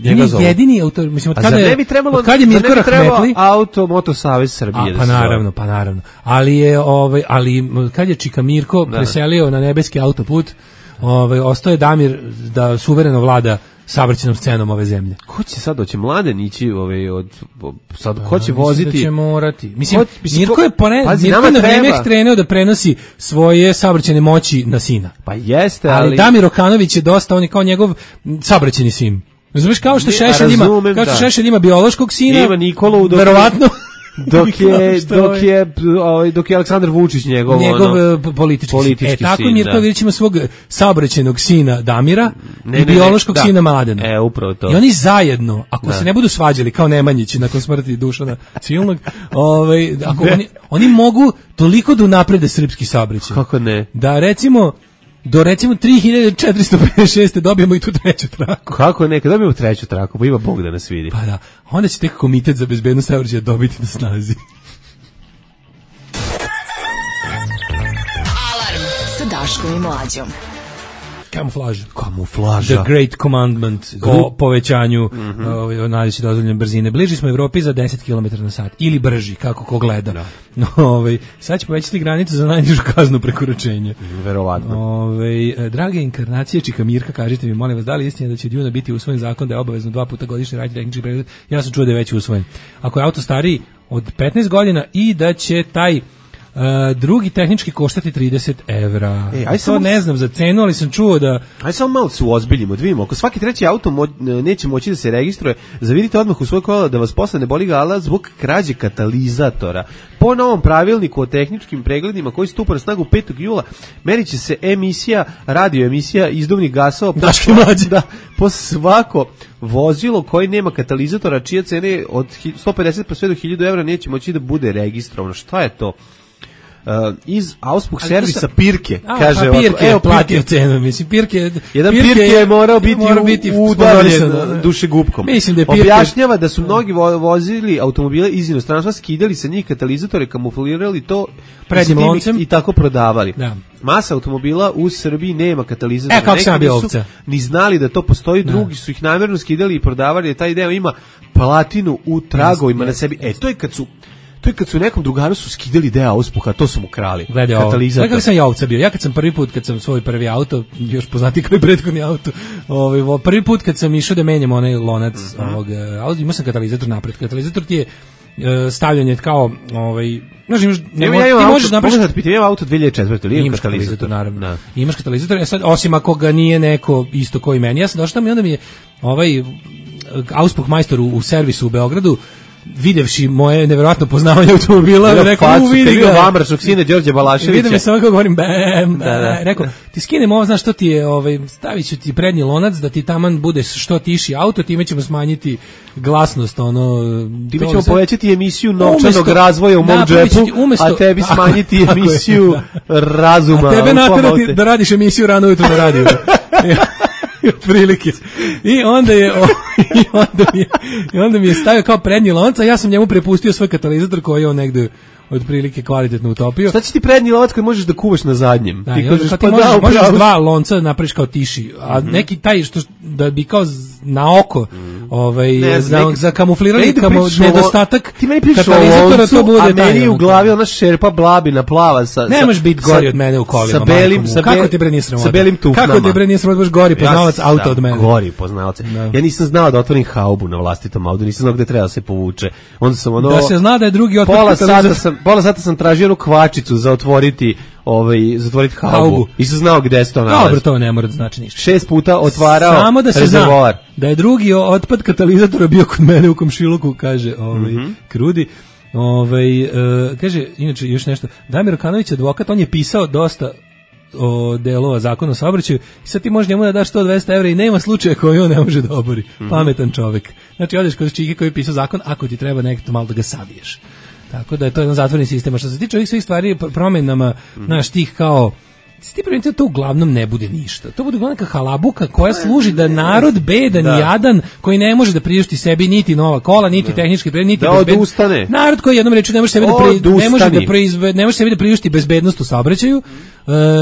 njega zove. Jedini autor, mislim, od kada je Mirko Rahmetli Moto Savez Srbije. Pa naravno. Ali kad je Čika Mirko preselio na nebeski autoput, ostao je Damir da suvereno vlada saobraćajnom scenom ove zemlje. Ko će sad doći Mladen ići ko će voziti? Mislim da će morati. Mirko je na vreme krenuo da prenosi svoje saobraćajne moći na sina. Pa jeste, ali Damir Okanović je dosta, on je kao njegov saobraćajni sin. Razumeš, kao što Šešelj ima biološkog sina, ima Nikolu, verovatno dok je Aleksandar Vučić njegov politički sin. Tako Mirković ima svog saobraćajnog sina Damira i biološkog sina Mladena. Upravo to. I oni zajedno, ako se ne budu svađali kao Nemanjići nakon smrti Dušana Civilnog, oni mogu toliko da unaprede srpski saobraćaj. Kako ne? Da recimo 3456. dobijemo i tu treću traku. Kako ne, kad dobijemo treću traku, pa ima Bog da nas vidi. Pa da, onda će tek Komitet za bezbednost saobraćaja dobiti na snazi. Alarm sa Daškom i Mlađom. Kamuflaža. The Great Commandment o povećanju najviše dozvoljene brzine. Bliži smo Evropi za 10 km na sat. Ili brži, kako ko gleda. Sad će povećati granicu za najnižu kaznu prekoračenja. Verovatno. Drage inkarnacije Čika Mirka, kažite mi, molim vas, da li istina da će od juna biti usvojen zakon da je obavezno 2 puta godišnje raditi tehnički pregled? Ja sam čuo da je već usvojen. Ako je auto stariji od 15 godina i da će taj Drugi tehnički koštati 30 evra. To ne znam za cenu, ali sam čuo da... Ajde samo malo se uozbiljimo, da vidimo. Ako svaki treći auto neće moći da se registruje, zavidite odmah u svoj kola da vas posle ne boli glava zbog krađe katalizatora. Po novom pravilniku o tehničkim pregledima koji stupa na snagu 5. jula, merit će se radioemisija izduvnih gasova po svako vozilo koji nema katalizatora, čija cena je od 150 pa sve do 1000 evra neće moći da bude registrovano. Šta je to? Iz Auspuh servisa Pirke, kaže Pirke je platio cenu, mislim Pirke je morao biti udaljen dušegupkom. Mislim da je objašnjava da su mnogi vozili automobile iz inostranstva, skidali sa njih katalizatore, kamuflirali to prednjim loncem i tako prodavali. Da. Masa automobila u Srbiji nema katalizatora. Kako sam bio ovca? Ni znali da to postoji, drugi su ih namjerno skidali i prodavali, taj deo ima platinu u tragovima na sebi. To je kad su nekom drugaru su skidali deo Auspuha, to su mu krali. Katalizator. Kako sam ja ovca bio? Ja kad sam kad sam svoj prvi auto, još poznati kao i prethodni auto, prvi put kad sam išao da menjam onaj lonac ovog auta, imao sam katalizator napred. Katalizator ti je stavljanje kao možeš napraviti. Imam auto 2004. ili imaš katalizator, naravno. Imaš katalizator, sad osim ako ga nije neko isto koji meni. Ja sam došao tamo i onda mi je Auspuh majstor u servisu u Beogradu, videvši moje neverovatno poznavanje automobila, rekao, vidi ga. Vamračnog sina Đorđe Balaševića. Vidim je samo kako govorim, rekao, ti skinem ovo, znaš što ti je, stavit ću ti prednji lonac, da ti taman bude što tiši auto, time ćemo smanjiti glasnost, time ćemo povećati emisiju novčanog razvoja u mom džepu, a tebi smanjiti emisiju razuma. A tebe naterati da radiš emisiju rano ujutro na radiju. Otprilike. I onda mi je stavio kao prednji lonac, a ja sam njemu prepustio svoj katalizator koji je on negde otprilike kvalitetno utopio. Šta će ti prednji lonac koji možeš da kuvaš na zadnjem? Da, ti kažeš, možeš dva lonca napraviš kao tiši, a neki taj što da bi kao na oko za kamufliranje nedostatak katalizatora, to bude a meni u glavi ona šerpa blabina plava ne možeš biti gori od mene u kolima. Kako ti bre nije sramota? Sa belim tufnama. Kako ti bre nije sramota, baš gori poznavac auta od mene. Gori poznavac. Ja nisam znao da otvorim haubu na vlastitom autu, nisam znao gde treba da se povuče. Onda sam da se zna da je drugi otpad pola sata sam tražio onu kvačicu za otvoriti zatvoriti haubu. I sam znao gde se to nalazi. Dobro, to ne mora da znači ništa. 6 puta otvarao samo da se rezervoar. Zna da je drugi otpad katalizatora bio kod mene u komšiluku, kaže Krudi. Kaže, inače još nešto. Damir Okanović, advokat, on je pisao dosta delova zakona o saobraćaju i sad ti možeš njemu da daš 100-200 evra i nema slučaja koji on ne može da obori. Pametan čovek. Znači, odeš kod čike koji je pisao zakon, ako ti treba nekto malo da ga saviješ. Tako da je to jedan zatvoreni sistem. A što se tiče ovih svih stvari, promjenama, znaš, tih kao ti primite, to uglavnom ne bude ništa. To bude neka halabuka koja služi da narod bedan i jadan, koji ne može da priušti sebi niti nova kola, niti tehnički pregled, niti odustane. Narod koji jednom rečju ne može sebi da priušti bezbednost u saobraćaju.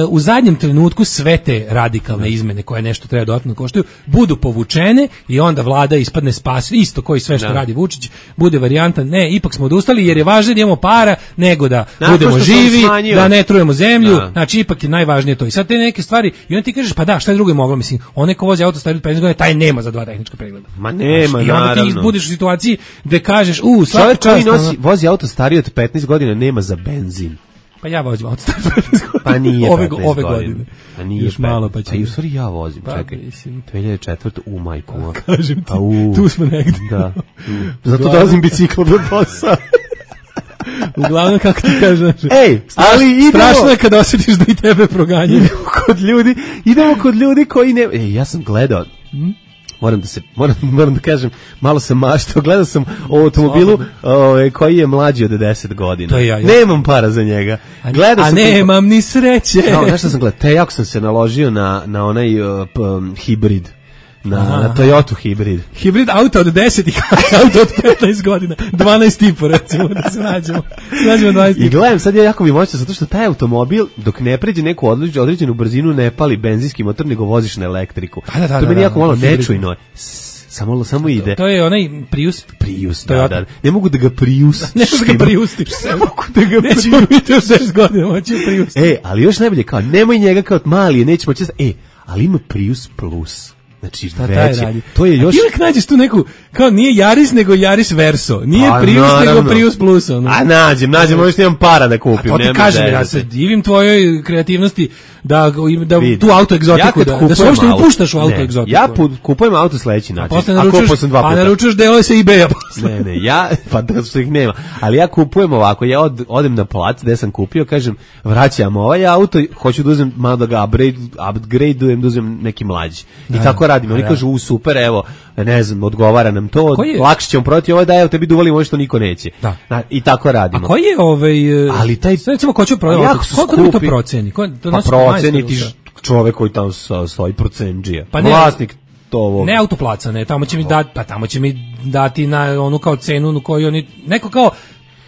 U zadnjem trenutku sve te radikalne izmene koje nešto treba dodatno koštaju budu povučene i onda vlada ispadne spas, isto koji sve što radi Vučić, bude varijanta ne, ipak smo odustali jer je važnije da imamo para nego da budemo živi, da ne trujemo zemlju. Znači ipak je najvažnije to. I sad te neke stvari i onda ti kažeš pa da, šta je drugo je moglo, mislim, onaj ko vozi auto stariji od 15 godina, taj nema za 2 tehnička pregleda. Ma nema, i onda ti budeš u situaciji gde kažeš svaka čast vozi auto stariji od 15 godina nema za benzin. Pa ja vozim auto stariji od 15 godina. Pa nije ove godine. Pa nije još malo pa će. A i u stvari ja vozim, čekaj. 2004. u majku. Kažem ti, tu smo negde. Da. Zato dolazim biciklom do posla. Uglavnom, kako ti kažeš, ali idemo, strašno je kada osjetiš da i tebe proganjaju. Idemo kod ljudi koji ne... ja sam gledao, moram da kažem, malo sam maštao, gledao sam o automobilu koji je mlađi od 10 godina. To ja. Nemam para za njega. Nemam ni sreće. Znaš što sam gledao? Jako sam se naložio na onaj hibrid. Na Toyota hibrid. Hibrid auto od 10 i auto od 15 godina. 12,5 recimo da se nađemo 12. I gledam, sad je jako mi moćno zato što taj automobil dok ne pređe neku određenu brzinu ne pali benzinski motor nego voziš na elektriku. To meni jako malo nečujno. Samo ide. To je onaj Prius. Da. Ne mogu da ga priustiš. Ne mogu da ga nećemo biti od 10 godina moći Prius. Ali još najbolje kao, nemoj njega kao mali, nećemo često. Ali ima Prius Plus. Znači, veće. To je još... Ti uvijek nađeš tu neku, kao nije Yaris, nego Yaris Verso. Nije Prius, nego Prius Plus. Nađem, možda imam para da kupim. A to ti kažem, ja se divim tvojoj kreativnosti da tu auto egzotiku, da se uopšte upuštaš u auto egzotiku. Ja kupujem auto sledeći način. A naručuješ delove sa eBaya posle. Ne, ja, pa da što ih nema. Ali ja kupujem ovako, ja odem na plac gde sam kupio, kažem, vraćam ovaj auto, hoću da uzem malo da ga upgradeujem, da uzem neki mlađi. I tako radim. Oni kažu, super, evo, ne znam, odgovara nam to, lakše ćemo prodati ovo, da evo tebi duvali ovo što niko neće. I tako radimo. A koji je ali taj, recimo, ko će prodati auto? Koliko mi to proceni? Pa proceni ti čovek koji tamo stoji, procendžija. Vlasnik to. Ne autoplaca, ne, tamo će mi dati na onu kao cenu koju oni, neko kao,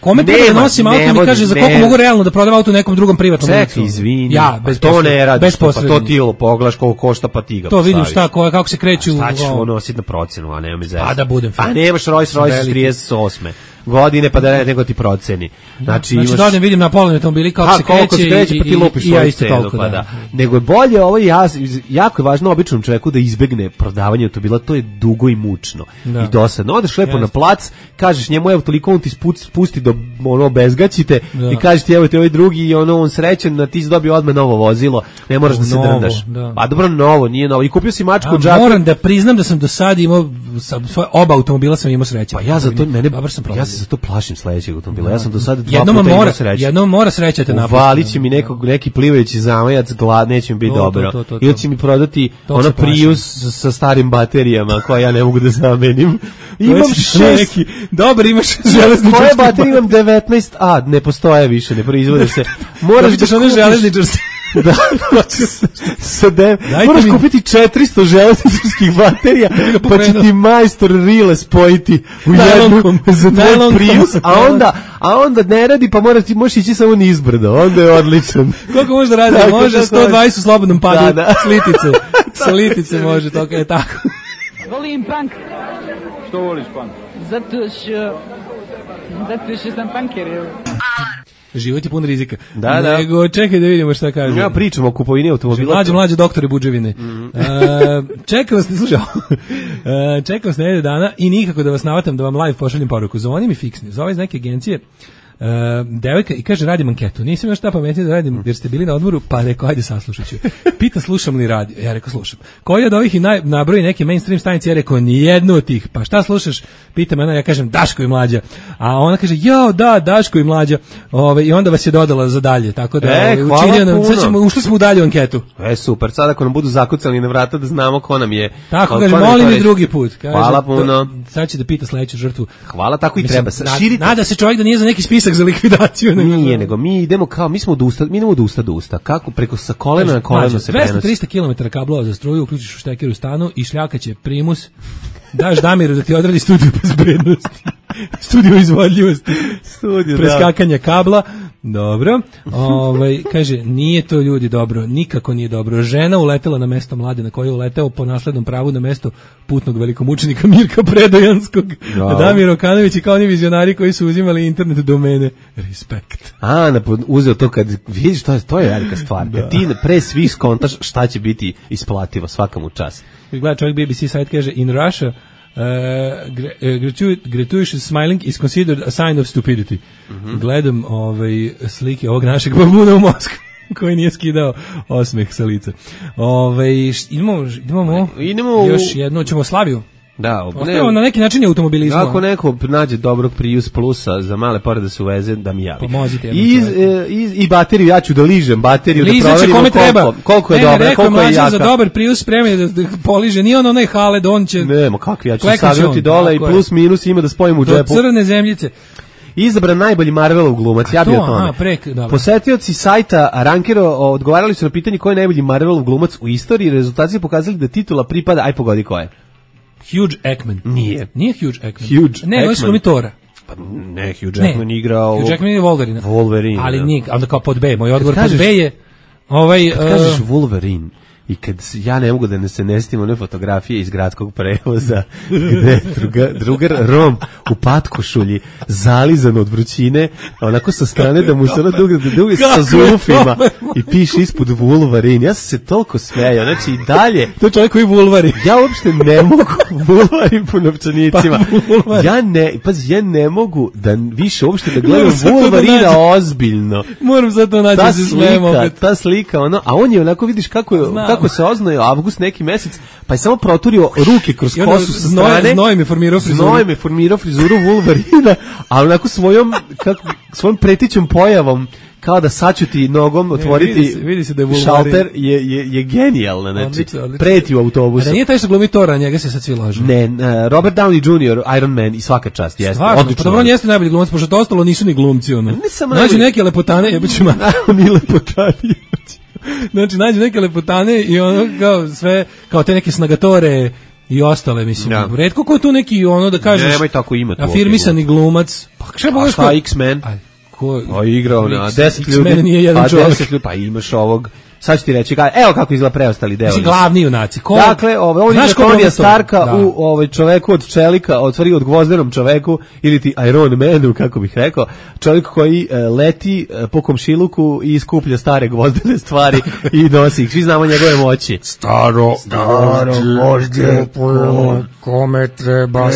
kome treba da nosim auto mi kaže za koliko mogu realno da prodam auto nekom drugom privatnom licu. Čekaj, izvini. Ja, bez to ne radiš, pa to ti pogledaš koliko košta, pa ti ga to vidim kako se kreću. Šta ćeš nositi na procenu, a nema mi zezati. A da budem. A nemaš Rolls Royce 38. godine, pa da nego ti proceni. Znači da vidim na polovni automobili kako se kreće pa ti lupiš svoju cenu, pa da. Nego je bolje ovo, jako je važno običnom čovjeku da izbegne prodavanje automobila, to je dugo i mučno i dosadno. Odeš lepo na plac, kažeš njemu, evo toliko, on ti spusti do bezgaćite i kažeš ti, evo ti ovaj drugi i on srećen, da ti si dobio odmah novo vozilo, ne moraš da se drndaš. Pa dobro, novo, nije novo. I kupio si mačku od džaka. Moram da priznam da sam do sad imao, svoje oba automobila sam imao sreće. Pa ja za to, ja se za to plašim sledećeg automobila. Ja sam do sada 2 puta imao sreće. Jednom mora sreća te napustiti. Uvalit će mi neki plivajući zamajac, neće mi biti dobro. Ili će mi prodati ono Prius sa starim baterijama koje ja ne mogu da zamenim. Imam 6. Dobro, imaš železničarske. Koje baterije imam 19A, ne postoje više, ne proizvode se. Moraš da one železničarske. Da, moraš kupiti 400 železničarskih baterija, pa će ti majstor rile spojiti u jednu za tvoj Prius, a onda ne radi, pa možeš ići samo nizbrdo, onda je odličan. Koliko može da radi? Može 120 u slobodnom padu, sa litice može, to je tako. Volim punk. Što voliš punk? Zato što sam punker. Život je pun rizika. Da. Nego, čekaj da vidimo šta kaže. Ja pričam o kupovini automobila. Mlađe doktore buđevine. Čekam vas, slušaj, čekam vas nedelju dana i nikako da vas navatam da vam live pošaljem poruku. Zvoni mi fiksni. Zove iz neke agencije devojka i kaže, radim anketu. Nisam još šta pametnije da radim jer ste bili na odmoru, pa rekao, ajde saslušat ću. Pita slušam li radio. Ja rekao, slušam. Koji od ovih nabroji neke mainstream stanice? Ja rekao, nijednu od tih. Pa šta slušaš? Pita me, ja kažem, Daško i Mlađa. A ona kaže, jao, da, Daško i Mlađa. I onda vas je dodala za dalje. Tako da ušli smo u dalju anketu. Super, sad ako nam budu zakucali na vrata da znamo ko nam je. Tako kaže, molim i drugi put. Hvala puno. Sad će da pita sledeću žrtvu. Hvala, tako i treba. Nada se čovjek da nije za neki spisak za likvidaciju. Nije, nego mi idemo kao, mi idemo od usta do usta. Kako preko sa kolena na koleno se prenosi. 200-300 km kablova za struju, uključiš u šteker u stanu i šljakaće primus, daš Damiru da ti odradi studiju bezbednosti. Studiju izvodljivosti. Preskakanja kabla. Dobro. Kaže, nije to ljudi dobro, nikako nije dobro. Žena uletela na mesto mlade na koje je uleteo po naslednom pravu na mesto putnog velikomučenika Mirka Predojanskog. Damir Okanović i kao oni vizionari koji su uzimali internet domene. Respekt. Uzeo to kad vidiš, to je velika stvar. Kad ti pre svih skontaš šta će biti isplativo, svaka mu čast. Gleda čovjek BBC site, kaže, in Russia gratuitous smiling is considered a sign of stupidity. Gledam slike ovog našeg babuna u Moskvi koji nije skidao osmeh sa lica. Idemo još jedno, ćemo Slaviju. Da, na neki način je automobilizmu. Ako neko nađe dobrog Prius Plusa za male pare da se uveze, da mi javi. Pomozite. I bateriju, ja ću da ližem bateriju, da proverimo koliko je dobra, koliko je jaka. Za dobar Prius spremio da poliže, nije onaj Haled, on će... Nemo, kakvi, ja ću savjeti dole i plus minus ima da spojim u džepu. Do crne zemljice. Izabran najbolji Marvelov glumac, ja bih o tome. Posetioci sajta Rankero odgovarali su na pitanje ko je najbolji Marvelov glumac u istoriji, rezultati su pokazali da titula pripada, aj pogodi ko je. Hugh Jackman. Nije Hugh Jackman. Ne, on je Tora. Pa ne, Hugh Jackman igrao... Hugh Jackman je Wolverine. Wolverine. Ali nije, onda kao pod B. Moj odgovor pod B je... Kad kažeš Wolverine, I kad ja ne mogu da se ne stim one fotografije iz gradskog prevoza gde drugar Rom u patkošulji zalizan od vrućine, onako sa strane da mu se ono dugi sa zulufima i piše ispod Wolverine. Ja sam se toliko smejao, znači i dalje. To čovjek koji Wolverine. Ja uopšte ne mogu Wolverine po novčanicima. Ja ne mogu da više uopšte da gledam Wolverina ozbiljno. Moram sad to naći da se smijemo. Ta slika, ono, a on je onako, vidiš kako se oznojio avgust neki mesec, pa je samo proturio ruke kroz kosu sa strane. Znoj mi formirao frizuru Wolverina, a onako svojom pretićom pojavom kao da sačuti nogom otvoriti vidi se da je šalter je genijalno, znači preti u autobusu. A nije taj što glumi Tora, njega se sad svi lažu. Ne, Robert Downey Jr., Iron Man i svaka čast, jeste. Odlično. Pa dobro, on jeste najbolji glumac, pošto to ostalo nisu ni glumci, ono. Nađu neke lepotane, jebićima. Ni lepotani. Znači, nađu neke lepotane i ono kao sve, kao te neke snagatore i ostale, mislim. Ja. Retko ko je tu neki, ono da kažeš, nemoj tako imati. Afirmisani glumac. Pa šta X-Men? A igrao na 10 ljudi. X-Men nije jedan čovjek. Pa imaš ovog. Sad ću ti reći, evo kako izgleda preostali deo. Glavni junaci. Dakle, on je Tonija Starka u čoveku od čelika, od gvozdenom čoveku, ili ti Iron Manu, kako bih rekao, čovjek koji leti po komšiluku i skuplja stare gvozdene stvari i nosi ih. Svi znamo njegove moći. Staro gvožđe, kome treba,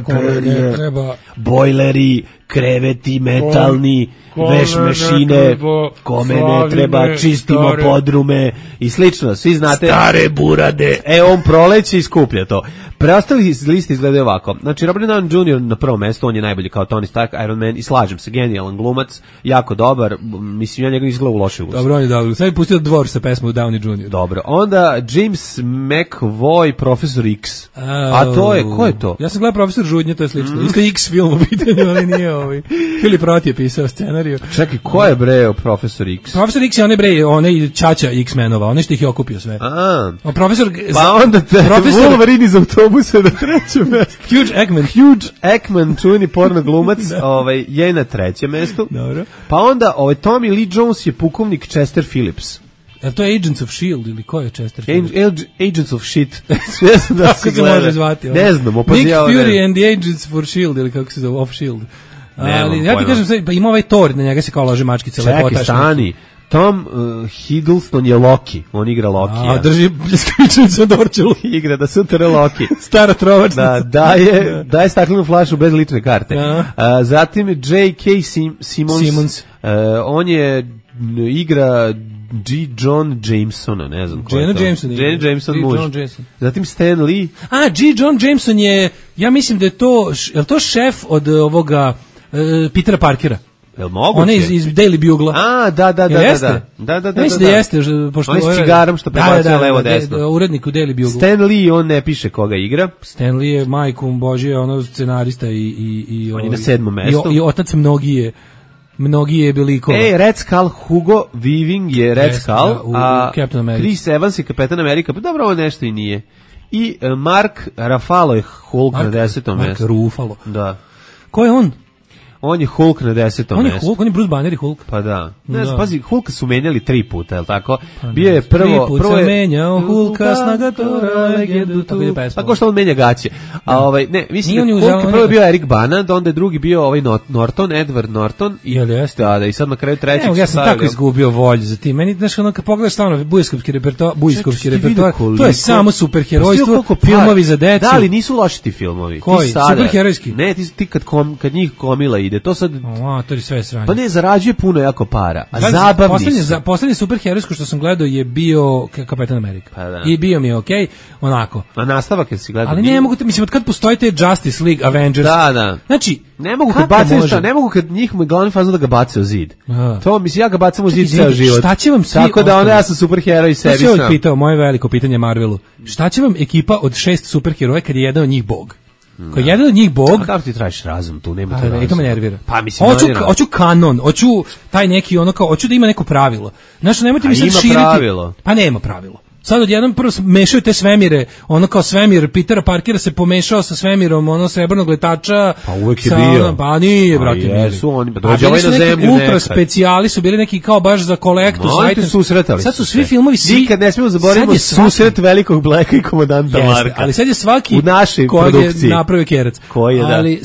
kome ne treba. Bojleri, kreveti, metalni, veš mešine, kome ne treba, čistimo podrume i slično, svi znate. Stare burade. On proleće i skuplja to. Preostali listi izgledaju ovako. Znači, Robert Downey Jr. na prvom mestu, on je najbolji kao Tony Stark, Iron Man, i slažem se, genijalan glumac, jako dobar, mislim, ja njega izgleda u loše ulozi. Dobro, on je dobro. Sad je pustio Dvor sa pesmu Downey Jr. Dobro. Onda James McAvoy, Profesor X. A to je, ko je to? Ja sam gledao Profesor Žudnje, to je slično. Isto X film u pitanju, ali nije ovaj. Filip Roth je pisao scenariju. Čekaj, ko je bre Profesor X? Profesor X je onaj čača X-menova, onaj što ih je okupio sve. Profesor... Pa onda Wolverine iz autobusa na trećem mestu. Hugh Jackman, čuveni porno glumac, je na trećem mestu. Dobro. Pa onda Tommy Lee Jones je pukovnik Chester Phillips. To je Agents of S.H.I.E.L.D. ili ko je Chester Phillips? Agents of Shit. Da kako se može zvati? Ne znam. Nick Fury and the Agents for S.H.I.E.L.D. ili kako se zove, of S.H.I.E.L.D. Ali ja ti kažem sve, pa ima ovaj Thor, na njega se kao lože mačkice. Čekaj, stani. Tom Hiddleston je Loki, on igra Lokija. Drži pljeskavičnicu od Orčelu. Igra da sutra Loki. Stara trovačnica. Daje staklenu flašu bez lične karte. Zatim J.K. Simmons. On je igra John Jamesona, ne znam ko je to. Jane Jameson muž. Zatim Stan Lee. John Jameson je, ja mislim da je to šef od ovoga Petera Parkera. Jel moguće? On je iz Daily Bugle. Da. Mislim da jeste. On je s cigarom što prebacuje levo desno. Urednik u Daily Bugle. Stan Lee, on ne piše koga igra. Stan Lee je majkom Božje, ono scenarista i on je na 7. mestu. I otac mnogi je beliko. Red Skull, Hugo Weaving je Red Skull, a Chris Evans je Kapetan Amerika, pa dobro, ovo nešto i nije. I Mark Ruffalo je Hulk na 10. mestu. Mark Ruffalo. Da. Ko je on? On je Hulk na 10. mestu. On je Hulk, on je Bruce Banner i Hulk. Pa da. Ne znam, pazi, Hulka su menjali 3 puta, je li tako? Bio je prvo... 3 puta menjao Hulka, snagatora, legendu tu. Pa ko što on menja gaće. A ne, mislim, Hulk prvo je bio Eric Bana, onda je drugi bio Norton, Edward Norton. Jel jeste? Da, i sad na kraju trećeg... Ja sam tako izgubio volju za tim. Meni, znaš, ono, kad pogledaš stavno bujskovski repertoar, to je samo superherojstvo, filmovi za decu. Da, ali nisu loši ti filmovi. Koji? Superherojski? Ne, ti kad njih komila ide, to sad... to je sve sranje. Pa ne, zarađuje puno jako para, a zabavni su. Poslednji superherojsko što sam gledao je bio Kapetan Amerika. Pa da. I bio mi je okej, onako. A nastavak je si gledao? Ali ne mogu, mislim, od kad postoji te Justice League, Avengers. Da. Znači, ne mogu kad bacaju šta, ne mogu kad njih glavni fazon da ga bace u zid. To, mislim, ja ga bacam u zid ceo život. Šta će vam svi... Tako da onda ja sam superheroj i sebi sam. Pitao, moje veliko pitanje Marvelu. Šta će vam ekipa od 6 superheroja kad je jedan od njih bog? Ko je jedan od njih bog... A kako ti tražiš razum tu, nema to razum. I to me nervira. Pa mislim, hoću kanon, hoću taj neki ono kao, hoću da ima neko pravilo. Znaš, nemojte mi sad širiti... Pravilo. Pa nema pravilo. Sad odjednom prvo mešaju te svemire, ono kao svemir Petera Parkera se pomešao sa svemirom ono srebrnog letača. Pa uvek je bio. Pa nije, brate. Jesu oni, pa dođe ovaj na zemlju ultra specijali su bili neki kao baš za kolektu. Sad su svi filmovi, nikad ne smemo zaboraviti susret velikog Blacka i komandanta Marka. Ali sad je svaki u našoj produkciji napravio Kerac. Koji je, da. Ali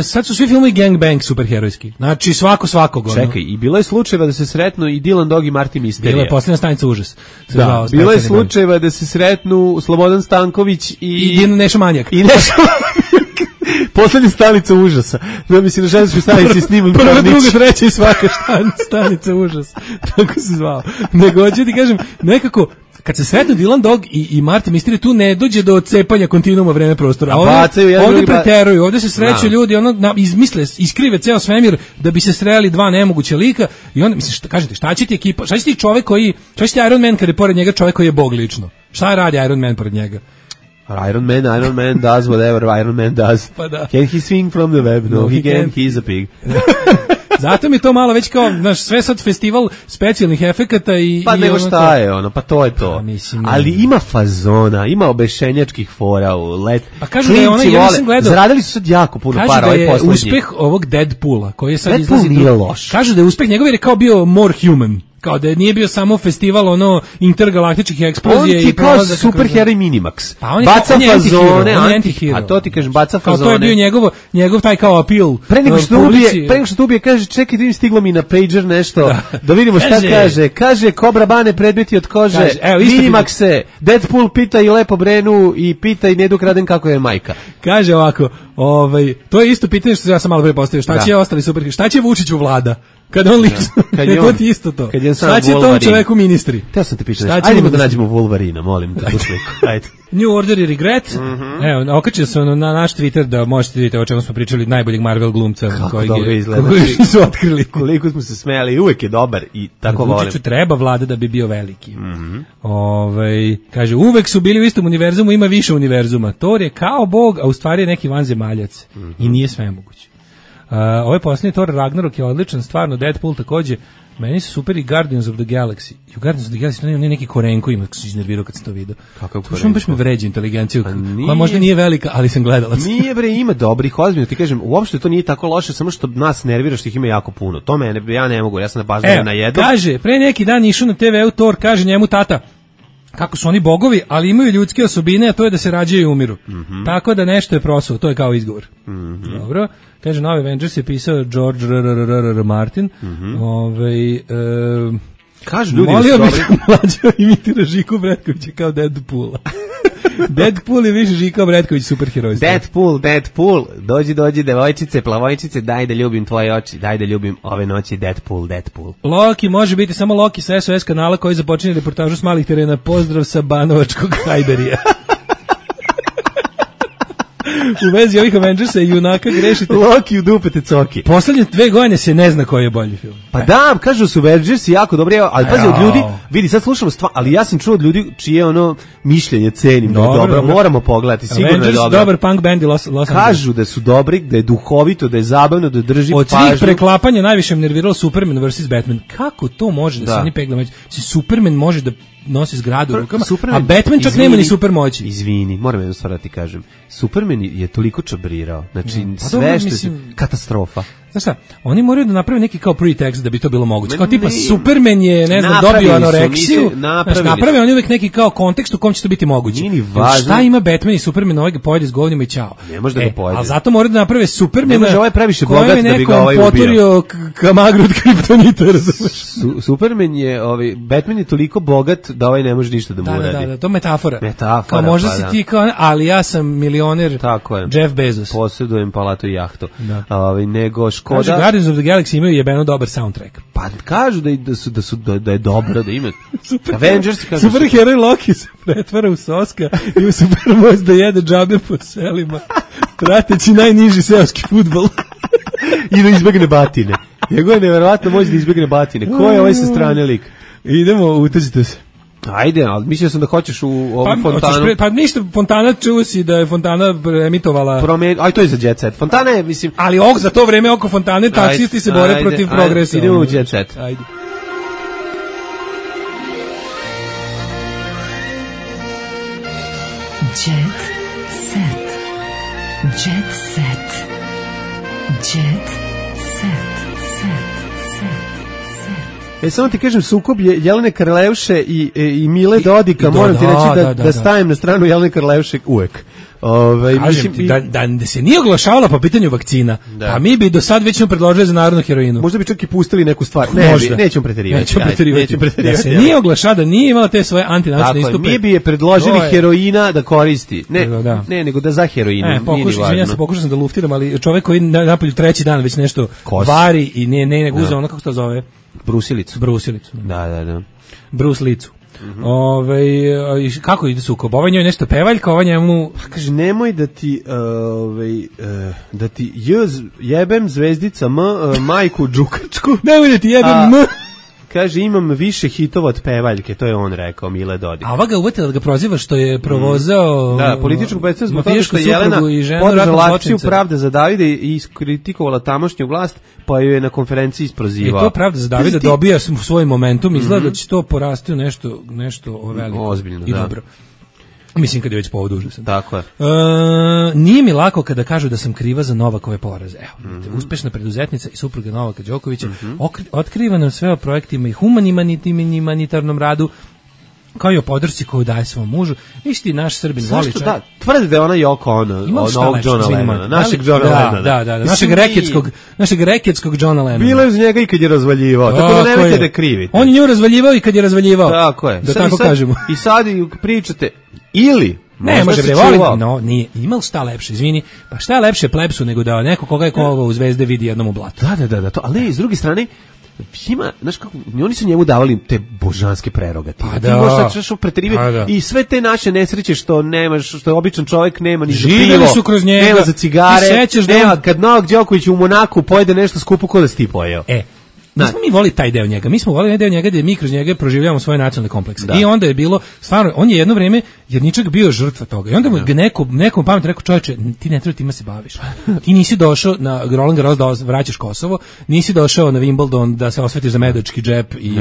sad su svi filmovi gangbang superherojski. Znači svakog. Čekaj, i bilo je slučajeva da se sretnu i Dylan Dog i Marty Misterija. Bila je Posljednja stanica užas. Da, bilo je slučajeva da se sretnu Slobodan Stanković i Neša Manjak. Poslednja stanica užasa. Da mislim na ženskoj stanici snimam prva, druga, treća i svaka stanica užasa. Tako se zvao. Nego hoću ti kažem, nekako kad se sretnu Dylan Dog i Marty Mystery, tu ne dođe do cepanja kontinuuma vreme prostora. A ovdje preteruju, ovdje se sreću ljudi, izmisle, iskrive ceo svemir da bi se sreli dva nemoguća lika i onda, mislim, kažete, šta će ti ekipa, šta će ti čovek koji, šta će ti Iron Man kad je pored njega čovek koji je bog lično? Šta radi Iron Man pored njega? Iron Man does whatever Iron Man does. Pa da. Can he swing from the web? No, he can't, he's a pig. Zato mi to malo već kao, znaš, sve sad festival specijalnih efekata i... Pa nego šta je ono, pa to je to. Ali ima fazona, ima obešenjačkih fora u let. Pa kažu da je ona, ja nisam gledao... Zaradili su sad jako puno para, ovaj poslednji. Kažu da je uspeh ovog Deadpoola, koji je sad Deadpool izlazi... nije loš. Kažu da je uspeh njegov jer je kao bio more human. Kao da nije bio samo festival ono intergalaktičkih eksplozija i prolazaka. On ti kao superheroj Minimax. Pa on je baca fazone, anti-hero. A to ti kažem, baca fazone. Kao to je bio njegov taj kao apil. Pre nego što ubije, kaže, čekaj, vidim stiglo mi na pager nešto, da vidimo šta kaže. Kaže, Kobra Bane predmeti od kože, Minimaxe, Deadpool pita i Lepo Brenu i pita i Nedu Kraden kako je majka. Kaže ovako, to je isto pitanje što ja sam malo pre postavio, šta će ostali superheroj, šta će Vučiću Vlada? Kad on lično, to ti isto to. Šta će tom čoveku ministri? Teo sam te pitao nešto. Ajde da nađemo Wolverina, molim te, tu sliku. Ajde. New Order i Regret. Evo, okačio sam na naš Twitter da možete vidjeti o čemu smo pričali, najboljeg Marvel glumca. Kako dobro izgleda. Su otkrili. Koliko smo se smejali, uvek je dobar i tako volim. Vučiću treba Vlada da bi bio veliki. Kaže, uvek su bili u istom univerzumu, ima više univerzuma. Thor je kao bog, a u stvari je neki vanzemaljac. I nije sve moguće. Ovaj posljednji Thor Ragnarok je odličan, stvarno, Deadpool takođe. Meni su super i Guardians of the Galaxy. I u Guardians of the Galaxy to nije neki Korenko ima, kako se iznervirao kad sam to vidio. Kakav Korenko? To baš me vređa inteligenciju, koja možda nije velika, ali sam gledalac. Nije bre, ima dobrih, ozbiljno ti kažem, uopšte to nije tako loše, samo što nas nervira što ih ima jako puno. To mene, ja ne mogu, ja sam napažnjen na jedno. Kaže, pre neki dan išao na TV-u Thor, kaže njemu tata, kako su oni bogovi, ali imaju ljudske osobine, a to je da se rađaju i umiru. Tako da nešto je prosao, to je kao izgovor. Dobro. Kaže, novi Avengers je pisao George R. Martin. Kažu ljudi molio bih mlađo imitira Žiku Bretkovića kao Deadpoola. Deadpool je više Žika Bretković superherojstva. Deadpool, dođi devojčice, plavojčice, daj da ljubim tvoje oči, daj da ljubim ove noći, Deadpool. Loki može biti samo Loki sa SOS kanala koji započinje reportažu s malih terena. Pozdrav sa Banovačkog Hajderija. U vezi ovih Avengersa i junaka grešite. Loki u dupete coki. Poslednje 2 godine se ne zna koji je bolji film. Pa da, kažu su Avengers jako dobri, ali pazi od ljudi, vidi sad slušamo ali ja sam čuo od ljudi čije ono mišljenje cenim, dobro, moramo pogledati, sigurno Avengers, je dobro. Dobar punk band i Los Angeles. Kažu da su dobri, da je duhovito, da je zabavno, da drži pažnju. Od svih preklapanja najviše me nerviralo Superman vs. Batman. Kako to može da se oni peglamo? Superman može da nosi zgradu u rukama, a Batman čak nema ni super moći. Izvini, moram jednu stvar da ti kažem. Superman je toliko čabrirao. Znači, sve što je katastrofa. Znaš šta, oni moraju da naprave neki kao pretext da bi to bilo moguće. Kao tipa, Superman je, ne znam, dobio anoreksiju. Naprave oni uvek neki kao kontekst u kom će to biti moguće. Šta ima Batman i Superman ovaj ga pojede s govnima i ćao. Ne može da ga pojede. Ali zato moraju da naprave Supermana. Ne može ovaj previše bogat da bi ga ovaj ubio. Poturio kamagru od kriptonita, razumeš? Superman je, Batman je toliko bogat da ovaj ne može ništa da mu uradi. Da, to metafora. Kao možda si ti kao, ali ja sam milioner Jeff Bezos. Posjedujem palatu i jahtu. Nego Škoda. Kaže, Guardians of the Galaxy imaju jebeno dobar soundtrack. Pa kažu da je dobro, da ima. Avengers kažu. Superheroj Loki se pretvara u soska i u supermoć da jede džabe po selima, prateći najniži seoski fudbal. I da izbegne batine. Njegov je neverovatno moć da izbegne batine. Ko je ovaj sa strane lik? Idemo, utezite se. Ajde, ali mislio sam da hoćeš u ovu fontanu. Pa ništa, fontana čuo si da je fontana emitovala. Aj, to je za Jet Set. Fontana je, mislim. Ali za to vreme oko fontane taksisti se bore protiv progresa. Idemo u Jet Set. Ajde. Jet set. Jet set. Jet set. Samo ti kažem, sukob je Jelene Karleuše i Mile Dodika, moram ti reći da stajem na stranu Jelene Karleuše uvek. Kažem ti, da se nije oglašavala po pitanju vakcina, pa mi bi do sad već predložili za narodnu heroinu. Možda bi čak i pustili neku stvar. Nećemo preterivati. Da se nije oglašala, da nije imala te svoje antinaučne istupe. Mi bi je predložili heroina da koristi. Ne, nego da za heroinu. Pokušao sam da luftiram, ali čovek koji napolju treći dan već nešto vari i ne guza ono, kako se to zove? Brusilicu. Da. Bruslicu. Kako ide sukob? Ova njoj nešto pevaljka, ova njemu... Kaže, nemoj da ti jebem zvezdica majku džukačku. Nemoj da ti jebem Kaže, imam više hitova od pevaljke, to je on rekao, Mile Dodik. A ova ga uvetila da ga proziva što je provozao političku predstavu zbog toga što je Jelena podržala akciju Pravda za Davida i iskritikovala tamošnju vlast, pa ju je na konferenciji isprozivao. I to Pravda za Davida dobija svoj momentum, izgleda da će to porasti u nešto veliko. Ozbiljno, i dobro. Mislim kad je već povod užasan. Tako je. Nije mi lako kada kažu da sam kriva za Novakove poraze. Evo, uspešna preduzetnica i supruga Novaka Đokovića otkriva nam sve o projektima i humanitarnom radu, kao i o podršci koju daje svom mužu. Viš ti, naš Srbin voli čovjek. Da, tvrdi da je ona Joko ono, novog Johna Lennona, našeg Johna Lennona. Da, našeg reketskog Johna Lennona. Bilo je uz njega i kad je razvaljivao, tako da nemojte da krivite. On je nju razvaljivao i kad je razvaljivao. Tako je. Da tako kažemo. I sad pričate, ili ne, može bre, volim, no, nije, imao šta lepše, izvini, pa šta je lepše plebsu nego da neko koga je koga u Zvezde vidi jednom u blatu. Da, to, ali s druge strane, ima, znaš kako, oni su njemu davali te božanske prerogative. Pa da. Ti možeš preterivati i sve te naše nesreće što nemaš, što je običan čovjek nema ni za pivo, su kroz njega, nema za cigare, nema, kad Novak Đoković u Monaku pojede nešto skupo ko da si ti pojeo. Mi smo volili taj deo njega. Mi smo volili deo njega gdje mi kroz njega proživljavamo svoje nacionalne komplekse. I onda je bilo, stvarno, on je jedno vrijeme Jerničak bio žrtva toga. I onda mu nekom pametno rekao, čovječe, ti ne treba time se baviš. Ti nisi došao na Roland Garros da vraćaš Kosovo, nisi došao na Wimbledon da se osvetiš za medački džep i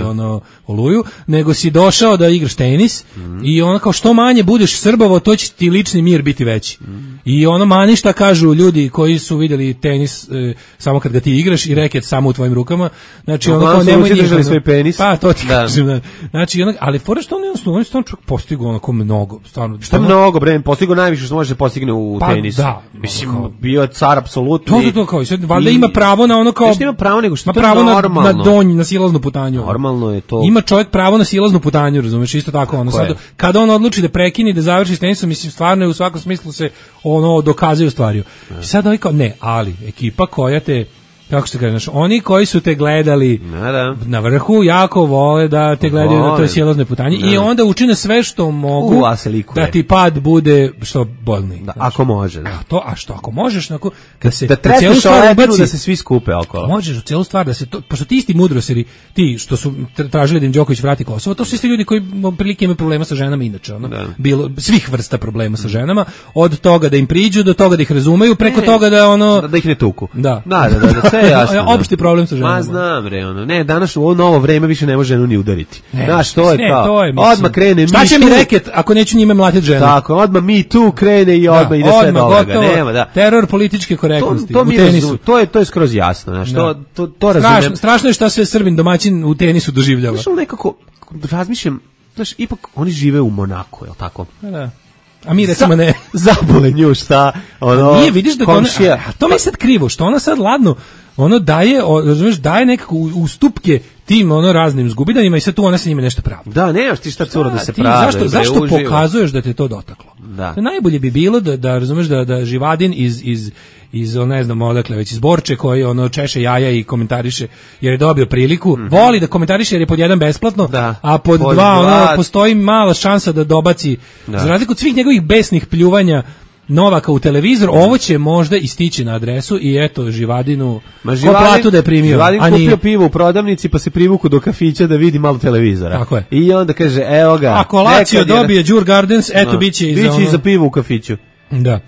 oluju, nego si došao da igraš tenis i ono kao što manje budeš Srbovo, to će ti lični mir biti veći. I ono mani šta kažu ljudi koji su vidjeli tenis samo kad ga ti igraš i reket samo u tvojim rukama. Znači ono kao nemoj držali svoj penis. Pa to ti kažem. Znači ali fora što on je stvarno postigao onako mnogo, stvarno. Šta mnogo bre, postigao najviše što može da postigne u tenisu. Da, mislim bio je car apsolutno. To kao i sad valjda ima pravo na ono kao. Što ima pravo nego što ima pravo na donj, na silaznu putanju. Normalno je to. Ima čovjek pravo na silaznu putanju, razumeš, isto tako ono sad kada on odluči da prekine da završi s tenisom, mislim stvarno je u svakom smislu se ono dokazuje stvari. I sad ovaj kao ne, ali ekipa koja te kako se kaže, oni koji su te gledali na vrhu jako vole da te gledaju na toj silaznoj putanji i onda učine sve što mogu da ti pad bude što bolniji. Da, ako može. A što ako možeš, kad se da tresneš ledinu da se svi skupe okolo. Možeš u celu stvar da se to, pošto ti isti mudroseri, ti što su tražili da im Đoković vrati Kosovo, to su isti ljudi koji prilike imaju problema sa ženama inače, bilo svih vrsta problema sa ženama, od toga da im priđu do toga da ih razumeju, preko toga da ih ne tuku. Da. Opšti problem sa ženama. Ma znam bre, ne, danas u ovo novo vreme više ne može ženu ni udariti. Znaš, to je kao, odmah krene šta će mi reket ako neću njime mlatiti ženu? Tako, odmah mi tu krene i odmah ide sve do ovoga. Nema, da. Teror političke korektnosti u tenisu. To je skroz jasno, znaš, to razumem. Strašno je šta sve Srbin domaćin u tenisu doživljava. Znaš, nekako razmišljam, znaš, ipak oni žive u Monaku, je li tako? Da. A mi recimo ne. Zabole nju šta, nije, vidiš da to mi je sad krivo, što ona sad ladno, daje, razumiješ, daje nekako ustupke tim raznim zgubidanjima i sad tu ona se njime nešto pravi. Da, nemaš ti šta cura da se pravi. Zašto pokazuješ da te to dotaklo? Da. Najbolje bi bilo da razumeš da Živadin iz ne znam odakle već iz Borče koji češe jaja i komentariše jer je dobio priliku, voli da komentariše jer je pod jedan besplatno, a pod dva postoji mala šansa da dobaci, za razliku od svih njegovih besnih pljuvanja Novaka u televizor, ovo će možda istići na adresu i eto Živadinu ko platu da je primio. Živadin kupio pivo u prodavnici pa se privuku do kafića da vidi malo televizora. Tako je. I onda kaže, evo ga. Ako Lazio dobije Đur Gardens, eto biće i za pivo u kafiću. Da.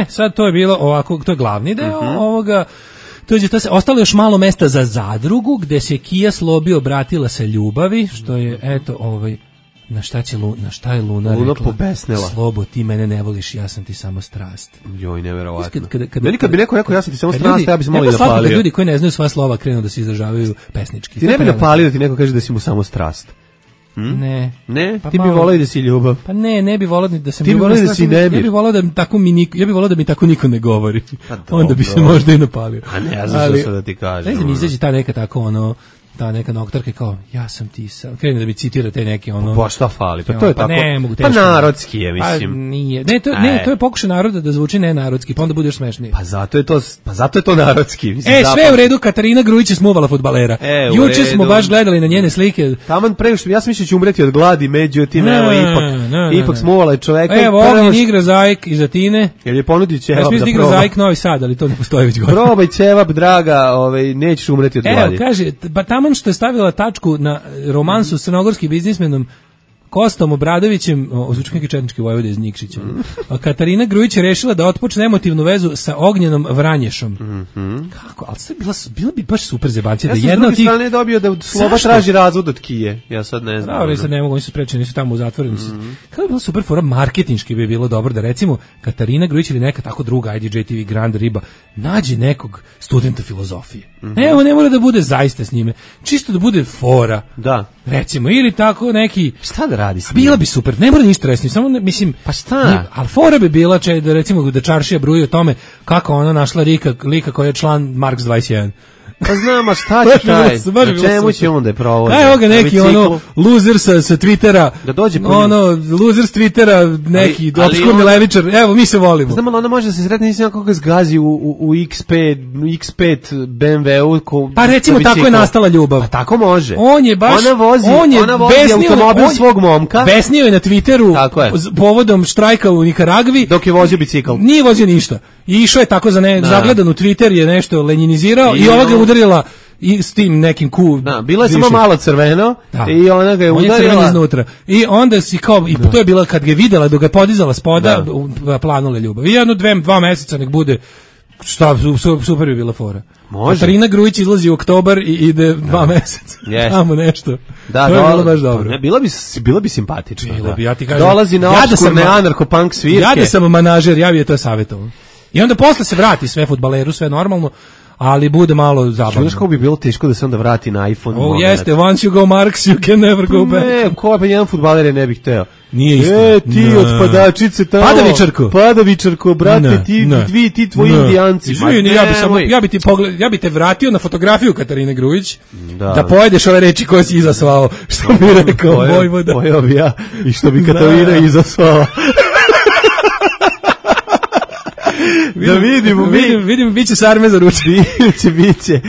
Sad to je bilo ovako, to je glavni deo ovoga. Ostalo još malo mesta za zadrugu gde se Kija Slobi obratila sa ljubavi, što je eto Na šta je Luna rekla? Pobesnela. Slobo, ti mene ne voliš, ja sam ti samo strast. Joj, neverovatno. Kad bi neko rekao ja sam ti samo strast, ja bi se malo i napalio. Kad ljudi koji ne znaju sva slova krenu da se izražavaju pesnički. Ti ne bi napalio da ti neko kaže da si mu samo strast. Ne. Pa ti bi voleo da si ljubav. Pa ne bi voleo da sam ti bi voleo da si nemir. Ja bih voleo da mi tako niko ne govori. Onda bi se možda i napalio. A ne, ja znam što da ti kažem. Ne znam, izađe ta neka tako ta neka noktarka kao ja sam ti sam krene da mi citira te neke Pa šta fali? Pa to je tako. Ne mogu teško. Pa narodski je, mislim. Pa nije. To je pokušaj naroda da zvuči nenarodski, pa onda budeš smešniji. Pa zato je to narodski, mislim. Sve u redu, Katarina Grujić je smuvala fudbalera. Juče smo baš gledali na njene slike. Taman pre što ja sam mislio će umreti od gladi, međutim evo ipak smuvala je čoveka. Evo Ognjen igra Zajk iz Atine. Jel je ponudio ćevap da proba? Ja mislim igra Zajk Novi Sad, ali to ne postoji već godina. Probaj ćevap, draga, nećeš umreti od gladi. Evo kaže, pa taman što je stavila tačku na romansu s crnogorskim biznismenom Kostom Obradovićem, zvuči neki četnički vojvoda iz Nikšića. Katarina Grujić je rešila da otpočne emotivnu vezu sa Ognjenom Vranješom. Kako? Ali sad bilo bi baš super zebancija. Ja sam s druge strane dobio da Sloba traži razvod od Kije. Ja sad ne znam. Ali sad ne mogu, oni su sprečeni, nisu tamo u zatvoreni. Kako bi bilo super fora, marketinški bi bilo dobro da recimo Katarina Grujić ili neka tako druga IDJ-TV Grand Riba nađe nekog studenta filozofije. Evo, ne mora da bude zaista s njime. Čisto da bude fora. Da. Recimo, ili tako neki... Šta da radi s njim? Bila bi super, ne mora ništa resnije, samo mislim... Pa šta? Ali fora bi bila, da recimo da Čaršija bruji o tome kako ona našla lika koji je član Marks 21. Pa znam, a šta će taj? Na čemu će onda je provodi? Evo ga neki loser sa Twittera, da dođe loser s Twittera, neki obskurni levičar, evo mi se volimo. Znam, ali ona može da se sretne, nisam kako ga zgazi u X5 BMW-u. Pa recimo tako je nastala ljubav. Pa tako može. On je baš, ona vozi automobil svog momka. Besnio je na Twitteru povodom štrajka u Nikaragvi. Dok je vozio bicikl. Nije vozio ništa. I išao je tako zagledan u Twitter, je nešto lenjinizirao i ova ga udarila i s tim nekim bilo je samo malo crveno i ona ga je udarila. On je crven iznutra. I onda si kao, i to je bila kad ga je videla dok ga je podizala spoda, planule ljubav. I jedno, 2 meseca nek bude, šta, super bi bila fora. Može. Katarina Grujić izlazi u oktobar i ide 2 meseca. Tamo nešto. Da, to je bilo baš dobro. Bilo bi simpatično. Bilo bi, ja ti kažem. Dolazi na opskurne anarcho-punk svirke. Ja da sam manažer, ja bi je to savjetovao. I onda posle se vrati sve fudbaleru, sve normalno, ali bude malo zabavno. Znaš kako bi bilo teško da se onda vrati na iPhone? Jeste, once you go Marks, you can never go back. Ne, ko pa jedan fudbaler je ne bih hteo. Nije isto. Ti od padačice tamo. Padavičarko, brate, ti tvoji indijanci. Ja bi te vratio na fotografiju Katarine Grujić, da pojedeš ove reči koje si izasvao, što bi rekao Vojvoda. Pojao bi ja i što bi Katarina izasvala. Da vidimo biće sarme za ruče. Biće.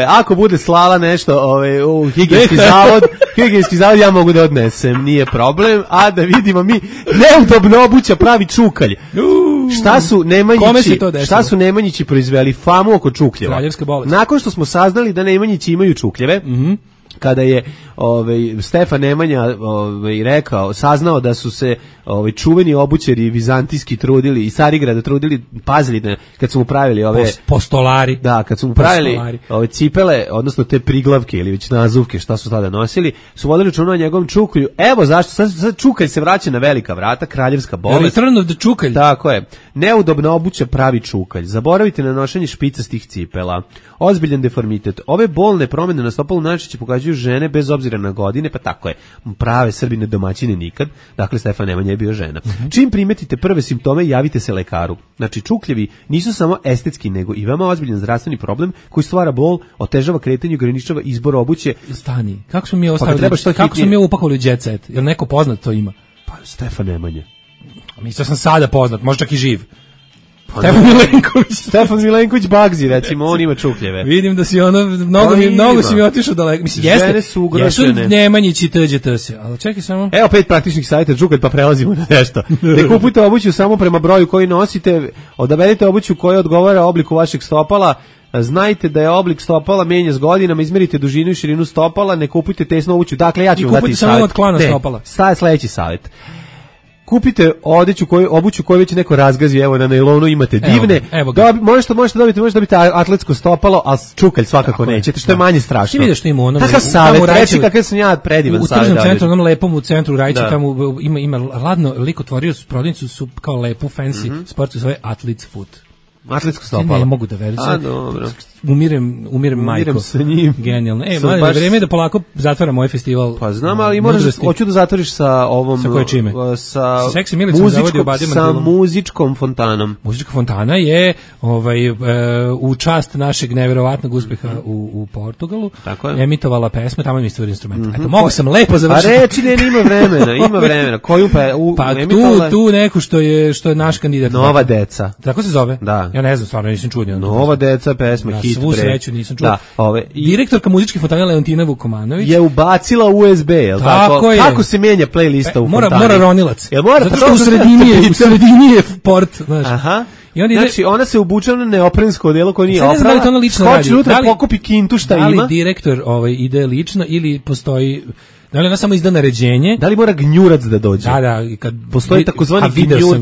Ako bude slala nešto u higijenski zavod, ja mogu da odnesem, nije problem. A da vidimo mi, neudobno obuća pravi čukalj. Šta su Nemanjići proizveli? Famu oko čukljeva. Kraljevska bolest. Nakon što smo saznali da Nemanjići imaju čukljeve, kada je Stefan Nemanja saznao da su se čuveni obućari vizantijski trudili i Carigrada trudili, pazili kad su mu pravili postolari. Da, kad su mu pravili ove cipele, odnosno te priglavke ili već nazuvke, šta su tada nosili, su vodili računa o njegovom čuklju. Evo zašto, sad čukalj se vraća na velika vrata, kraljevska bolest. Return of the čukalj. Tako je. Neudobna obuća pravi čukalj. Zaboravite na nošenje špicastih cipela. Ozbiljan deformitet. Ove bolne promjene na stopalu najčešće pokazuju žene bez obzira na godine, pa tako je. Prave Srbine domaćine nikad. Dakle, Stefan Nemanja je bio žena. Čim primetite prve simptome, javite se lekaru. Znači, čukljevi nisu samo estetski, nego i veoma ozbiljan zdravstveni problem koji stvara bol, otežava kretanje, ograničava izbor obuće. Stani, kako smo mi upakovali u jet set? Jel neko poznat to ima? Pa, Stefan Nemanja. Mislio sam sada poznat, možda čak i živ. Stefan Milenković Bagzi, recimo, on ima čukljeve. Vidim da si mnogo si mi otišao daleko. Mislim, žene su ugrožene. Jesu Nemanjići TđT-se, ali čekaj samo. Evo 5 praktičnih savjeta čukalj, pa prelazimo na nešto. Ne kupujte obuću samo prema broju koji nosite, odaberite obuću koja odgovara obliku vašeg stopala. Znajte da je oblik stopala menja s godinama, izmerite dužinu i širinu stopala, ne kupujte tesnu obuću. Dakle, ja ću vam dati savjet. I kupujte samo od klana stopala. Sledeći savjet. kupite obuću koju već neko razgazi, evo na nailonu imate divne. Evo možete dobiti atletsko stopalo, a čukalj svakako nećete, što je manje strašno. Ti vidiš što ima ono. Kakav savjet, reći kakav sam ja predivan savjet. U tržnom centru, onom lepom u centru Rajića, tamo ima ladno, lik otvorio su prodavnicu, su kao lepu, fancy, sportu zove Athlete's Foot. Atletsko stopalo. Ne mogu da verujem. A, dobro. Umirem majko. Sa njim. Genijalno. Mladen, vreme je da polako zatvaram ovaj festival. Pa znam, ali hoću da zatvoriš sa ovom... Sa koje čime? Sa muzičkom fontanom. Muzička fontana je u čast našeg neverovatnog uspeha u Portugalu. Tako je. Emitovala pesme, tamo mi stvari instrumenta. Eto, mogu sam lepo završiti. A reći ima vremena. Koju pa tu neku što je naš kandidat. Nova deca. Tako se zove? Da. Ja ne znam, stvarno nisam čuo. Nova deca, pesma, hit. Svu sreću nisam čuo. Da, direktorka muzičke fontane Leontina Vukomanović je ubacila USB, jel tako? Kako se menja playlista u fontani? Mora ronilac. Jel mora? Zato što u sredini je port, znaš. Aha. Znači, ona se obuče na neoprensko odelo koje nije oprala, skoči unutra, pokupi kintu šta ima. Da li direktor ide lično ili postoji... Da li ona samo izda naređenje? Da li mora gnjurac da dođe? Da, kad postoji takozvani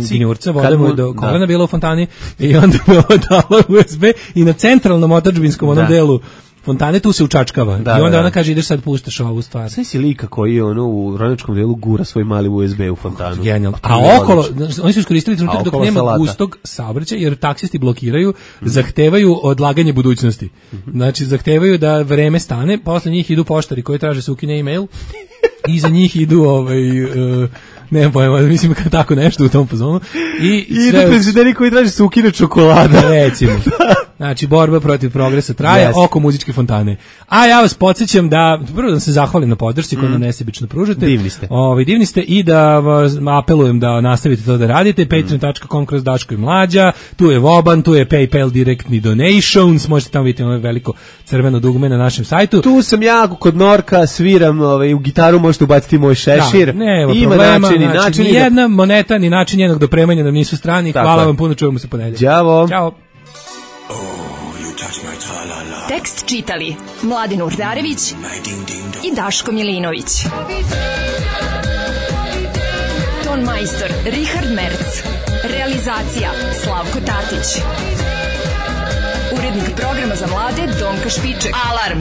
gnjurca, voda mu je do kolena bila u fontani i onda mu je dala USB i na centralnom otadžbinskom onom delu fontane tu se učačkava. I onda ona kaže ideš sad puštaš ovu stvar. Sve si lika koji u Ronjačkom delu gura svoj mali USB u fontanu. Genijalno. A okolo, oni su iskoristili trenutak dok nema gustog saobraćaja, jer taksisti blokiraju, zahtevaju odlaganje budućnosti. Znači, zahtevaju da vreme stane, posle njih idu poštari koji traže se ukine e-mail, i za njih idu nemam pojma, mislim kao tako nešto u tom pozonu. I idu penzioneri koji traže se ukine čokolada. Recimo. Znači, borba protiv progresa traje oko muzičke fontane. A ja vas podsjećam da, prvo da se zahvalim na podršci koju nam nesebično pružate. Divni ste i da vas apelujem da nastavite to da radite. patreon.com/Daško i Mlađa. Tu je Voban, tu je PayPal direktni donations. Možete tamo vidjeti ono veliko crveno dugme na našem sajtu. Tu sam ja kod Norka, sviram u gitaru, možete ubaciti moj šešir. Ima način, ni jedna moneta, ni način jednog dopremanja nam nisu strani. Hvala vam puno, čujemo se ponedjeljak. Ćao. Tekst čitali Mladen Urdarević i Daško Milinović. Ton majstor Richard Merc. Realizacija Slavko Tatić. Urednik programa za mlade Donka Špiček. Alarm!